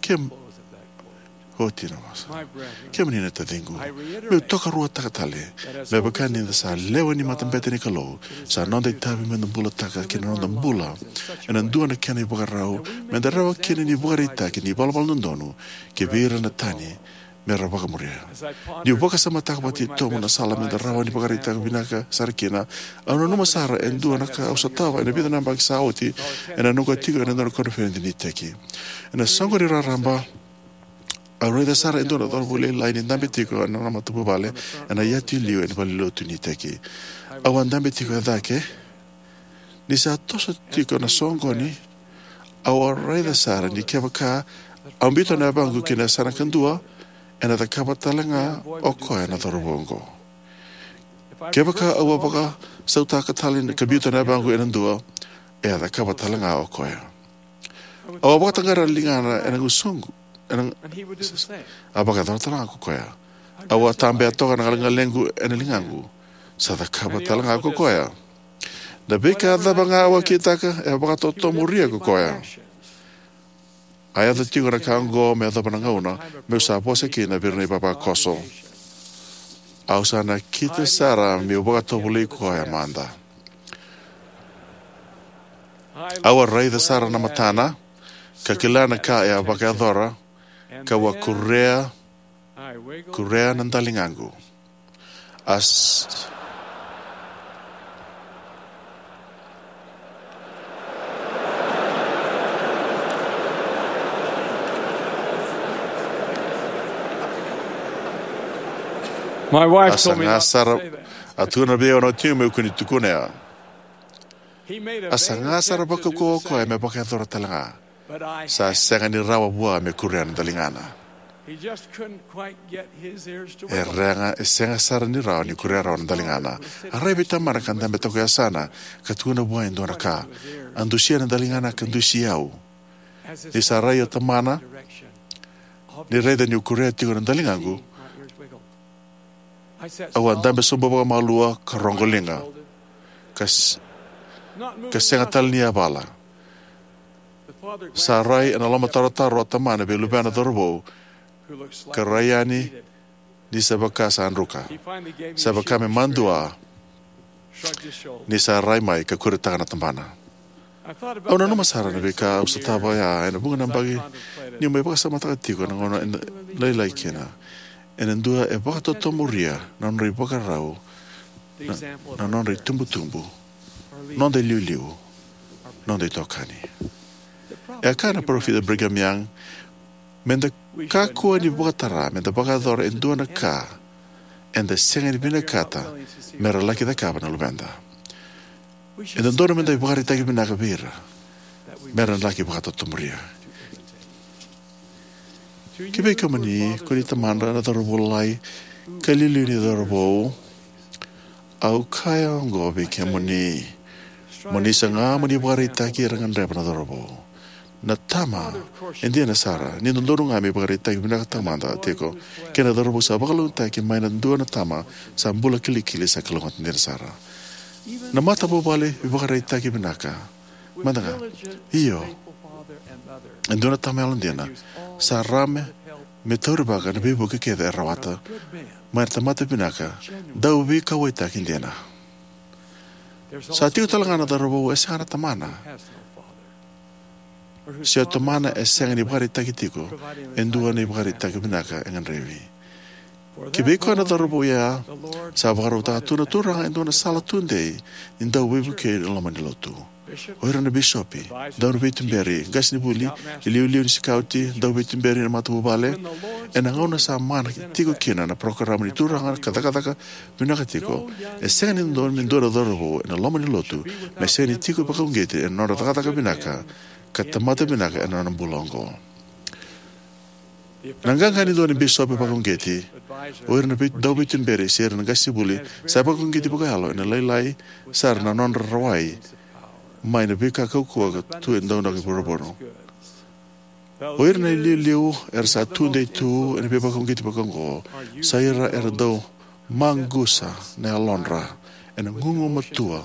Ke oti na vosa. Kemuni na taciqu, meu tokaruataka tale, me vaka ni da sa lewe ni matabete ni Kalou, sa noda itavi me da bulataka ki na noda bula ena dua na kena ivakarau me da rawa kina ni vakaraitaki ni valavala dodonu ki vei ira na tani me ra vakamuria. Niu vakasamataka vakatitobu na sala me da rawa ni vakaraitaka vinaka sara kina, au nanuma sara e dua na ka au sotava ena vica na yabaki sa oti ena noqu a tiko ena dua na koniferedi ni iteki. Ena soqoni raraba, au raica sara e dua na cauravou lailai ni dabe tiko ena nona matavuvale ena yatu i liu ena valenilotu ni iteki. Au a dabe tiko e cake. Ni sa toso tiko na soqoni, au a raica sara ni kevaka au biuta na yavaqu ki na yasana kadua, ena cakava tale ga o koya na cauravou oqo. Kevaka au a vakasautaka tale ka biuta na yavaqu ena dua, e a cakava tale ga o koya. Au a vakataqara na ligana ena gusuqu, ena, a vakayacora tale ga ko koya. Au a tabea toka na galeqalequ ena ligaqu, sa cakava tale ga ko koya. Na veika cava ga au a kitaka, e a vakatotomuria ko koya. A yaco tiko na ka oqo me yacova na gauna meu sa vosa kina vei ira na ivavakoso. Au sa nakita sara meu vakatovolei koya mada. Au a raica sara na matana, ka kila na ka e a vakayacora, kau a kurea, kurea na daligaqu. As- My wife a told me saga not to sara say that. A tukuna vei au na watiqu meu kua ni tukuna ya. He made a A saga sara vakaukauwa o koya me vakayacora tale ga. Sa sega ni rawa vua me kurea na daligana. He just couldn't quite get his ears to E wiggle. Rega, e sega sara ni rawa ni kurea rawa na daligana. A rai vei tamana ka dabe toka e yasana, ka tukuna vua e dua na ka. A dusia na daligana ka dusi au. Ni sa rai o tamana, ni raica niu kurea tiko na daligaqu, au a dabe sobu vakamalua ka roqoliga, ka s-, ka sega tale ni yavala. Sa rai ena lomatarotaro o tamana vei luvena cauravou, ka rai yani ni sa vaka sa druka. Sa vaka me madua ni sa rai mai ka kuretaka na tabana. Au nanuma sara na veika au sotava ya ena vuqa na yabaki niu mai vakasamataka tiko na gauna ena lailai kina. Ena dua e vakatotomuria na nodra ivakarau, na, na nodra itubutubu, noda iliuliu, noda itokani. E a kaya na parofita Brigham Young, me da kakua ni vakatara me da vakayacora e dua na ka eda sega ni vinakata me ra laki cakava na luveda. E dodonu me da ivakaraitaki vinaka vei ira me ra laki vakatotomuria. Ki vei kemuni ko ni tamada na cauravou lalai ka liuliu ni cauravou, au kaya oqo vei kemuni. Mo ni saga mo ni vakaraitaki era gadreva na cauravou. Na tama e dina sara ni dodonu ga me vakaraitaki vinaka tamada tiko, kei na cauravou sa vakalougatataki mai na dua na tama sa bula kilikili sa kalougata dina sara. Na matavuvale vakaraitaki vinaka mada ga. Io, e dua na tama yalodina sa rawa me taurivaka na veivuke kece e rawata mai na tamata vinaka, dau veikauwaitaki dina. Sa tiko tale ga na cauravou e sega na tamana, se o tamana e sega ni vakaraitaki tiko e dua na ivakaraitaki vinaka e gadrevi. Ki vei koya na cauravou ya, sa vakarautaka tu na Turaga e dua na sala tudei ni dau veivukei ena loma ni lotu. O ira na bisopi, dau ni veituberi, qasenivuli, iliuliu ni sikauti, dau veituberi na matavuvale, ena gauna sa mana tiko kina na parokaramu ni Turaga ka cakacaka vinaka tiko, e sega ni dodonu me dua na cauravou ena loma ni lotu me sega ni tiko vakauqeti ena nodra cakacaka vinaka ka tamata vinaka ena nona bula oqo. Na qaqa ni dua na bisopi vakauqeti, o ira na vei-, dau veituberi se ira na qasenivuli sa vakauqeti vakayalo ena lailai sara na nodra rawai mai na veika kaukauwa ka tu e dua na ka i vuravura. O ira na iliuliu era sa tudei tu ena veivakauqeti vaka oqo, sa ira era dau maqusa na yalodra ena gugumatua,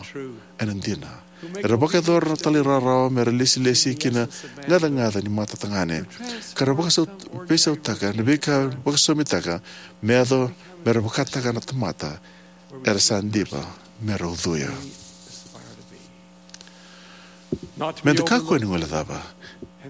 ena dina. Era vakayacora na talairawarawa me ra lesilesi ki na gacagaca ni matatagane, ka ra vakasau-, veisautaka na veika vakasosomitaka me yaco me ra vakataka na tamata era sa diva me ra ucuya. Me da kakua ni guilecava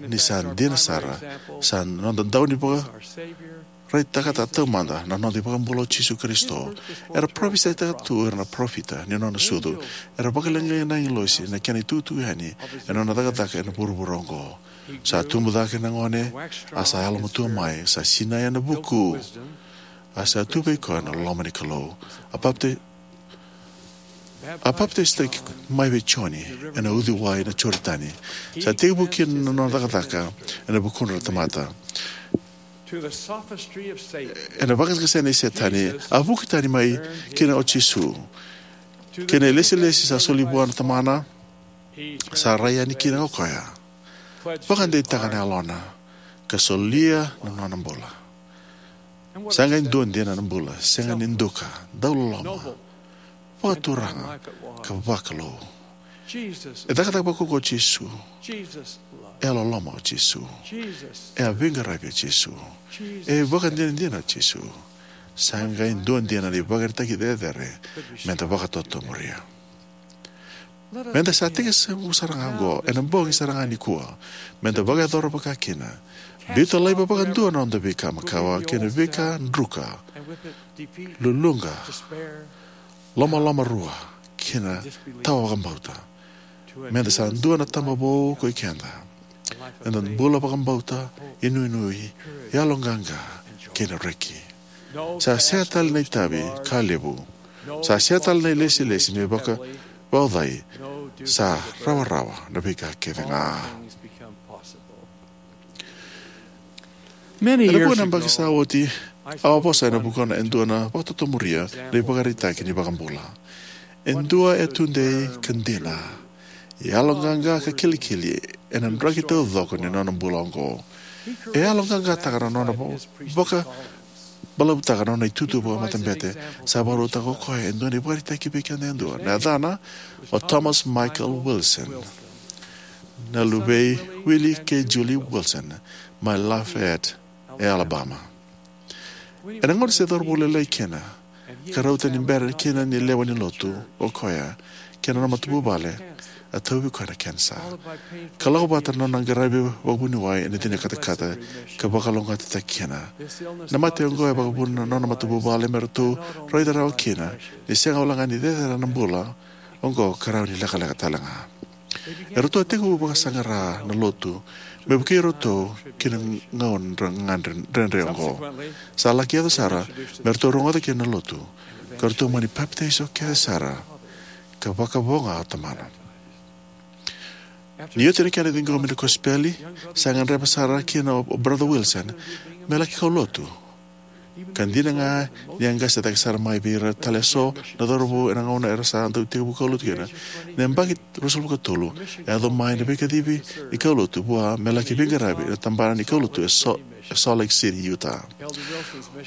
ni sa dina sara, sa noda dau ni vakaraitaka taumada na noda iVakabula o Jisu Karisito. Era parofisaitaka tu o ira na parofita ni nona sucu. Era vakaleqai na agilosi na kena itukutuku yani ena nona cakacaka ena vuravura oqo. Sa tubu cake na gone, a sa yalomatua mai, sa sinai ena vuku, a sa tu vei koya na loma ni Kalou. A papti-, a papitaisotaki mai vei Joni ena uciwai na Joritani. Sa tekivu kina na nona cakacaka ena vukudra na tamata. Ena vakasakasai nei Setani, a vuki tani mai kina o Jisu. Kei na ilesilesi sa soli vua na Tamana, sa rai yani kina o koya. Vakadeitaka na yalona ka solia na nona bula. Sa qai dua dina na bula, sega ni duka, dau loloma, vakaturaga ka vakalou. E cakacaka vakaukaua o Jisu. E a loloma o Jisu. E a veiqaravi o Jisu. E vakadinadina o Jisu. Sa qai dua dina na ivakaraitaki cecere me da vakatotomuria. Me da sa tekivu sara ga oqo, ena bogi sara ga nikua, me da vakayacora vaka kina. Biuta laiva vakadua na noda veika makawa kei na veika druka, luluqa, lomalomarua kei na tawa vakabauta. Me da sa dua na taba vou ko i keda. Eda bula vakabauta, inuinui, yaloqaqa kei na reki. Sa sega tale na itavi ka levu. Sa sega tale na ilesilesi me vaka vaucai. Sa rawarawa na veika kece ga. Ena vuqa na yabaki sa oti, au a vosa ena vukuna e dua na vakatotomuria na ivakaraitaki ni vakabula. E dua e tudei ka dina, yaloqaqa ka kilikili ena draki taucoko ni nona bula oqo. E yaloqaqataka na nona vakabalavutaka na nona itutu vakamatabete. Sa vakarautaka o koya e dua na ivakaraitaki vei keda yadua. Na yacana o Thomas Michael Wilson, na luvei Willie kei Julie Wilson, mai Lafayette e Alabama. Ena gauna se cauravou lailai kina, ka rauta ni bera kina ni lewe ni lotu o koya kei na nona matavuvale, a tauvi koya na kenisa. Ka lako vata na nona qaravi vakavuniwai ena cina katakata ka vakalougatataki kina. Na mate oqo e vakavuna na nona matavuvale me ratou raica rawa kina ni sega wale ga ni cecere na bula oqo ka rawa ni lekaleka tale ga. Eratou a tekivu vakasaqara na lotu me vukei iratou ki na gauna dredre oqo. Sa laki yaco sara me ratou rogoca kina na lotu ka ratou mani papitaiso kece sara ka vakavo ga o tamana. Ni oti na kena ciqomi na kosipeli, sa gadreva sara kina o Brother Wilson me laki kaulotu. Ka dina ga ni a qase cake sara mai vei ira tale eso na cauravou ena gauna era sa dau tekivu kaulotu kina. Na yabaki ruasagavulu ka tolu, e yaco mai na veikacivi ni kaulotu vua me laki veiqaravi ena tabana ni kaulotu e So-, e Salt Lake City, Utah.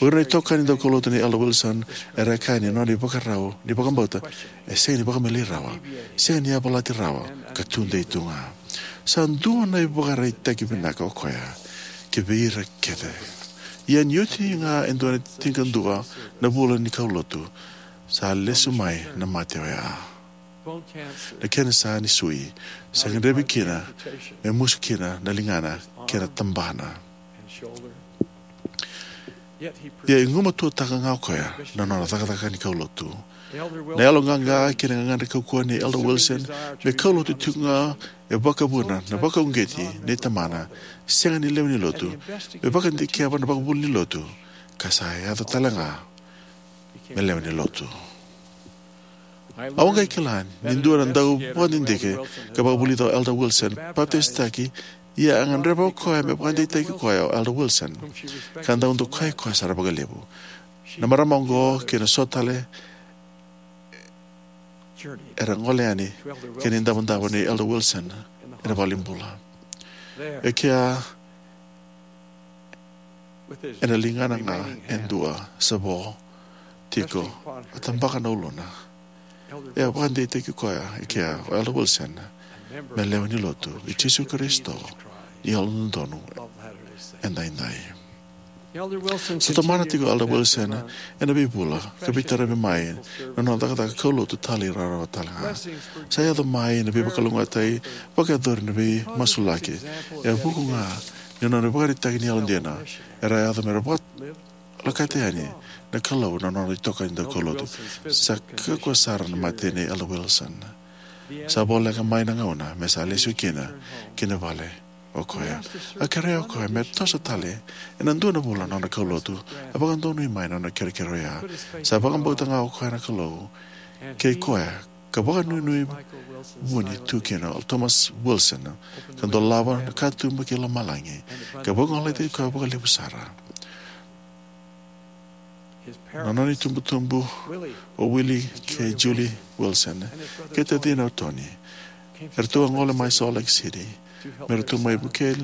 O ira na itokani daukaulotu nei Elder Wilson era kaya ni nona ivakarau ni vakabauta e sega ni vakamelei rawa, sega ni yavalati rawa, ka tudei tu ga. Sa dua na ivakaraitaki vinaka o koya ki vei ira kece. Ia ni oti ga e dua na tinikadua na vula ni kaulotu, sa lesu mai na mate oya. Na kenisa ni sui sa gadrevi kina me musu kina na ligana kei na tabana. Ia e gumatuataka ga o koya na nona cakacaka ni kaulotu. Na yaloqaqa kei na gagadre kaukauwa nei Elder Wilson me kaulotu tiko ga e vakavuna na vakauqeti nei tamana, sega ni lewe ni lotu, me vakadikeva na vakavuli ni lotu, ka sa yaco tale ga me lewe ni lotu. Au a qai kila ni dua na dau vakadidike ka vakavulica o Elder Wilson, papitaisotaki, ia a gadreva o koya me vakadeitaki koya o Elder Wilson, ka dau dokai koya sara vakalevu. Na marama oqo kei na so tale era gole yani ki na idavodavo nei Elder Wilson ena valenibula. E kea ena ligana ga e dua sa vo tiko, a tabaka na uluna. E a vakadeitaki koya e kea o Elder Wilson me lewe ni lotu i Jisu Karisito ni Yalododonu Edaidai. Sa tomana tiko o Elder Wilson ena veivula ka veitaravi mai na nona cakacaka kaulotu talairawarawa talega. Sa yaco mai na veivakalougatataki vakayacori na veimasulaki. E vuku ga ni nona ivakaraitaki ni yalodina era yaco me ra vakalakata yani na Kalou na nona itokani daukaulotu. Sa kakua sara na mate nei Elder Wilson. Sa voleka mai na gauna me sa lesu kina ki na vale o koya. A kerea o koya me toso tale ena dua na vula na nona kaulotu. A vakadonui mai na nona kerekere oya. Sa vakabauta ga o koya na Kalou kei koya ka vakanuinui vuni tu kina o Thomas Wilson ka dolava na katuba ki lomalagi ka vagolei koya vakalevu sara. Na nona itubutubu o Willie kei Julie Wilson kei tacina o Tony, eratou a gole mai Salt Lake City me ratou mai vukei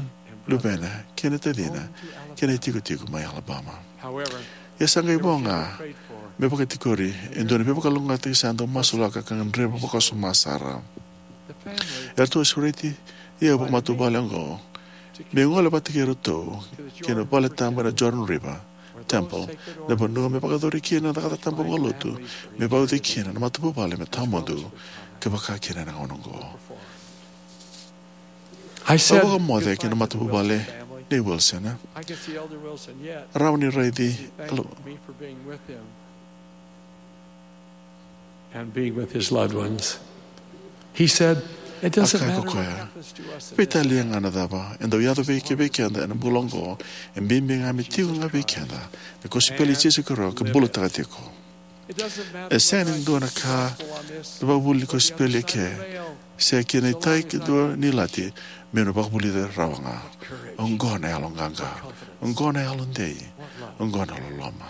luvena kei na tacina kei na itikotiko mai Alabama. Ia sa qai vo ga me vakatikori e dua na veivakalougatataki sa dau masulaka ka gadreva vakawasoma sara. Eratou a sureti au vakamatavuvale oqo me gole vata kei iratou ki na vale tabu ena Jordan River Temple, na vanua me vakayacori kina na cakacaka tabu vakalotu me vauci kina na matavuvale me tawamudu ka vaka kina ena gauna oqo. Au vakamoce ki na matavuvale nei Wilson. Rawa ni raici and being with his loved ones. He said, "It doesn't matter what happens to us in this life." Veitalia ga na cava e dau yaco vei keda ena bula oqo, e bibi ga me tiko ga vei keda na kosipeli i Jisu Karisito ka bulataka tiko. E sega ni dua na ka na vakavuli ni kosipeli eke se kina itai ke dua ni ilati meu na vakavulica rawa ga. Oqo na yaloqaqa. Oqo na yalodei. Oqo na loloma.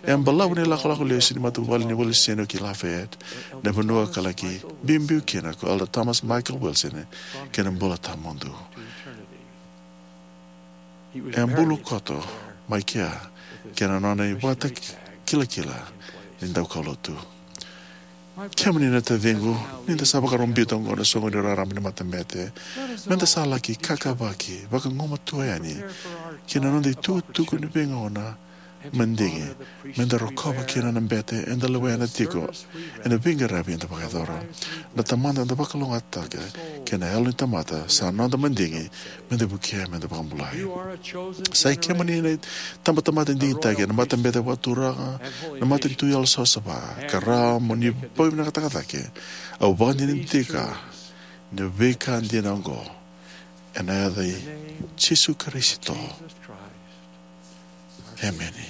E a balavu na ilakolako lesu ni matavuvale ni Wilson ki Lafayette, na vanua ka laki biubiu kina ko Elder Thomas Michael Wilson kei na bula tawamudu. E a bulu koto mai kea kei na nona ivakatakilakila ni daukaulotu. Kemuni na taciqu, ni da sa vakarau biuta oqo na soqoni raraba ni matabete, me da sa laki kakavaki vakagumatua yani ki na noda itukutuku ni veigauna madigi me da rokova kina na bete eda lewena tiko ena veiqaravi eda vakayacora. Na Tamada eda vakalougatataka kei na yalo ni tamata sa noda madigi me da vukea me da vakabulai. Sa i kemuni na itabatamata digitaki ena matabete vakaturaga, na matanitu yalosavasava, ka rawa mo ni vakavinakataka cake. Au vakadinadinataka na veika dina oqo ena yaca i Jisu Karisito. Emeni.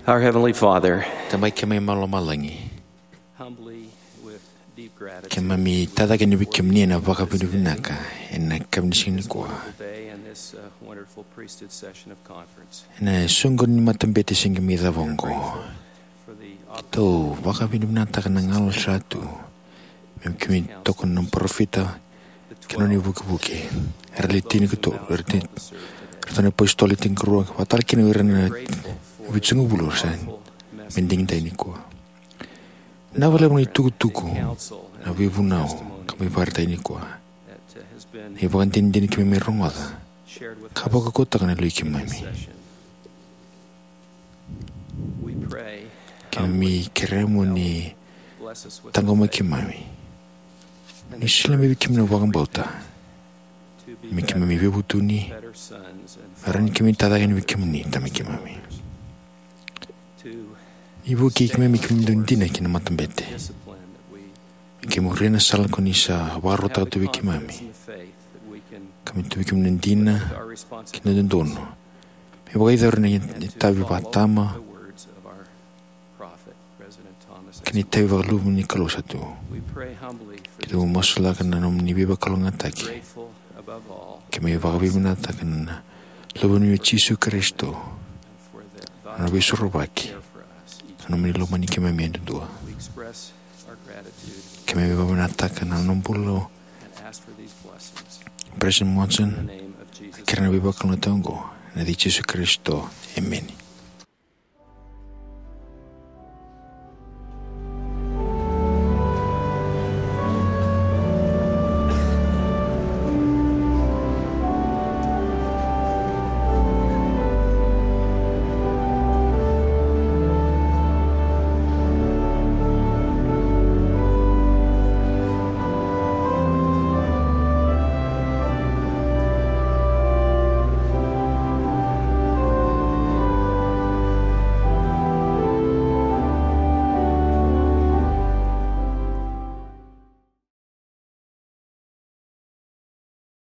Our Heavenly Father, Tamai keimami mai lomalagi, humbly, with deep gratitude, keimami tacake ni vei kemuni ena vakavinavinaka ena yakavi ni siga nikua. Today and this, uh, wonderful priesthood session of conference. Ena soqo ni matabete se qai mai cava oqo, for the keitou vakavinavinakataka na gauna sa tu me keimami tokona na parofita kei na nona ivukevuke. Era le tini ka tolu, era tini, era tini na apositolo e tinikarua, vakatale kina o ira na vitusagavulu era sa mai digidai nikua. Vinaka vakalevu na itukutuku, na veivunau keimami vakaraitaka nikua, na ivakadinadina keimami rogoca, ka vakaukauwataka na yaloi keimami. Keimami kerea mo ni taqomaki keimami, ni solia mai vei keimami na vakabauta me keimami veivutuni, me rawa ni keimami tacake yani vei kemuni, Tamai keimami. Ni vukei keimami, keimami dau dina ki na matabete, me keimami muria na sala ko ni sa vakarautaka tu vei keimami, ka me tu vei keimami na dina kei na dodonu me vakayacora na itavi vakatama kei na itavi vakaluvu ni Kalou sa tu. Keitou masulaka na nomuni veivakalougatataki. Keimami vakavinavinakataka na Luve o Jisu Karisito, na Veisorovaki, na nomuni lomani keimami yadudua. Keimami vakavinavinakataka na nona bula o President Monson, kerea na veivakalougatataki oqo ena yaca i Jisu Karisito. Emeni.